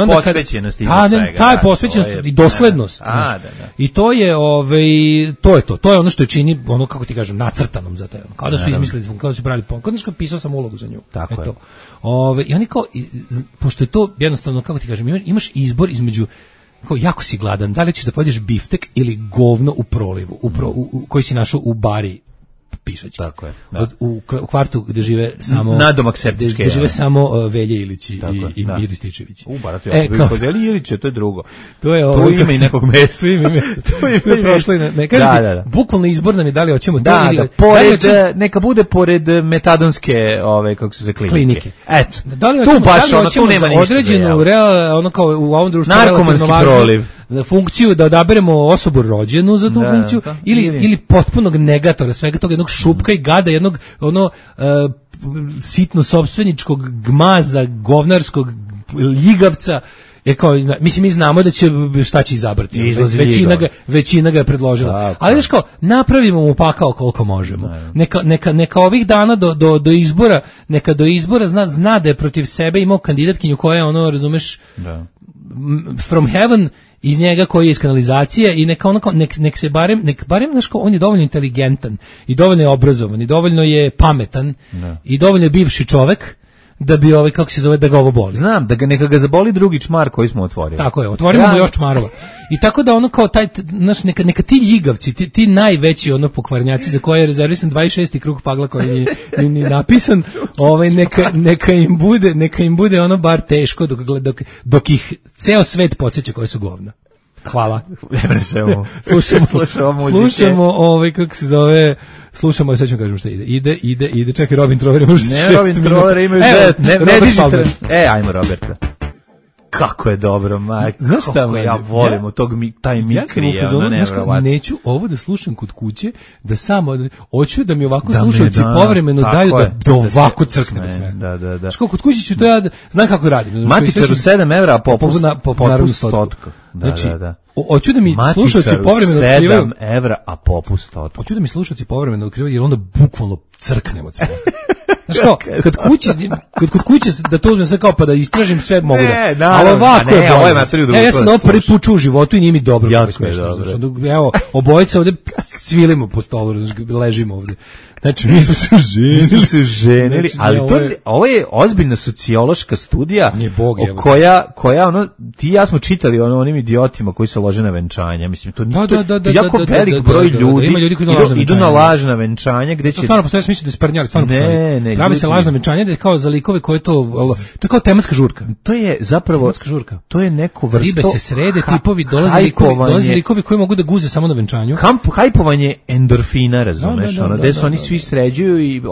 posvećenost iznad svega. Ta je posvećenost i doslednost. I to je to je ono što je čini, ono, kako ti kažem, nacrtanom za to. Kao da su izmislili, kao da su pravili kao da pisao sam ulogu za nju. Tako je. I oni kao, pošto je to jednostavno, kako ti kažem, imaš izbor između, kao, jako si gladan, da li ćeš da pojedeš biftek ili govno u prolivu, koji si našao u bari pišać. Tako je. U kvartu gde žive samo nadomak septičke. Gde žive samo Velje Ilići i Mir Rističević. Barat je kod Velje Ilića, to je drugo. To je to ima i nekog mesa. To je prošlo i ne. Bukvalno izbor nam je da li hoćemo to ili neka bude pored metadonske, kako se zove, klinike. Eto. Da li hoćemo određenu ono kao u ovom društvu narkomanski proliv funkciju da odaberemo osobu rođenu za tu funkciju ili potpunog negatora svega toga, jednog šupka i gada, jednog sitno sopstveničkog gmaza, govnarskog ljigavca. Mislim, mi znamo da će šta će izabrati. Većina ga je predložila. Ali znaš kao, napravimo mu pakao koliko možemo. Neka ovih dana do izbora, neka do izbora zna da je protiv sebe imao kandidatkinju koja je ono, razumeš, from heaven, iz njega koji je iz kanalizacije i nek se barem znaš, on je dovoljno inteligentan i dovoljno je obrazovan i dovoljno je pametan i dovoljno je bivši čovek da bi kako se zove, da ga ovo boli. Znam, neka ga zaboli drugi čmar koji smo otvorili. Tako je, otvorimo mu još čmarova. I tako da ono kao neka ti ljigavci, ti najveći ono pokvarnjaci za koje je rezervisan 26. krug pagla koji ni napisan, neka im bude ono bar teško dok ih ceo svet podsjeća koje su govna. Hvala. Slušamo kako se zove, slušamo, sad ćemo kažem šta ide, čekaj, Robin Troller ima 6 minuta. Ne, Robin Troller ima 10, ne dižite. Ajmo Roberta. Kako je dobro, majko. Znaš šta, ja volim od tog taj mikri, neću ovo da slušam kod kuće, da samo hoću da mi ovako slušalci povremeno daju da ovako crknem sve. Da. Što kod kuće ću to ja znam kako radim. Matičaru 7 evra popust stotka. Znači, hoću da mi slušalci povremeno otkrivaju 7 evra, a popust stotka. Hoću da mi slušalci povremeno otkrivaju, jer onda bukvalno crknem od svega. Znaš kao, kod kuće da to uzmem sve kao pa da istražim sve mogu da. Ali ovako je bolje. Ja sam ovo prvi put čuo u životu i nije mi dobro. Jako je dobro. Evo, obojica ovde svilimo po stolu, ležimo ovde. Znači, mi smo se ženili. Ali ovo je ozbiljna sociološka studija koja ono, ti i ja smo čitali onim idiotima koji se lože na venčanja. Mislim, to jako velik broj ljudi idu na lažna venčanja gde će... To stvarno postoje, mislim da je sprnjali, stvarno postoje. Pravi se lažna venčanja da je kao za likove koje to je kao tematska žurka. To je zapravo... Tematska žurka. To je neko vrsto... Ribe se srede, tipovi, dolaze likovi koji mogu da guze samo na venčanju. Hajpovanje endorfina, razumeš, ono, gde su oni svi sređuju i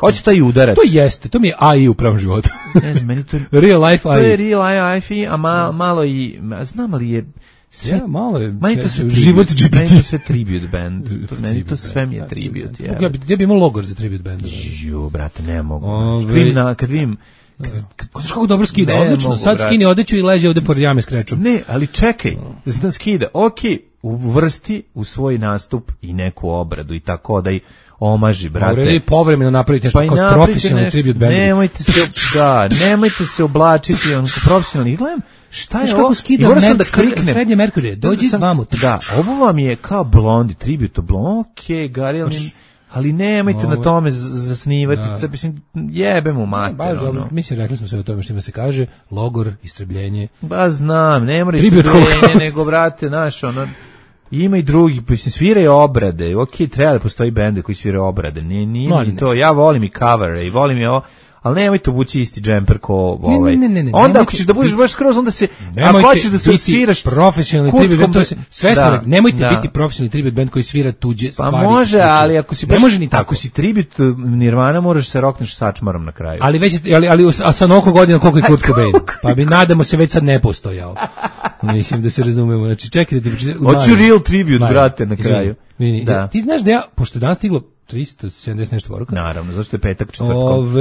hoće taj udarac. To jeste, to mi je AI u pravom životu. Ne znam, meni to real life AI. To je real life, a malo i, znam ali je sve, malo je život GPT. Meni to sve tribute band. Meni to sve mi je tribute. Ja bi imao logor za tribute band. Brate, ne mogu. Kad vidim Znaš kako dobro skida, odlično. Sad skini odeću i leže ovde pored jame s krečom. Ne, ali čekaj, skida, uvrsti u svoj nastup i neku obradu i tako da i omaži, brate. Morali povremeno napraviti nešto kao profesionalni tribute band. Nemojte se oblačiti on profesionalni. Gledam, šta je ovo? I moram da kliknem. Freddie Mercury, dođi vamo. Da, ovo vam je kao Blondie, tribute Blondie, Gary Allen. Ali nemojte na tome zasnivati, mislim, jebe mu mater. Baš dobro, mislim, rekli smo sve o tome što ima se kaže, logor, istrebljenje. Ba znam, ne mora istrebljenje, nego, brate, znaš, ono, ima i drugi, mislim, sviraju obrade, okej, treba da postoji bende koji sviraju obrade, nije ni to, ja volim i covere i volim i ovo, ali nemojte obući isti džemper ko ovaj. Ne, onda ako ćeš da budeš baš skroz, onda se, ako hoćeš da se osviraš profesionalni tribute band, to se sve smo, nemojte biti profesionalni tribute band koji svira tuđe stvari. Pa može, ali ako si baš, ako si tribute Nirvana, moraš se rokneš sačmarom na kraju. Ali već, ali a sa mnogo godina koliko je Kurt Cobain, pa bi nadamo se već sad ne postojao. Mislim da se razumemo. Znači čekajte, hoću real tribute, brate, na kraju. Da. Ti znaš da ja, pošto danas stiglo 370 nešto poruka. Naravno, zašto je petak, četvrtkom.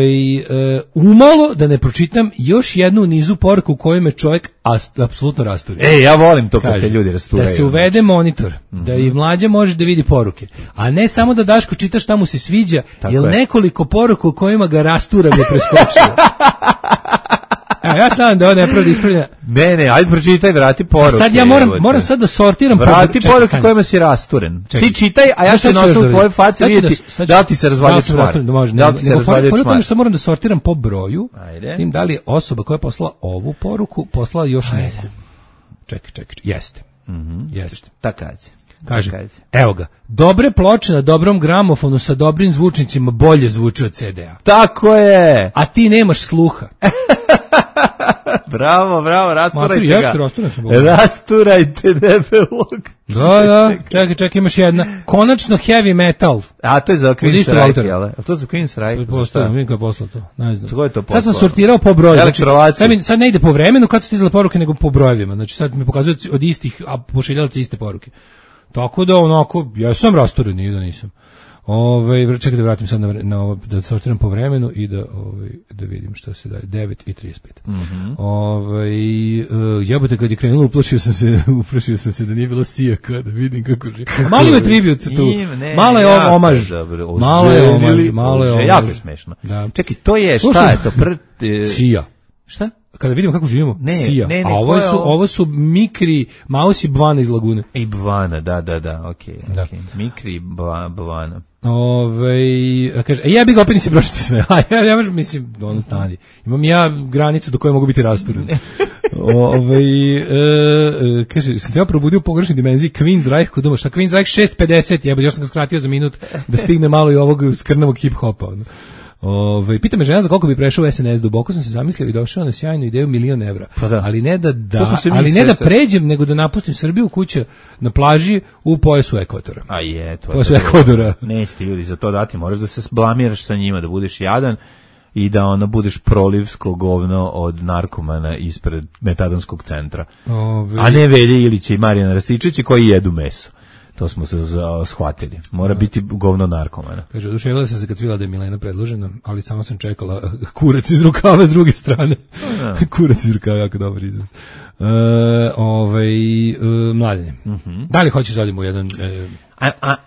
Umalo da ne pročitam još jednu u nizu poruka u kojoj me čovjek apsolutno rasturi. Ja volim to kad te ljudi rasturaju. Da se uvede monitor, da i mlađa može da vidi poruke. A ne samo da Daško čita šta mu se sviđa, jer nekoliko poruka u kojima ga rastura me preskočio. Evo, ja znam da ovo ne pravi ispravljena. Ne, ajde pročitaj, vrati poruke. Sad ja moram sad da sortiram vrati poruke kojima si rasturen. Ti čitaj, a ja ću na osnovu tvoje face vidjeti da ti se razvalja čvar. Da ti se razvalja čvar. Što moram da sortiram po broju, tim da li je osoba koja je poslala ovu poruku, poslala još neku. Čekaj, jeste. Jeste. Takac. Kaže, evo ga, dobre ploče na dobrom gramofonu sa dobrim zvučnicima bolje zvuče od CD-a. Tako je! A ti nemaš sluha. Bravo, rasturajte ga. Rasturajte debelog. Da, čekaj, imaš jedna. Konačno heavy metal. A to je za Queen's Reich, jel? A to je za Queen's Reich. Postavljam, vidim kao poslao to. Ne znam. Ko je to poslao? Sad sam sortirao po broju. Sad ne ide po vremenu kad su stizale poruke, nego po brojevima. Znači sad mi pokazuju od istih, a pošiljalci iste poruke. Tako da onako, ja sam rasturen, nije da nisam. Čekaj da vratim sad na ovo, da sortiram po vremenu i da vidim šta se daje. 9:35. Jebote, kad je krenulo, uplašio sam se da nije bilo sijaka, da vidim kako živi. Malo je tribut tu. Malo je omaž. Malo je omaž. Jako je smešno. Čekaj, to je, šta je to? Sija. Šta? Kada vidimo kako živimo, sija. Ne, a ovo su Mikri, Maus i Bvana iz Lagune. I Bvana, da, okej. Mikri i Bvana. Kaže, ja bih ga opet nisi pročito sve. Ja mislim, ono stani. Imam ja granicu do koje mogu biti rasturen. Kaže, sam se ja probudio u pogrešnoj dimenziji Queen's Reich kod doma. Šta Queen's Reich 6:50, još sam ga skratio za minut da stigne malo i ovog skrnavog hip-hopa. Pita me žena za koliko bi prešao u SNS, duboko sam se zamislio i došao na sjajnu ideju $1.000.000. Pa da. Ali ne da pređem, nego da napustim Srbiju kuća na plaži u pojasu ekvatora. A je, to pojasu Ekvadora. Neće ti ljudi za to dati, moraš da se blamiraš sa njima, da budeš jadan i da budeš prolivsko govno od narkomana ispred metadonskog centra. A ne Velje Ilića i Marijana Rastičevića koji jedu meso. To smo se shvatili. Mora biti govno narkomana. Kaže, oduševila sam se kad videla da je Milena predložena, ali samo sam čekala kurac iz rukava s druge strane. Kurac iz rukava, jako dobar izraz. Mladenje. Da li hoćeš da odimo u jedan...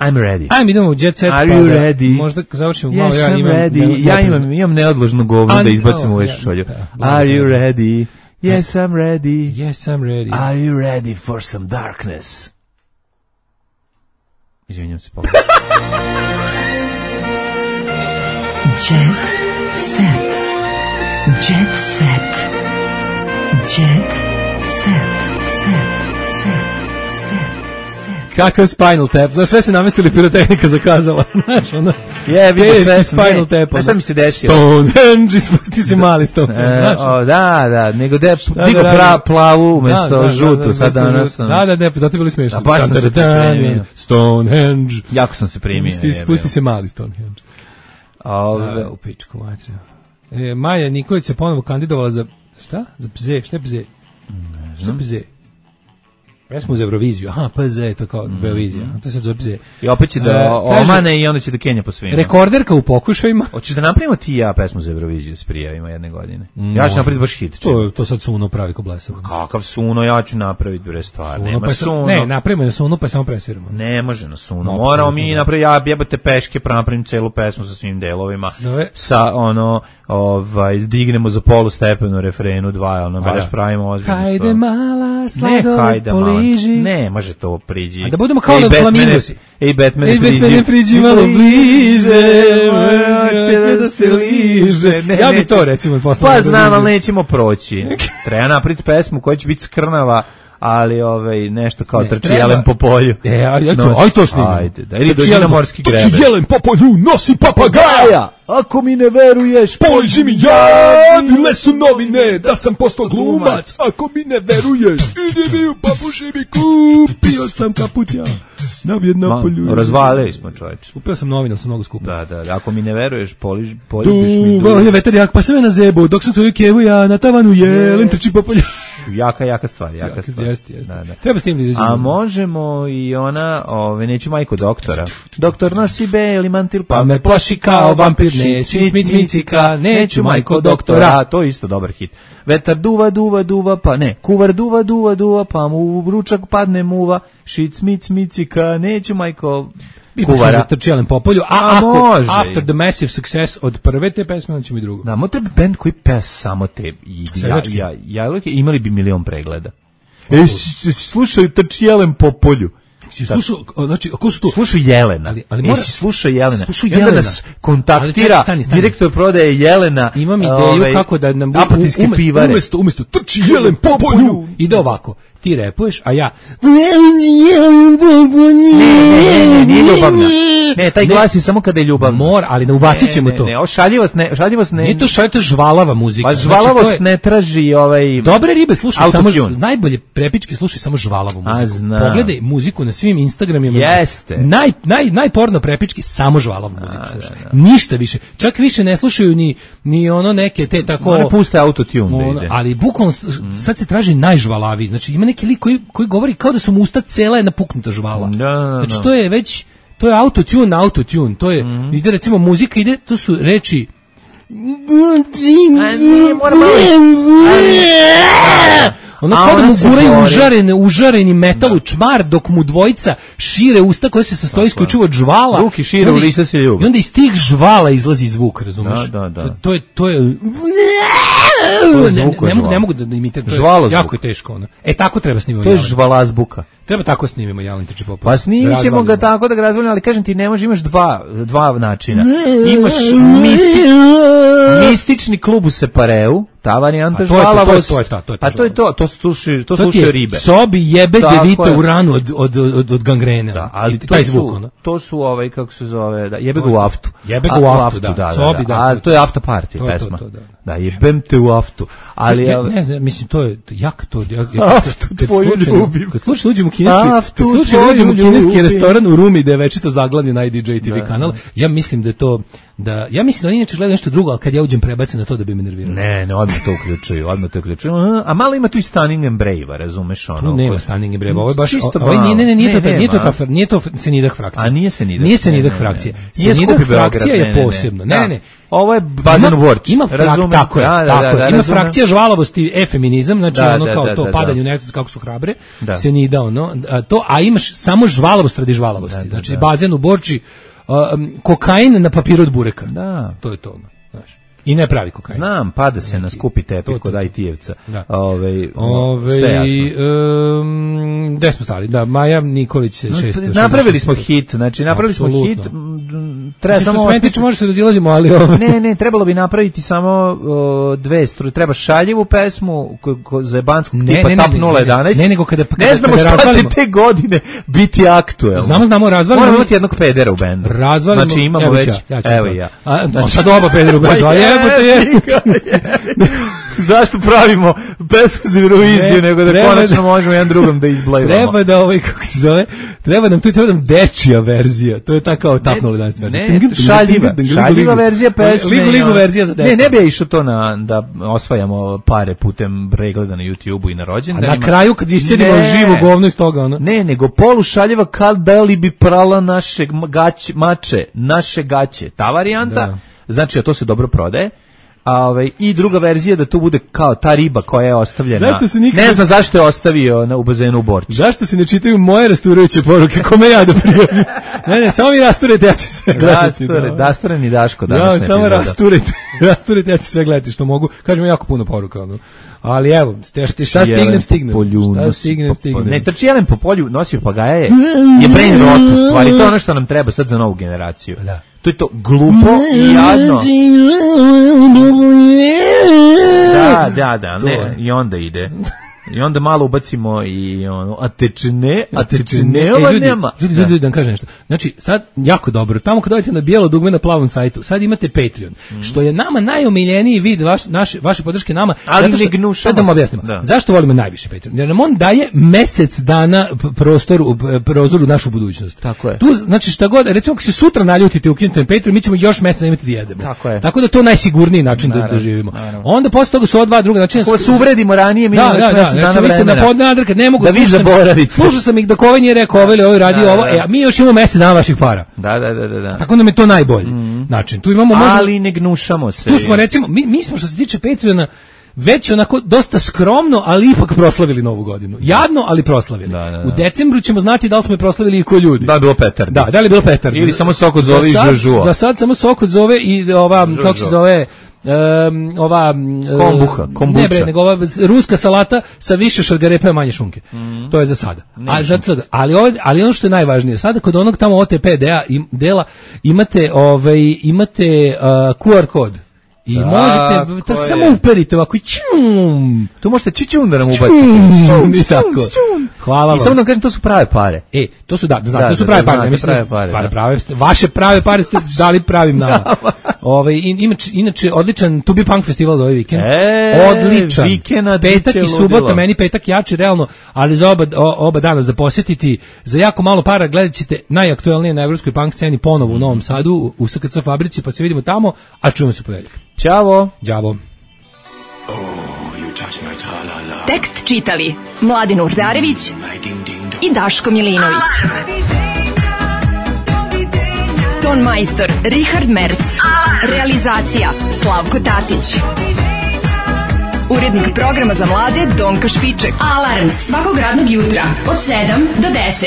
I'm ready. Ajme, idemo u Jet Set. Are you ready? Možda završimo malo. Yes, I'm ready. Ja imam neodložno govno da izbacimo u šolju. Are you ready? Yes, I'm ready. Yes, I'm ready. Are you ready for some darkness? Izvinjam se, pogledaj. Jet set. Jet set. Jet set. Kakav Spinal Tap? Za sve se namestili pirotehnika zakazala. Znaš, ono... sve Spinal Tap. A šta mi se desilo? Stonehenge, ispusti se mali Stonehenge. Da, nego da je digo plavu umjesto žutu. Sad danas... Da, zato je bilo smiješno. A baš sam se primio. Stonehenge. Jako sam se primio. Spusti se mali Stonehenge. U pičku materiju. Maja Nikolić se ponovo kandidovala za... Šta? Za PZ? Šta je PZ? Šta je PZ? Jesmo za Euroviziju, PZ, to je kao Beovizija, to se zove PZ. I opet će da omane i onda će da Kenja po svima. Rekorderka u pokušajima. Hoćeš da napravimo ti i ja pesmu za Euroviziju s prijavima jedne godine? Ja ću napraviti baš hit. To sad Suno pravi ko blesav. Kakav Suno, ja ću napraviti bre stvar. Nema Suno. Ne, napravimo na Suno pa samo presviramo. Ne može na Suno. Moramo mi napraviti, ja jebate peške, napravim celu pesmu sa svim delovima. Sa dignemo za polu stepenu refrenu 2, baš pravimo ozbiljno. Hajde mala, sladovi priđi. Ne, može to priđi. A da budemo kao na Flamingosi. Ej, Batmane, priđi malo bliže, hoće da se liže. Ja bi to recimo poslao. Pa znam, ali nećemo proći. Treba napraviti pesmu koja će biti skrnava, ali nešto kao trči jelen po polju. Aj to snimimo. Ajde, da. Ili dođi na morski grebe. Trči jelen po polju, nosi papagaja. Ako mi ne veruješ, poliži mi ja, dile su novine, da sam postao glumac. Ako mi ne veruješ, idi mi u papuši mi kupio sam kaput ja. Na Vjetnapolju. Razvalili smo, čoveče. Kupio sam novine, sam mnogo skupo. Da, ako mi ne veruješ, poližiš mi duva. Je vetar jak, pa sam je na zebu, dok sam svoju kevu ja na tavanu jelen, trči po polju. Jaka stvar. Jeste. Treba s tim da izađemo. A možemo i ona, neću majku doktora. Doktor nosi beli mantil, pa me plaši kao vampir, micika, neću majko doktora. To je isto dobar hit. Vetar duva, pa ne, kuvar duva, pa mu u ručak padne muva, šic, micika, neću majko kuvara. Trči jelen po polju, a ako After the Massive Success od prve te pesme, onda ćemo i drugo. Da, treba band koji pes samo te, imali bi 1.000.000 pregleda. Slušaju trči jelen po polju. Slušao, znači, ako su to? Slušao Jelena. Ali slušao Jelena. Slušao Jelena. Nas kontaktira direktor prodaje Jelena. Imam ideju kako da nam apatitske pivare. Umesto trči jelen po polju. Ide ovako. Ti repuješ, a ja nije ljubavna. Ne, taj glas je samo kada je ljubavna. Ali ne ubacit ćemo to. Ne, šaljivost ne. Nije to šaljivost, žvalava muzika. Pa žvalavost ne traži Dobre ribe slušaj samo, najbolje prepičke slušaj samo žvalavu muziku. Pogledaj muziku na svim Instagramima. Jeste. Najporno prepičke samo žvalavu muziku slušaj. Ništa više. Čak više ne slušaju ni ono neke te tako. One puste autotune da ide. Ali bukvalno sad se traži najžvalaviji. Znači ima neki lik koji govori kao da su mu usta cela jedna puknuta žvala. Znači to je već, to je autotune, to je, ide recimo muzika, ide, to su reči ono kao da mu guraju užareni metal u čmar, dok mu dvojica šire usta koja se sastoji isključivo od žvala. Ruki šire, u lisa se ljubi. I onda iz tih žvala izlazi zvuk, razumeš? Da. To je ne mogu da imitiram. Jako je teško ono. Tako treba snimimo. To je žvalazbuka. Treba tako snimimo Jelen trči po polju. Pa snimit ćemo ga tako da ga razvaljamo, ali kažem ti, ne može, imaš dva načina. Imaš mistični klub u Separeu, ta varijanta žvalavost. To je to slušaju ribe. Sobi jebe devite u ranu od gangrene. Da, ali taj zvuk, ono. To su kako se zove, jebe ga u aftu. Jebe ga u aftu, da. Sobi, da. A to je after party pesma. Da, jebem te u aftu. Ali ne znam, mislim, to je jak to. Aftu tvoju ljubim. Kad slučajno uđemo u kineski restoran u Rumi, da je večito zaglavljen na IDJ TV kanal, ja mislim da je to, ja mislim da oni inače gledaju nešto drugo, ali kad ja uđem prebacim na to da bi me nervirao. Ne, odmah to uključuju. A malo ima tu i Stunning and Brave, razumeš ono? Tu nema Stunning and Brave, ovo je baš, nije to Senidah frakcija. A nije Senidah frakcija. Senidah frakcija je posebno. Ne. Ovo je Bazen Vorč. Ima ima frakcija žvalavosti, efeminizam, znači ono kao to padanje u nesvest kako su hrabre, se nije dao to, a imaš samo žvalavost radi žvalavosti. Znači Bazen u Borči, kokain na papiru od bureka. Da. To je to, znaš. I ne pravi kokain. Znam, pada se na skupi tepih kod IT-evca. Sve jasno. Gde smo stali? Da, Maja Nikolić se napravili smo hit, treba samo može se razilazimo, ali ne, trebalo bi napraviti samo dve struje. Treba šaljivu pesmu za jebanskog tipa Tap 011. Ne, nego kada ne znamo šta će te godine biti aktuelno. Znamo, razvalimo. Moramo imati jednog pedera u bendu. Znači imamo već, evo ja. Sad oba pedera u bendu, zašto pravimo pesmu za Euroviziju, nego da konačno možemo jedan drugom da izblajvamo. Treba da kako se zove, treba nam dečija verzija, to je ta kao Tap 011 verzija. Šaljiva verzija pesme. Ligu verzija za decu. Ne bi ja išao to da osvajamo pare putem pregleda na YouTube-u i na rođendanima. A na kraju kad iscedimo živo govno iz toga, ono. Ne, nego polušaljiva kad da li bi prala naše gaće. Ta varijanta, znači, a to se dobro prodaje. I druga verzija da to bude kao ta riba koja je ostavljena. Ne zna zašto je ostavio u bazenu u Borči. Zašto se ne čitaju moje rasturajuće poruke? Kome ja da prijavim? Ne, samo vi rasturajte, ja ću sve gledati. Rasturen i Daško današnja epizoda. Samo rasturajte, ja ću sve gledati što mogu. Kažem jako puno poruka. Ali evo, šta stignem. Ne, trči jelen po polju, nosi papagaja je brain rot u stvari. To je ono što nam treba sad za novu generaciju. Da. To je to glupo i jadno. Da, ne, i onda ide. I onda malo ubacimo i ono, a tečne ova nema. Ljudi, da vam kažem nešto. Znači, sad, jako dobro, tamo kad dojete na bijelo dugme na plavom sajtu, sad imate Patreon, što je nama najomiljeniji vid vaše podrške nama. Ali ne gnušamo. Sad da vam objasnimo. Zašto volimo najviše Patreon? Jer nam on daje mesec dana prozor u našu budućnost. Tako je. Tu, znači, šta god, recimo, ako se sutra naljutite ukinete Patreon, mi ćemo još mesec imati da jedemo. Tako je. Tako da to je najsigurniji način da živimo. Onda posle toga su ova dva druga načina. Ako se uvredimo ranije, mi ne mogu da vi zaboravite. Slušao sam ih da Kove nije rekao ovo radi ovo, a mi još imamo mesec dana vaših para. Da. Tako nam je to najbolji način. Tu imamo ali ne gnušamo se. Tu smo recimo, mi smo što se tiče Patreona već onako dosta skromno, ali ipak proslavili novu godinu. Jadno, ali proslavili. U decembru ćemo znati da li smo je proslavili i ko ljudi. Da li bilo petardi. Da li je bilo petardi. Ili samo sok od zove i žužua. Za sad samo sok od zove i ova, kako se zove, kombuča. Ne bre, nego ova ruska salata sa više šargarepe, manje šunke. To je za sada. Ali ono što je najvažnije, sada kod onog tamo OTP dela imate QR kod. I možete, samo uperite ovako i čum. Tu možete čum da nam ubacite. Hvala vam. I samo da kažem, to su prave pare. To su, to su prave pare. Vaše prave pare ste dali pravim nama. Inače, odličan To Be Punk festival za ovaj vikend. Odličan. Petak i subota, meni petak jači realno, ali za oba dana za posjetiti, za jako malo para gledat ćete najaktuelnije na evropskoj punk sceni ponovo u Novom Sadu, u SKC fabrici, pa se vidimo tamo, a čujemo se ponedeljak. Ćao. Đavo. Tekst čitali Mladin Urdarević i Daško Milinović. Ton majstor Richard Merc. Realizacija Slavko Tatić. Urednik programa za mlade Donka Špiček. Alarms svakog radnog jutra od 7 do 10.